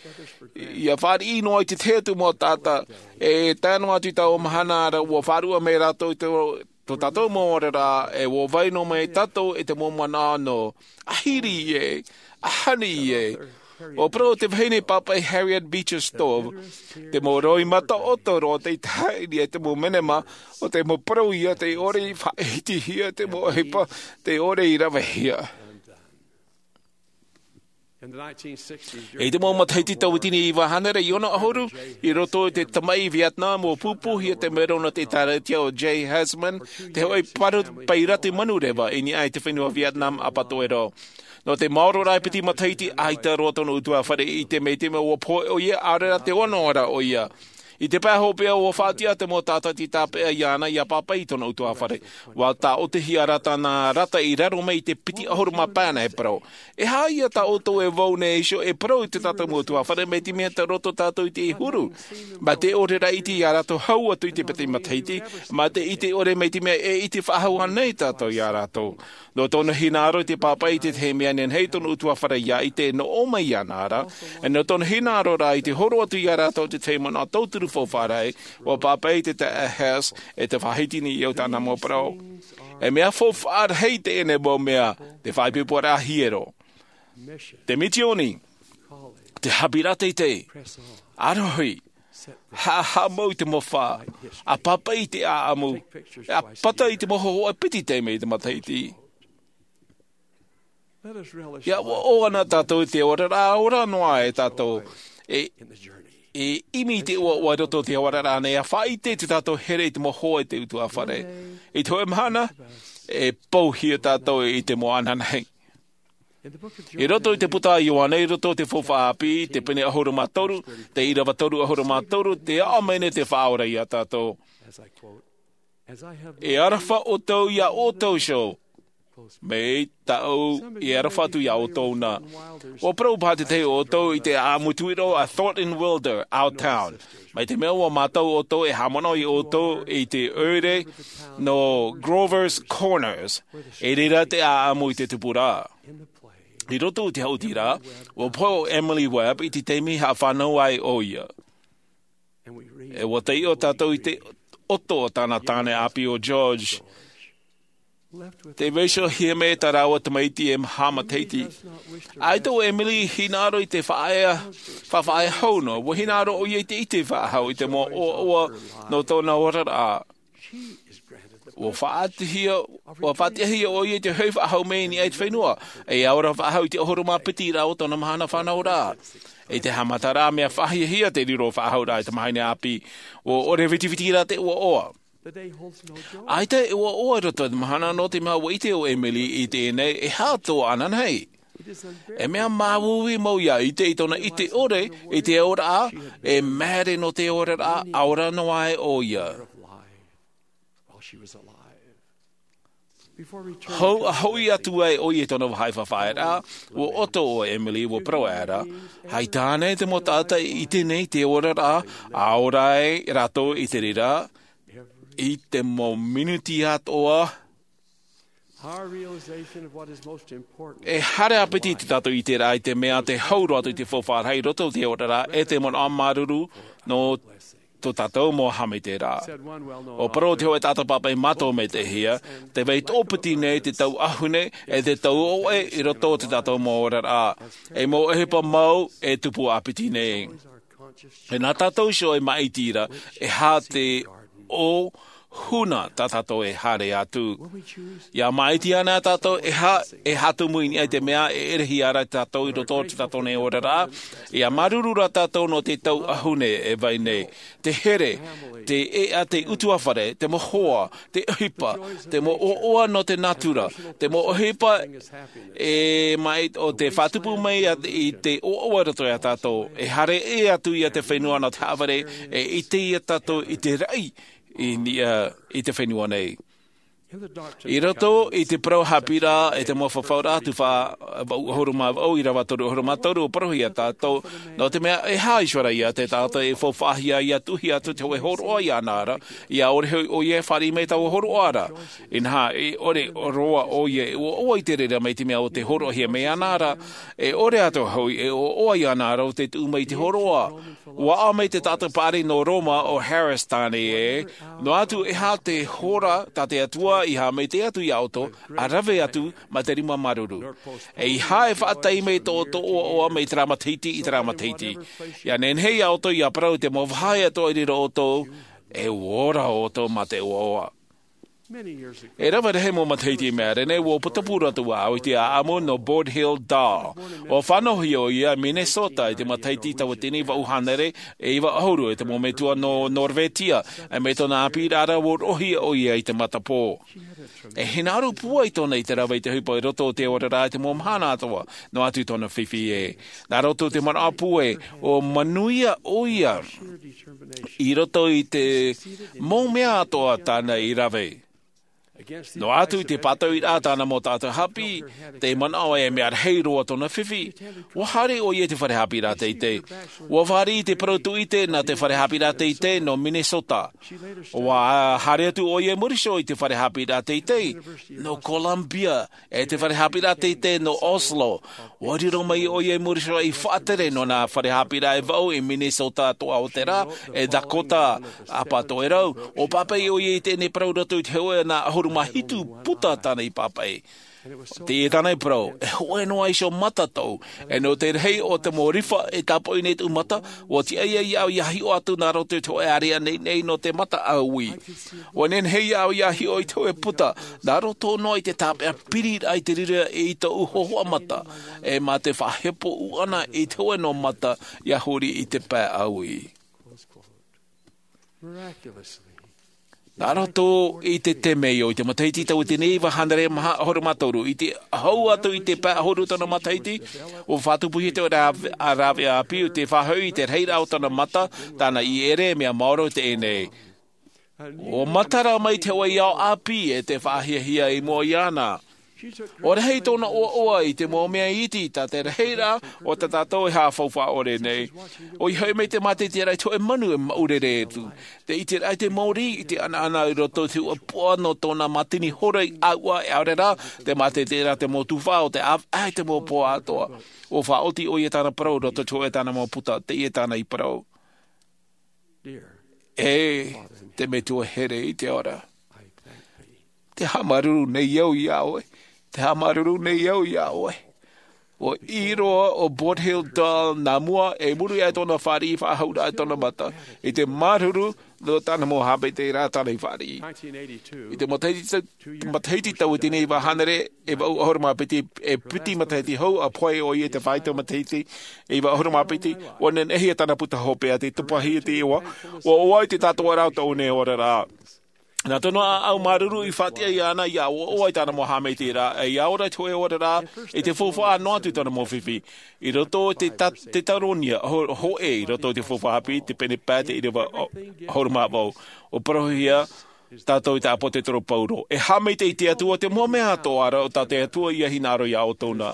ia fāriʻi noa i te tahi atu mau taʻata. E tae noa atu i taua mahana ra ʻua faʻaruʻe mai rātou i tō tō tātou mau oraraʻa, e ʻua vai noa mai tātou e te mau manaʻo nō, ʻahiri ē, ʻahani ē. ʻUa parau te vahine pāpaʻi Harriet Beecher Stowe, te mau roimata ʻoto roa tei tahaʻi i te mau menema, ʻo te mau parau ia tei ʻore i faʻaitehia, te mau ʻohipa tei ʻore i ravehia. I te mau matahiti tauatini iva hānere e ono ʻahuru, i roto i te tamaʻi Vietnam, ʻua pūpūhia te mero nō te ʻĒtārētia ʻo Jay Heisman, te hōʻē pairati manureva i niʻa i te fenua Vietnam ʻapatoʻero. Nō te maoro rā e piti matahiti, ʻaita roa tōna ʻutuāfare i ʻite mai i te mea ʻua pohe ʻoia, ʻaore rā te ono ra ʻoia. I te pae hopeʻa ʻua faʻatiʻa te mau tātati tāpeʻa iāna ia pāpaʻi i tōna ʻutuāfare. ʻUa tāʻotihia rā tāna rata i raro mai i te piti ʻahuru mā pae nā e parau. E aha ia tā ʻoutou e vau nei iho e parau i tō tātou mau ʻutuāfare, mai te mea tei roto tātou i te huru, mai te ʻore raʻa iti ia rātou hau atu i te piti matahiti, mai te ʻite ʻore mai te mea e ʻite faʻahou ānei tātou ia rātou. Nō tōna hinaʻaro i te pāpaʻi i te tahi mea nehenehe tōna ʻutuāfare ia ʻite, nō ʻō mai iāna ra, e nō tōna hinaʻaro rā i te horo atu ia rātou te tahi manaʻo tauturu faufaʻa rahi, ʻua pāpaʻi te taeaʻe Hess, e te faʻahiti nei au tāna mau parau. E mea faufaʻa rahi teie nei mau mea, te faʻaipoiporaʻa hiero, te misioni, te haʻapiʻiraʻa teitei, ʻārohi, haʻahaʻamau i te mau fā, ʻa pāpaʻi i te ʻāʻamu, ʻa pata i te mau hōhoʻa piti taime i te matahiti. Ia ʻoaʻoa na tātou i te oraraʻa, ʻaore noa e tātou e, e ʻimi i te ʻoaʻoa i roto i te oraraʻa nei, ʻa faʻaʻite i tō tātou here i te mau hoa i te ʻutuāfare. I te hōʻē mahana, e pouhia tātou i te mau ananahi. I roto i te puta a Ioane, i roto i te faufaʻa ʻāpī, te pene ʻahuru mā toru, te ʻīrava toru ʻahuru mā toru, tē aʻo mai nei te Faʻaora ia tātou. E aroha ʻoutou ia ʻoutou iho, mai tāʻu i aroha atu ia ʻoutou na. ʻUa parau paha te tahi o ʻoutou i te ʻāʻamu tuʻiro a Thornton Wilder, Our Town. Mai te mea ʻua mātau ʻoutou e haʻamanaʻo ia ʻoutou i te ʻoire nō Grover's Corners, i reira te ʻāʻamu i te tupuraʻa. I roto i te haʻutiraʻa, ʻua pohe ʻo Emily Webb i te taime i haʻafānau ai ʻoia. E ʻua taiʻo tātou i te ʻoto o tāna tāne ʻāpī ʻo George, tei vaiihohia mai tā rāua tamaiti e maha matahiti. ʻAita ʻo Emily i hinaʻaro i te faʻaea, faʻaea hau noa, ʻua hinaʻaro ʻoia i te ʻite faʻahou i te mau ʻoaʻoa nō tōna oraraʻa. ʻUa faʻatiʻahia, ʻua faʻatiʻahia ʻoia i te hoʻi faʻahou mai i niʻa i te fenua, e ora faʻahou i te ʻahuru mā piti rā o tōna mahana fānauraʻa. I te haʻamataraʻa, mea faʻahiahia te riro faʻahouraʻa i te mahana ʻāpī, ʻua ʻore vitiviti rā te ʻoaʻoa. ʻAita e ʻoaʻoa i roto i te mahana, nō te mea ʻua ʻite ʻo Emily i teie nei, e aha tō ananahi. E mea māuiui mau ia ʻite i tōna ʻite ʻore i te oraraʻa, e māere nō te oraraʻa, ʻaore noa e ʻoia. Hou ʻa hoʻi atu ai ʻoia i tōna vāhi faʻaearaʻa, ʻua ʻoto ʻo Emily, ʻua parau aʻera, ʻaita ānei te mau taʻata i ʻite nei i te oraraʻa, ʻaore ai rātou i te reira, i te mau minuti atoʻa, E haere ʻāpiti tā tātou i ʻite ra i te mea te hau roa atu i te faufaʻa rahi i roto i te oraraʻa e te manaʻo māuruuru nō tō tātou mau haʻamaitaʻiraʻa. ʻO parau te hōʻē taʻata pāpaʻi mātou mai te hia, tē vai toʻopiti nei te tau ʻahune e te tau ʻoʻe i roto i tō tātou mau oraraʻa, e mau ʻohipa mau e tupu ʻāpiti nei. E nā tātou iho e māʻiti ra e aha te ʻōhuna tā tātou e haere atu. ʻIa māʻiti ana tātou e aha e hātumu i niʻa i te mea e ʻerehia ra tātou i roto i tō tātou nei oraraʻa. ʻIa māuruuru ra tātou nō te tau ʻahune e vai nei, te here, te ʻeʻa, te utuafare, te mau hoa, te ʻohipa, te mau ʻoaʻoa nō te nātura, te mau ʻohipa e mai o te faʻatupu mai i te ʻoaʻoa i roto iā tātou. E haere ʻē atu ia te fenua nō te haʻavare, e ʻite ia tātou i te raʻi i niʻa i te fenua nei. I roto i te parau haʻapiʻiraʻa e te mau fafauraʻa tuhaʻa vaʻu ʻahuru mā vaʻu ʻīrava toru ʻahuru mā toru, ʻo parauhia tātou nō te mea e aha iho ra ia te taʻata e faufaʻahia ʻia tuʻuhia atu te hōʻē hōroʻa iāna ra, ʻia ʻore hoʻi ʻoia e fāriʻi mai taua hōroʻa ra. Inaha, e ʻore roa ʻoia e ʻoaʻoa i te reira mai te mea o te hōroʻahia mai iāna ra, e ʻore atoʻa hoʻi e ʻoaʻoa iāna ra o te tuʻu mai i te hōroʻa. ʻUa ʻā mai te taʻata paʻari nō Roma ʻo Harris tāne ē, noa atu e aha te hora tā te Atua i haʻamaitaʻi atu iā ʻoutou, ʻa rave atu mā te rima māuruuru. ʻEiaha e faʻatai mai tō ʻoutou ʻoaʻoa mai terā matahiti i terā matahiti. ʻIa nehenehe iā ʻoutou ʻia parau te mau vāhi atoʻa i reira ʻoutou, e ora ʻoutou mā te ʻoaʻoa. E rave rahi mau matahiti i maʻiri nei, ʻua putapū roa atu vau i te ʻāʻamu nō Boyd Hill Dahl. ʻUa fānauhia ʻoia i Minnesota i te matahiti tauatini vaʻu hānere e iva ʻahuru, e te mau metua nō Norvetia, e mai tōna ʻāpīraʻa ra ʻua roʻohia ʻoia i te matapō. E hinaʻaro pūai tōna i te rave i te ʻohipa i roto o te oraraʻa i te mau mahana atoʻa, noa atu tōna fifi ē. Nā roto i te manaʻo pūai, ʻua manuia ʻoia i roto i te mau mea atoʻa tāna i rave. Noa atu i te pātoʻiraʻa tāna mau taʻata haʻapiʻi, tē manaʻo e mea rahi roa tōna fifi, ʻua haere ʻoia i te fare haʻapiʻiraʻa teitei. ʻUa fāriʻi i te parau tūʻite nā te fare haʻapiʻiraʻa teitei nō Minnesota. ʻUa haere atu ʻoia i muri iho i te fare haʻapiʻiraʻa teitei nō Columbia, e te fare haʻapiʻiraʻa teitei nō Oslo. ʻUa riro mai ʻoia i muri iho i faʻatere nō nā fare haʻapiʻiraʻa e vaʻu i Minnesota, Toʻa o te Rā, e Dakota, ʻĀpatoʻerau. ʻUa pāpaʻi ʻoia i teie nei parau i roto i te hōʻē ʻahuru mā hitu puta tāna i pāpaʻi. Teie tāna i parau, e hōʻē noa iho mata tōʻu, e nō te rahi o te mau rifa e tāpoʻi nei tōʻu mata, ʻua tiʻa ia iāʻu ʻia hiʻo atu nā roto i te hōʻē ārea neinei nō te mata ʻāuī. ʻUa nehenehe iāʻu ʻia hiʻo i te hōʻē puta, nā roto noa i te tāpeʻa piri raʻa i te reira i tōʻu hōhoʻa mata, e mā te faʻahepo ʻūʻana i te hōʻē noa mata ʻia huri i te pae ʻāuī. Nā roto i te temeio, i te matahiti tauatini iva hānere maha ʻahuru mā toru, i te hau atu i te pae ʻahuru tōna matahiti, ʻua faʻatupuhia te rāveʻa ʻāpī, ʻo tē faʻahoʻi i te rahiraʻa o tōna mata, tāna i ʻere, mea maoro teie nei. ʻUa matara mai te hōʻē ao ʻāpī e te faʻahiahia i mua iāna. ʻUa rahi tōna ʻoaʻoa i te mau mea iti, tā te rahiraʻa o tā tātou e haʻafaufaʻa ʻore nei. ʻOia hoʻi mai te mātaʻitaʻiraʻa i te hōʻē manu e maʻurere atu. Te ʻiteraʻa i te mōrī, i te ʻanaʻana i roto i te hōʻē puaʻa nō tōna mātini hora i ʻāuʻa, e ʻaore rā, te mātaʻitaʻiraʻa te mau tuhaʻa o te ʻāvaʻe i te mau puaʻa atoʻa. ʻUa faʻaoti ʻoia tāna parau i roto i te hōʻē tāna mau puta, teie tāna i parau. E te Metua here i te ora. Te haʻamāuruuru nei au iā ʻoe. Te haʻamāuruuru nei au iā ʻoe. ʻUa ʻī roa ʻo Boyd Hill Dahl nā mua, i muri aʻe i tōna fāriʻi faʻahou raʻa i tōna mata, i te māuruuru nō tāna mau haʻamaitaʻiraʻa tāna i fāriʻi. I te matahiti, matahiti tauatini iva hānere e vaʻu ʻahuru mā piti, e piti matahiti hou, ʻa pohe ʻoia i te fāito matahiti e iva ʻahuru mā piti, ʻua nehenehe tāna puta hopeʻa tei tupahia te iʻoa, ʻua ʻoaʻoa i te tātoʻaraʻa o tōʻu nei oraraʻa. Nā tōna ʻāʻau māuruuru i faʻatiʻa iāna ʻia ʻoaʻoa i tāna mau haʻamaitaʻiraʻa, ʻia ora i te hōʻē oraraʻa, i te faufaʻa noa atu i tōna mau fifi. I roto i te ta-, Teuteronia, ho-, hōʻē, i roto i te faufaʻa haʻapiʻi, te pene pae, te ʻīrava ʻo-, ʻahuru mā vaʻu. ʻUa parauhia, Tātou i te ʻāpōsetolo Paulo. E haʻamaitaʻi i te Atua, te mau mea atoʻa ra, ʻo tā te Atua ia hinaʻaro ia ʻoutou na.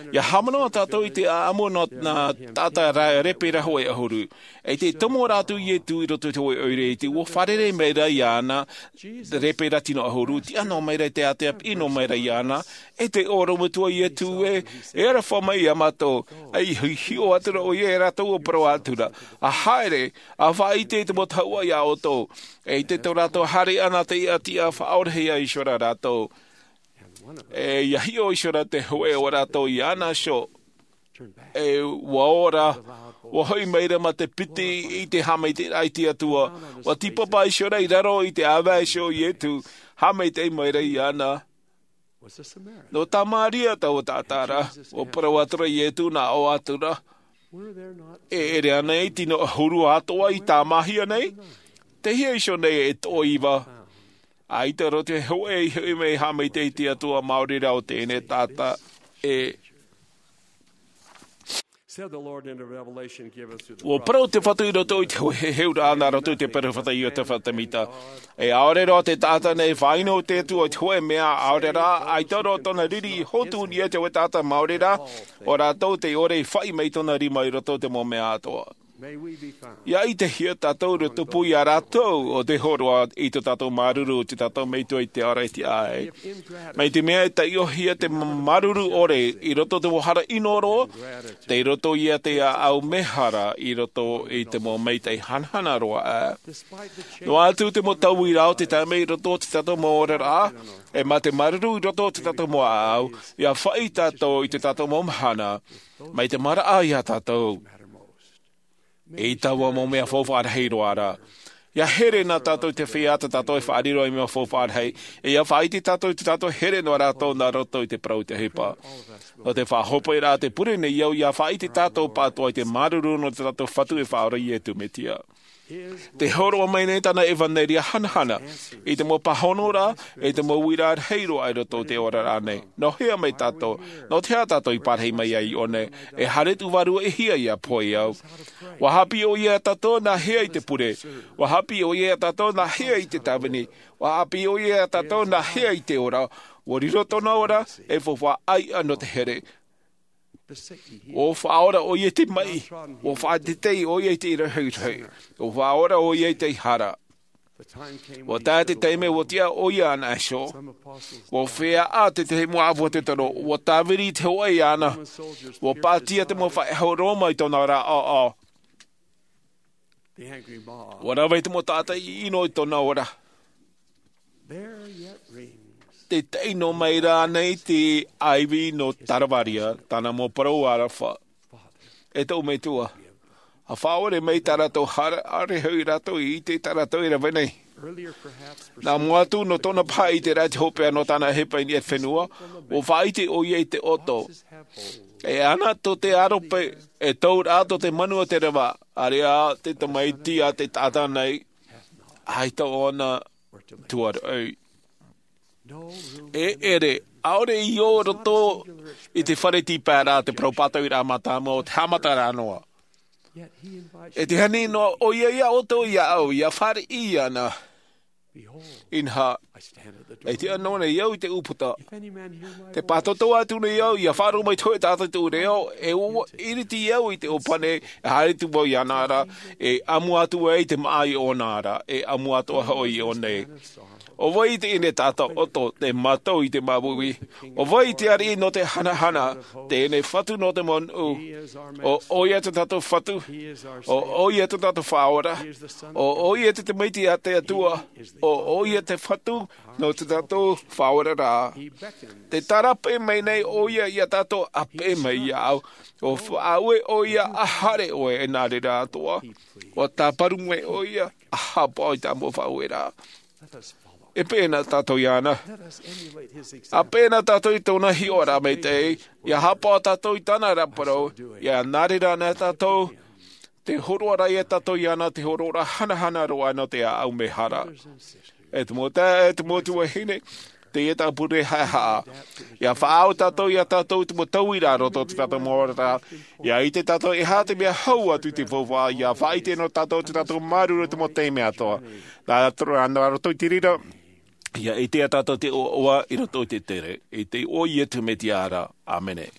Ia haʻamanaʻo tātou i te ʻāʻamu nō nā taʻata ra-, rēpera hōʻē ʻahuru. E te tomo ra atu Ietu i roto i te hōʻē ʻoire iti, ʻua fārerei mai ra iāna, rēpera tino ʻahuru, tiʻa noa mai ra i te ātea, piʻi noa mai ra iāna, e te ʻorometua Ietu ē, e aroha mai ia mātou, ʻia hi-, hiʻo atu ra ʻoia ia rātou ʻua parau atu ra. ʻA haere, ʻa faʻaʻite i te mau tahuʻa ia ʻoutou. E ʻite tō rātou haere ʻana te ʻatiʻa faʻaorahia iho ra rātou. E ʻia hiʻo iho ra te hōʻē o rātou iāna iho. E ʻua ora, ʻua hoʻi mai ra mā te piti i te haʻamaitaʻiraʻa i te Atua. ʻUa tīpapa iho ra i raro i te ʻāvae iho o Ietu, haʻamaitaʻi mai ra iāna. Nō Tamaria taua taʻata ra, ʻua parau atu ra Ietu nā ʻō atu ra. E ʻere ānei tino ʻahuru atoʻa i tāmāhia nei? Tei hea iho nei e toʻo iva? ʻAita roa te hōʻē i hoʻi mai haʻamaitaʻi i te Atua maori rā o teie taʻata ē. Said the Lord in the Revelation given through the ʻUa parau te Fatu i roto i te hōʻē heheuraʻa nā roto i te peropheta Iosefa Sāmita. E ʻaore roa te taʻata nei e faʻaʻino i te Atua i te hōʻē mea, ʻaore rā, ʻaita roa tōna riri i hōtūria i te hōʻē taʻata maori rā, ʻo rātou tei ʻore i faʻi mai tōna rima i roto i te mau mea atoʻa. May we be found. ʻIa ʻitehia tātou ʻia tupu ia rātou ʻo tē hōroʻa i tō tātou māuruuru, tō tātou Metua i te ʻāretia ē. Mai te mea e taiʻohia te māuruuru ʻore i roto i te mau hara ʻino roa, tei roto ia te ʻāʻau mēhara i roto i te mau maitaʻi hanahana roa ā. Noa atu te mau tauiraʻa o te taime i roto i tō tātou mau oraraʻa, e mā te māuruuru i roto i tō tātou mau ʻāʻau, ʻia faʻi tātou i tō tātou mau mahana, mai te maraʻa ia tātou. I taua mau mea faufaʻa rahi roa ra. ʻIa here na tātou i te feiā tā tātou e faʻariro i mea faufaʻa rahi. E ʻia faʻaʻite tātou i tō tātou here noa rātou nā roto i te parau i te ʻohipa. Nō te faʻahopeʻa te pure nei au, ʻia faʻaʻite tātou pāʻatoʻa i te māuruuru nō tō tātou Fatu e faʻaora Ietu Metia. Tē hōroʻa mai nei tāna ʻevaneria hanahana, i te mau pāhono ra, i te mau uiraʻa rahi roa i roto i te oraraʻa nei. Nō hea mai tātou, nō te aha tātou i parahi mai ai i ʻō nei, e haere atu vārua e hia ʻia pohe au. ʻUa haʻapiʻi ʻoia ia tātou nā hea i te pure, ʻua haʻapiʻi ʻoia ia tātou nā hea i te tāvini, ʻua haʻapiʻi ʻoia ia tātou nā hea i te ora, ʻua riro tōna ora, e faufaʻa ʻai ʻana te here. ʻUa faʻaora ʻoia i te maʻi, ʻua faʻateitei ʻoia i te rehurehu, ʻua faʻaora ʻoia i te hara. ʻUa tae te taime ʻua tiʻa ʻoia ʻana iho. ʻUa feiā te tahi mau ʻāpōsetolo, ʻua tāviri i te hōʻē iāna. ʻUa pātia te mau faʻehau Roma i tōna ra ʻoʻo. ʻUa rave te mau taʻata ʻino i tōna ora. Tē tae noa mai ra nei te ʻaivi nō Taravaria, tāna mau parau aroha. E tōʻu Metua, ʻa faʻaʻore mai tā rātou hara, ʻaore hoʻi rātou i ʻite tā rātou e rave nei. Nā mua atu nō tōna paha i te raʻi te hopeʻa nō tāna ʻohipa i niʻa i te fenua, ʻua faʻaʻite ʻoia i te ʻoto. E ana tō te aro pē, e tauraʻa tō te manu o te reva, ʻāreʻa te tamaiti a te taʻata nei, ʻaita ʻōna tuaraʻi. E ʻere, ʻaore i ō roto i te fare tīpaeraʻa te parau pātouiraʻa mātāmua o te haʻamataraʻa noa. E te ani noa ʻoia ia ʻoutou iāʻu, ʻia fāriʻi ana. Inaha, e tiʻa noa nei au i te ʻūputa. Tē pātoto atu nei au, ʻia faʻaroʻo mai te hōʻē taʻata i tōʻu reo, e ʻua ʻiriti au i te ʻōpani, e haere atu vau iāna ra, e ʻamu atu ai te māʻa i ʻōna ra, e ʻamu atu hoʻi i ʻō nei. ʻO vai teie taʻata ʻoto, tei mātau i te māuiui? ʻO vai te ariʻi nō te hanahana, teie Fatu nō te mau nuʻu? ʻO ʻoia tō tātou Fatu. ʻO ʻoia tō tātou Faʻaora. ʻO ʻoia te Tamaiti a te Atua. ʻO ʻoia te Fatu nō tō tātou Faʻaora ra. Tē tarapē mai nei ʻoia ia tātou, ʻa pē mai iāʻu. ʻUa faʻaue ʻoia, ʻa haere ʻoe, e nā reira atoʻa. ʻUa tāparu mai ʻoia, ʻa haʻapaʻo i tā mau faʻaueraʻa. E peʻe na tātou iāna. ʻA peʻe na tātou i tōna hiʻoraʻa maitaʻi, ʻia haʻapaʻo tātou i tāna ra parau, ʻia nā reira na tātou, te hōroʻa ra ia tātou iāna, te hōroʻa hanahana roa nō te ʻāʻau mēhara. E te mau taeaʻe, e te mau tuahine, teie tāpure haʻehaʻa. ʻIa faʻaau tātou iā tātou i te mau tauira a roto i tō tātou mau oraraʻa. ʻIa ʻite tātou e aha te mea hau atu i te faufaʻa, ʻia faʻaʻite nō tātou tō tātou māuruuru i te mau taime atoʻa. Nā, nā roto i te reira, ʻia ʻite iā tātou te ʻoaʻoa i roto i te tere. I te iʻoa o Iesu Mesia ra. ʻĀmene.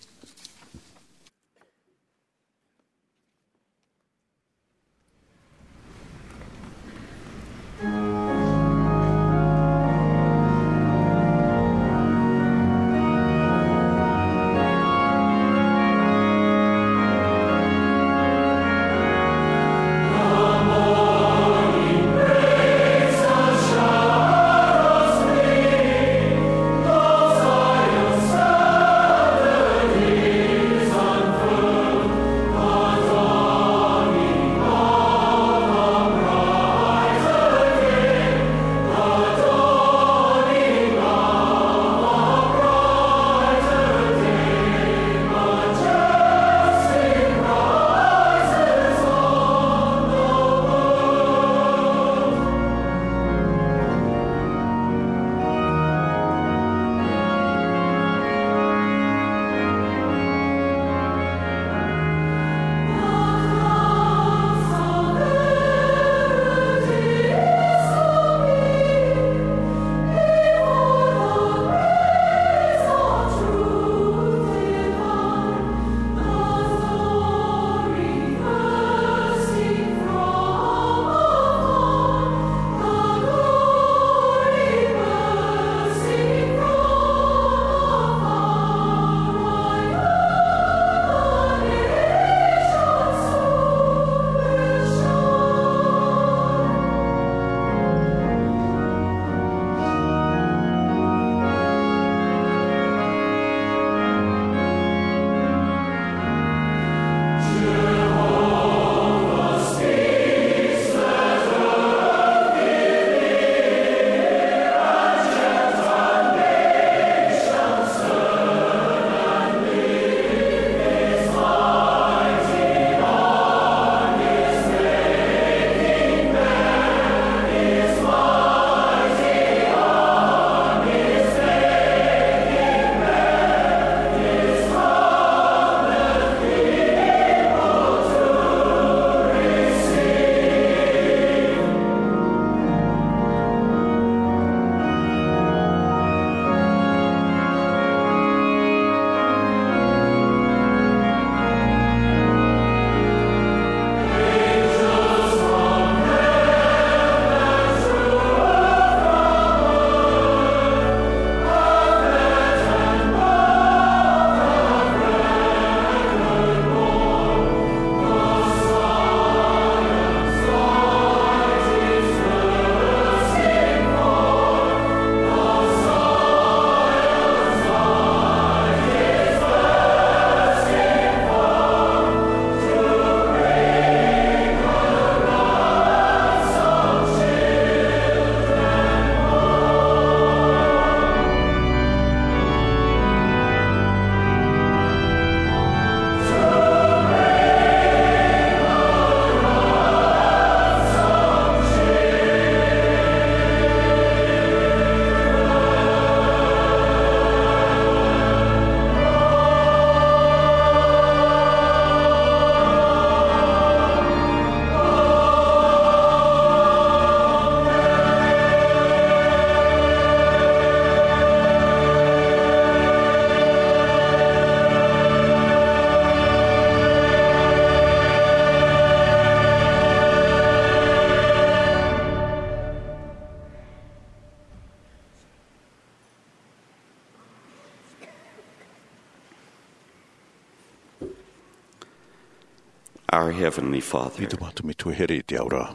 Our Heavenly Father, ʻEitu mātou Metua here i te ao ra.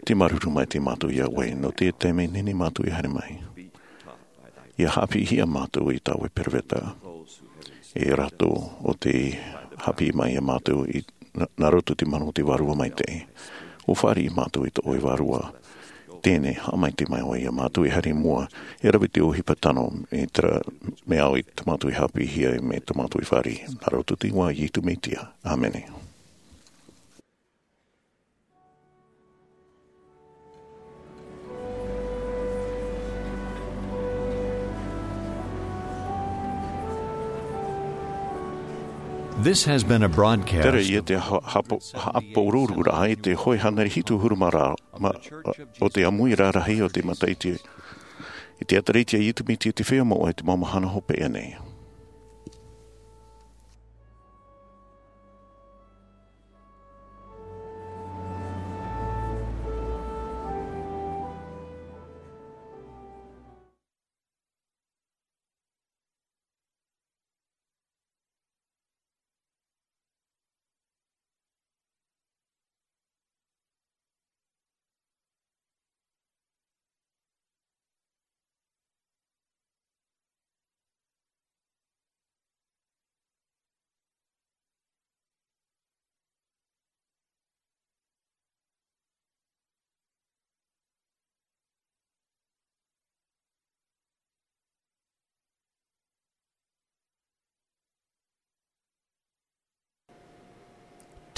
Tē māuruuru maitaʻi mātou iā ʻoe, nō te taime nehenehe mātou e haere mai. ʻIa haʻapiʻihia mātou i tā ʻoe peropheta. E rātou ʻo tē haʻapiʻi mai iā mātou i, nā, nā roto i te mana o te Vārua Maitaʻi. ʻO fāriʻi mātou i tō ʻoe Vārua. Teie nei, haʻamaitaʻi mai ʻoe iā mātou e haere i mua, e rave te ʻohipa tano, e terā mea ʻoe tā mātou e haʻapiʻihia, e mea tā mātou e fāriʻi. Nā roto i te iʻoa o Iesu Mesia. ʻĀmene. This has been a broadcast. Terā ia te ha-, haʻapo-, haʻapouruuruuraʻa i te hōʻē hānere hitu ʻahuru mā rā, ma-, o te ʻāmui rarahi o te Mataʻiti, i te ʻĒtārētia a Iesu Mesia te Feiā Moʻa i te mau mahana hopeʻa nei.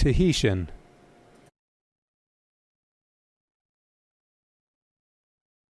Tahitian.